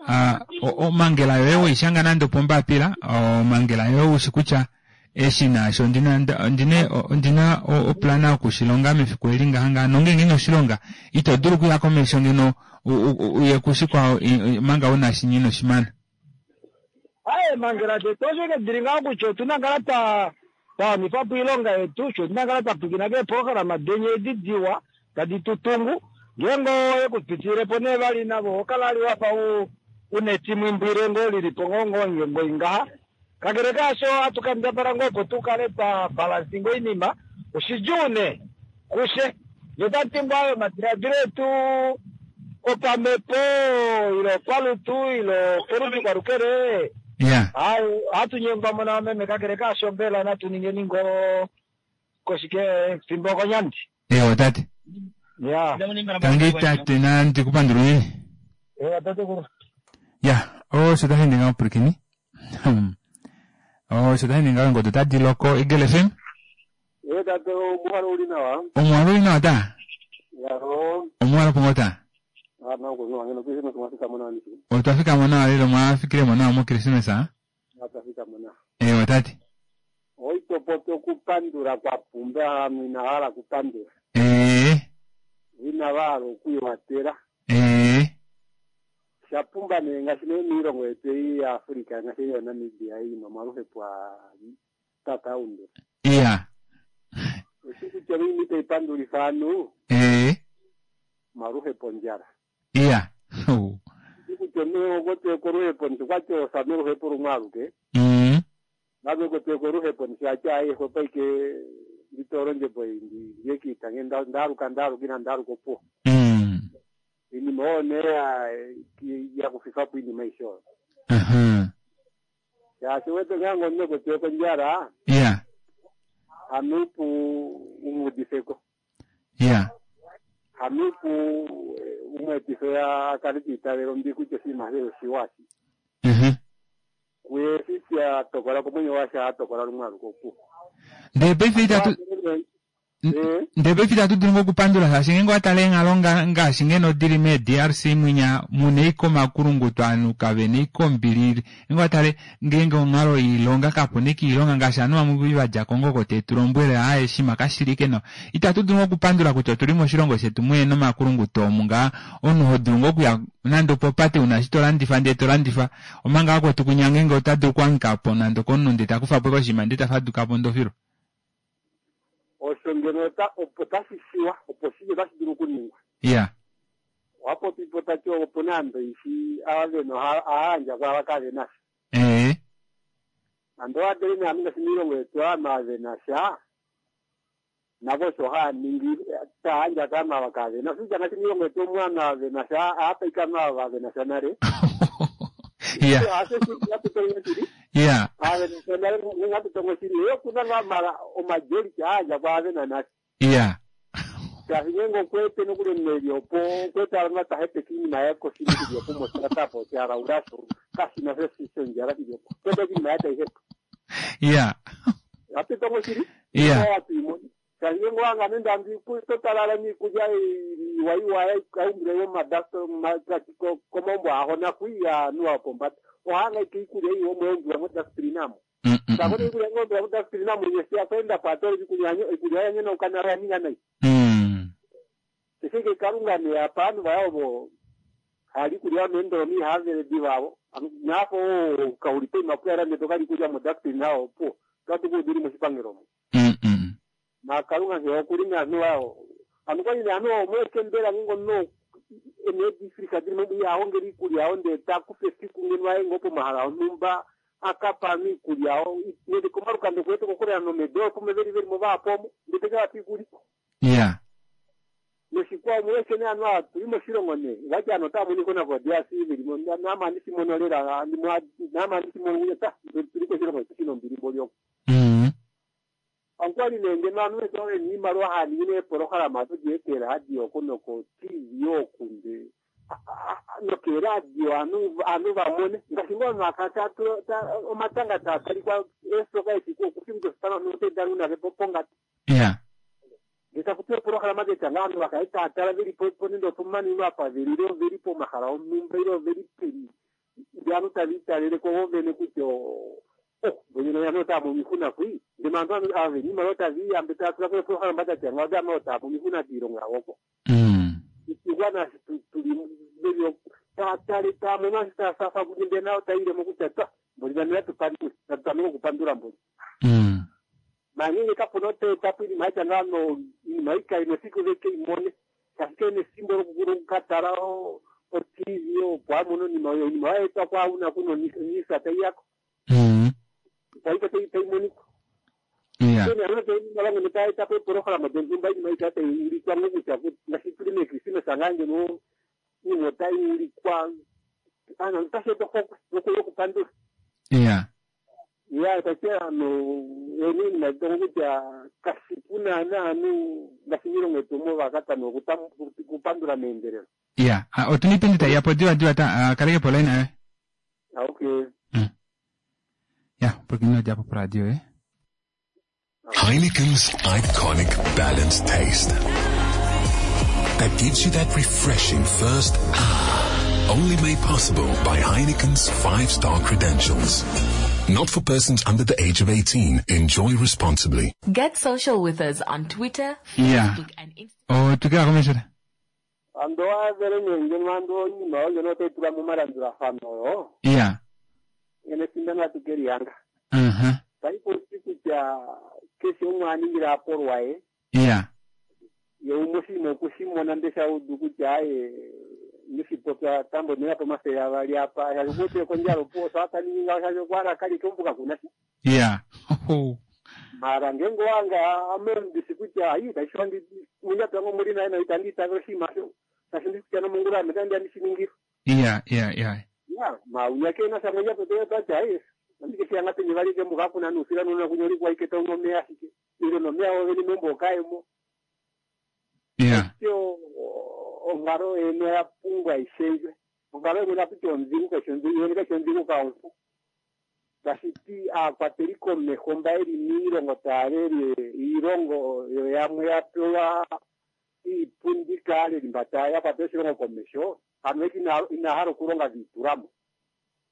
ah, omangela yoye weishanga nande opombapila omangela yoye ushi kutya eshi naasho ondina ondina ondina oplana yokushilonga mefiku eli ngaha ngaha nongenge inoshilonga ito dulu okuya komesho ngeno uye kushikwao manga una shinyi inoshimana. Aye mangela tetu osho ike dili ngaho kutya otuna kala twa twawanifa po oilonga yetu sho otuna kala twapwikina keeprograma denye edi diwa tadi tutungu ngeenge oyekupitililepo nee vali navo okala ali wafa una etimwimbwile ngoo lilipo ngoo ngoo ngoi ngaha kakele kaasho hatu kambadhala ngoo opo tukale twa balansinga oinima oshidjuu nee kushe notati ngoo ayo omadiladilo etu opamepo ilo opalutu ilo kolutu kwalukele Ya. ayi hatu nyengwa mona meme kakele kaasho mbela natu ningeni ngoo koshike fimbo okonyandi. Ewo tate. Ya. Tangi tate nandi kupandula unene. Ewa tatekulu. Ya osho tashi ninga omupwilikini. Osho tashi ninga eengodo tadi loko Eagle F M. Ee tate omuhalo uli nawa. Omuhalo uli nawa ta. Yaro. Omuhalo pongo ta. Ana okuno ngeno Christmas mwafika mona nisi. Otwafika mo nawa lelo mwafikile mo nawa mo Christmas a. Mwafika mo nawa. Ewo tate. Oitopopi okupandula kwa pumba hanu inahala kupandula. Ee. Inavahala okwiiwatela. Ee. Shapumba nee ngaashi nee miilongo yetu ei ya Africa ngaashi ei yaNamibia ei nomwaluhepo a tata undula. Ya. Oshi kutya oinima itayi pandulifa aantu Ee. maluhepo ondjala. Ya. Oshi kutya omunhu okwetweko oluhepo nti kwati osame oluhepo lumwe aluke. Mm. Nave okwetweko oluhepo nti ati aye xwepo ike nditola ondjebo ei ndi ndiye kiita nge ndaaluka ndaaluka ina ndaaluka opuwo. Mm. Iinima oyo nee ya yakufifapo iinima aishe oyo. Mhm. Shaashi wete ngeenge omunhu ekwetweko ondjala Ya. hanuupu umuudifeko. Ya. Hanuupu umweetife akale tiitavela ombi kutya oshinima osho oshiwa shi. Mhm. Kuye eshi atokola komwenyo washe atokola lumwe aluke opuwo. Ndee paife itatu ndee paife itatu dulu ngoo okupandula shaashi ngeenge owatale eenghalo ngaashi ngeno dili mee D R C mwinya muna ike omakulunguto ovanhu kavena ike ombili ngeenge owatale ngeenge onghalo yoilonga kapuna ike oilonga ngaashi ovanhu vamwe vadja Kongo oko tetulombwele aaye oshinima kashili ike nawa itatu dulu ngoo okupandula kutya otuli moshilongo shetu muhena omakulunguto omu ngaa omunhu hodulu ngoo okuya nande opopate una eshi tolandifa ndee tolandifa omanga vakwetu kwinya ngeenge ota dulu okuhangikapo nande okomunhu ndee takufapo ike oshinima ndee tafadukapo ndofilwa. Osho ngeno opo tashi shiwa opo shike otashi dulu okuningwa. Ya. Owapopipo tati opuna ando ishi ava vena ohayandja kwaava kavena sha. Ee. Ando owadele nee ngaashi miilongo yetu ovanhu ava vena sha navo osho haya ningi tayandja kaanhu ava kavena osho ngaashi miilongo yetu omu ovanhu ava vena sha ohaapaika ovanhu ava vena sha nale. Ya. Hatutongo shili. Ya. Ava vena sha nale hatutongo shili ye okuna ngaa mala omajority aayandja kwaava vena nale. Ya. Shaashi ngeenge okwete nokuli omunhu opo okwete ava tahepeke iinima yaye koshini shili opo mositatapo shalaula sho kashina shondjala shili opo kwete iinima yaye taihepa. Ya. Apitongo shili Yeah. Kange wanga nenda totalala niikulya iwaiwaya kaumbile yomadasto komombo aho nakuiya nuwa pombanda ohanga ike ikulya iwo mweumbila modasprinamo sakona ikulya ng'ombila modasprinamo yesi akwenda patole ikulya ikulya yanyena ukanala yaninga nai eseke kalunga ne apanu vayovo hali kulya mendolo havele divavo nafo kaulipe makuya range tokali kulya modasprinao po katukudiri moshipangelo na kalunga nge okuli nanu awo anu kwali nanu omwekembela ngingo no enedifrika diri mo yawo ngeri ikulya awo nde takufe siku ngeno aye ngopo mahala onumba akapa miikulya awo nende komalukando kwetu kokolera nomedo pome veli veli mo vapomo ndeteka vatikuli Yeah. noshikwa mwese ne anu tuli moshilongo ne vati ano tamuniko navo diasi vilimo namani simonolela namani simono ta tuli koshilongo chino mbilimbo lyoko ankwali nenge nanu eto niimaliwa haningine epolohalama todiekela radio oko noko tv okunde nokeradio anu anu vamone ngaashi ngoo nakata omatanga taatalikwa esoka esiku okufinga notedarunake pongati Yeah. ngetakuti epolohalama detanga anu vakae taatala veli po nende opomanino apa veli ilo veli pomahala onumba ilo veli peni ndi anu taviitaleleko vovene kutya oh bonyene yano tamo mihuna kwi ndimantu anu ave nimalo taviyambe tatula epolohalama datanga odama otamo mihuna kiilongo yawoko isigwana tuli velio tatale tamo nasi tasafa kuninde nao tailemo kutya ta mboli vanela tupandule natutamike okupandula mboli mangenge kapona oteta po iinima yatya ngano iinima ikayi nesiku veke imone ashike nesimbo lokukatala o-tv opo amone onima oyo inima yaetwa kwauna kuno nisa taiyako taika taimonika Yeah. ano taetapo epolohalama dontumba iinima ika taiulikwa ngokutya ngaashi tuli mekrisimesa ngaa ngeno iinima otaiulikwa ano otashi eta ohokwe yokupandula Yeah. ya tati ano ene iinima tongo kutya kashipu naana anu ngaashi miilongo yetu omo vakatano okupandula meendelelo Yeah. Ah, otuna iipindi tayi yapo diwa diwa ta ah, kaleke po line ayo. Okay. Ya, porque ino djapo po radio eh. Heineken's iconic balanced taste that gives you that refreshing first ah, only made possible by Heineken's five-star credentials. Not for persons under the age of eighteen. Enjoy responsibly. Get social with us on Twitter, Yeah. Facebook, and Instagram. Otukila komesho ando avele nenge ando iinima oyo ngeno otayi tulwa momalandulathano oyo Yeah. ngeno esindano atu keliyanga Uh-huh. taiposi kutya keshe umwe aningile apolwa ye Yeah. ye umwe oshinima okushimona nde shaudu kutya aye nishipopya tambo nena pomathele avali apa shashi kondjala opo saataningi ngaho shashi okwala kalike ombuka kuna sha Yeah. Oh. mara ngenge wanga amendisi kutya ayi taishiwa munyato yangu muli naye naita ndiitavela oshinima sho tashi ndikutya nomongula ame tandi andishiningila Yeah, yeah, yeah. ya mauya kena sha munyato teyotati ayi andikeshiyanga penye valike mbuka kuna nusila nuna kunyolikwa iketa unomeya ashike ile nomeya oveni membo okaemo Yeah. tyo onkalo eno ya pumbwa ishendjwe onkalo eno nakuti ondhigu kashi kashi ondhigu kaompu tashi ti aakwateli komeho mba yeli miilongo taya lele iilongo yo yamwe ya pewa iipundi kaaleli mba taya ya kwatela oshilongo komeho ano eki ina hala okulonga dhiitulamo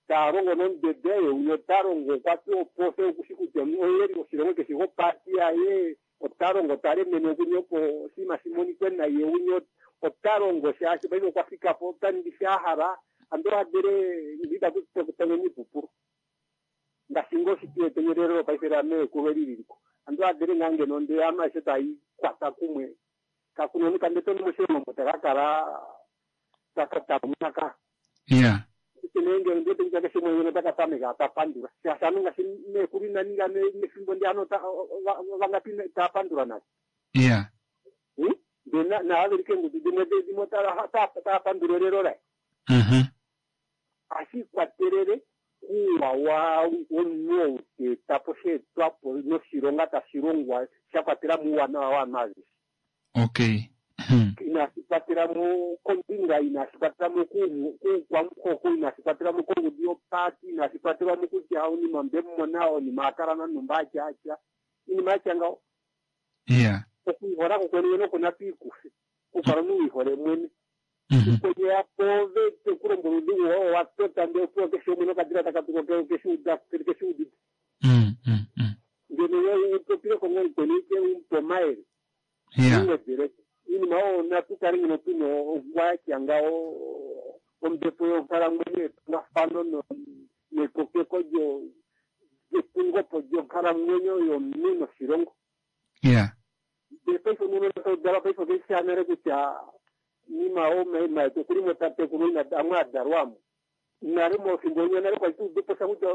taya longo nomudede ye uno ota longo okwa pewa opose okushi kutya oyeli oshilongo keshi gopati yaye ota longo ta lemene okunye opo oshinima shimonikwe naye unye ota longo shaashi paife okwa fika po ota ningi sha hala ando adele nditakutengenyi ipupulu ngaashi ngo shitiwetenyelelo paife lameekulu eliliko ando adele ngaa ngeno nde anu aishe tayi kwata kumwe kakuna omikanda toni moshilongo mo taka kala takamunaka Yeah. nenge ndete kutya keshe umwe ngeno taka tameka tapandula shaashi anu ngaashi meekulu ina ninga mefimbo ndi ano vangapi tapandula naye Yeah. nde naavelike engudu dimwe dimwe tapandula elelo laye Uh-huh. ashikwatelele kuuwa wa womunhu ou teetapo sheetwapo noshilonga tashi longwa sha kwatela muuwanawa waanhu aveshe Okay. inashi kwatela mo kombinga inashi kwatela mo kuukwamuhoko inashi kwatela mo kongudu yopati inashi kwatelwa mo kutya onima mbemumona onima akala nanumba atya atya Iinima yatya ngaho. Iya. Okwiihola kokwene mwene oko natu ikufe. Okukala omunhu wiihole mwene. Kwenye yapo ove tekulombwela oudhigu woye owa tota ndee opuwo keshe umwe nokadila taka tuko keshiuda keshiudite. Ngeno ye upopileko ngoo mukweni ike umupe omayele. Umwedzeleko. Iinima oyo natu kale ngeno tuna ongwa yatya ngaho ombepo yonkalamwenyo yetungafano nekokeko lyetungopo lyonkalamwenyo yomunhu noshilongo. Iya. Ndee paife omunhu todalwa paife okeshisha nale kutya nima omaima yetu okuli mo tatekulu ina amwe adalwamo. Nale mofimbo linya nale kwali tuuduposa kutya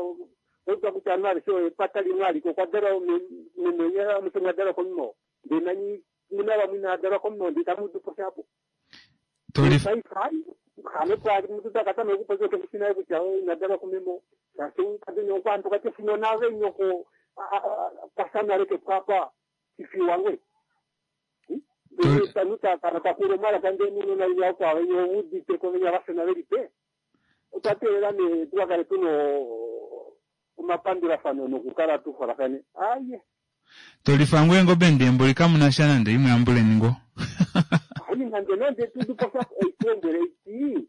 oitwa kutya ovanhu aveshe epata limwe alike okwa dalwa meme amushe mwa dalwa komunhu oo. Ndee nani muna vamwe inaa dalwa komunhu oo ndee tamu udupo shapo. Paife hai hano omuntu takatameka okupopya keshishi nale kutya ina dalwa kumeme oo. Shaashi kadeni okwaantu okati nave nyoko kwasha nale kepwapa shifiwa ngwe. Ndee takala takula omalaka ndee nunona inya kwao venya ouditeko venya vashona veli pe. Otwa teelela nee tukakale tuna omapandulafano nokukala tuholafane. Aye. Tolifa ngoo eengobe ndee mboli kamuna sha nande imwe yambuleni ngoo. Hayi nande nande tuduposa oitulombwele iti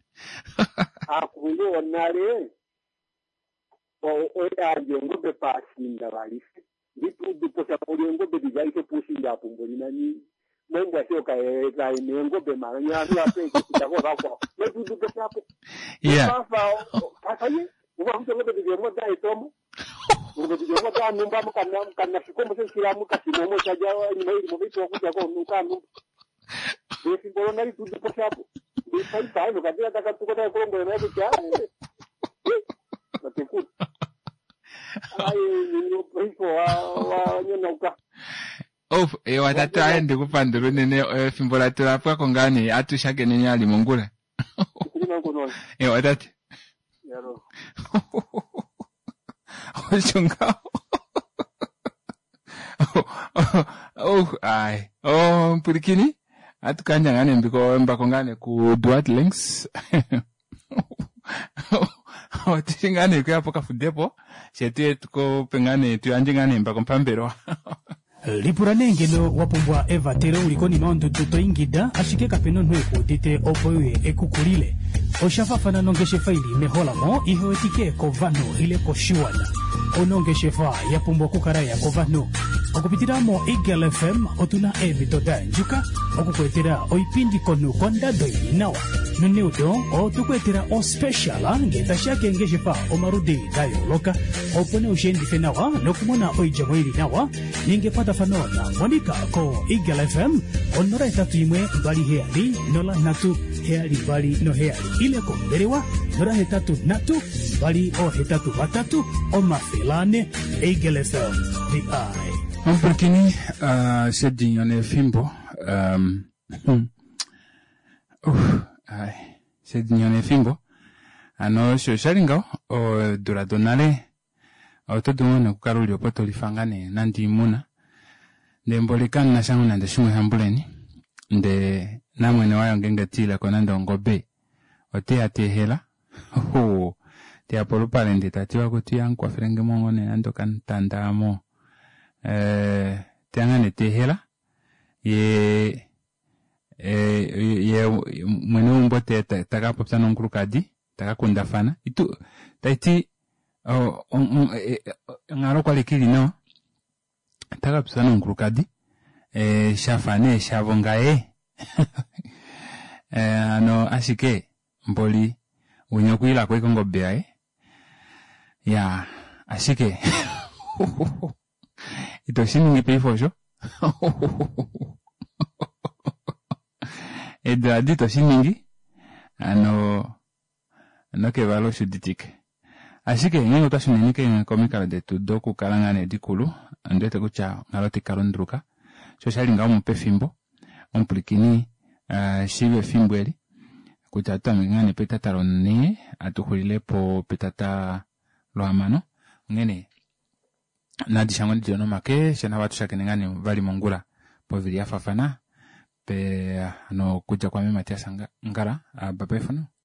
aakulunhu wonale oyandja eengobe paashiinda valife. Ndituuduposa poli eengobe dili aishe puushiinda apo mboli nani mombwa sho kaena eengobe mara nyanhu apeekita kovakwao. Netuuduposa apo. Iya. Pafa ye uvakuti eengobe dili emo daetomo. Engobe dili emo danumba mukanashikomo shoshilamu kashimomo shaja iinima ilimo vaipewa kudya kanumba. Efimbo lonali tuuduposa apo. Ndee paife nokadila takatuka takulombwela naye kutya tatekulu. Ayi paife wanyonauka. Of, ewa tatu aye ndikupandula unene efimbo letu lapwako ngaa nee atushakeneni ali mongula. Ewa tate. Osho ngaho. Oh, ai. Oh, mpwilikini. Atukandja ngaa nee mbiko mbako ngaa nee ku Duat Links. Otishi ngaa nee kuya pokafudepo. Shetu tukope ngaa nee tuyandje ngaa nee mbako pambelewa. Lipula nee ngeno wa pumbwa evatelo uli konima yondudu to ingida ashike kapena omunhu ekuudite opo uye ekukulile. Osha faafana nongeshefa ili meholamo ihewetike kovanhu ile koshiwana. Onongeshefa ya pumbwa okukala ya kovanhu. Okupitila mo Eagle F M otuna eemhito da yandjuka okukweetela oipindi komunhu kondado ili nawa. Noneudo otukuetela ospecial ngee tashiya keengeshefa omaludi da yooloka opo nee ushiendife nawa nokumona oidjemo ili nawa ninga ekwatafano na Monica ko Eagle F M onola hetatu imwe mbali heyali nola nhatu heyali mbali noheyali ile kombelewa nola hetatu nhatu mbali ohetatu vatatu omafele ane. Eagle F M, the eye. Omupwilikini uh, shedinyo nefimbo um, uh, ai, shedinyo nefimbo ano osho oshali ngaho odula donale oto dulu nee okukala uli opo tolifa ngaa nee nande oimuna ndee mboli kamuna sha nande shimwe shambuleni ndee namwene wayo ngeenge tiileko nande ongobe oteya teehela teya polupale ndee tatiwa kuti mukwafelenge mo nee nande okamutanda amo eh, teya ngaa nee teehela ye ye mwene weumbo takapopya nomukulukadi takakundafana itu taiti onghalo kwali kili nawa takapopya nomukulukadi shafa nee shavo ngaye hano ashike mboli winya okwiilako ashike ongobe yaye ya ashike ito shiningi paife osho eedula adi ito shiningi hano nokevalo oshuditike ashike ngeenge otwa shuneni komikalo detu dokukala ngaa nee dikulu ondiwete kutya onghalo otai kalunduluka sho oshali ngaho mupefimbo omupwilikini shiiva efimbo eli kutya atutameke ngaa nee petata lonhee atuxulilepo petata lohamano onghene nadishangwe dili nomake shanava atushakene ngaa nee vali mongula povili yafaafana pe hano okudja kwaame Matias Ngala bye bye for now.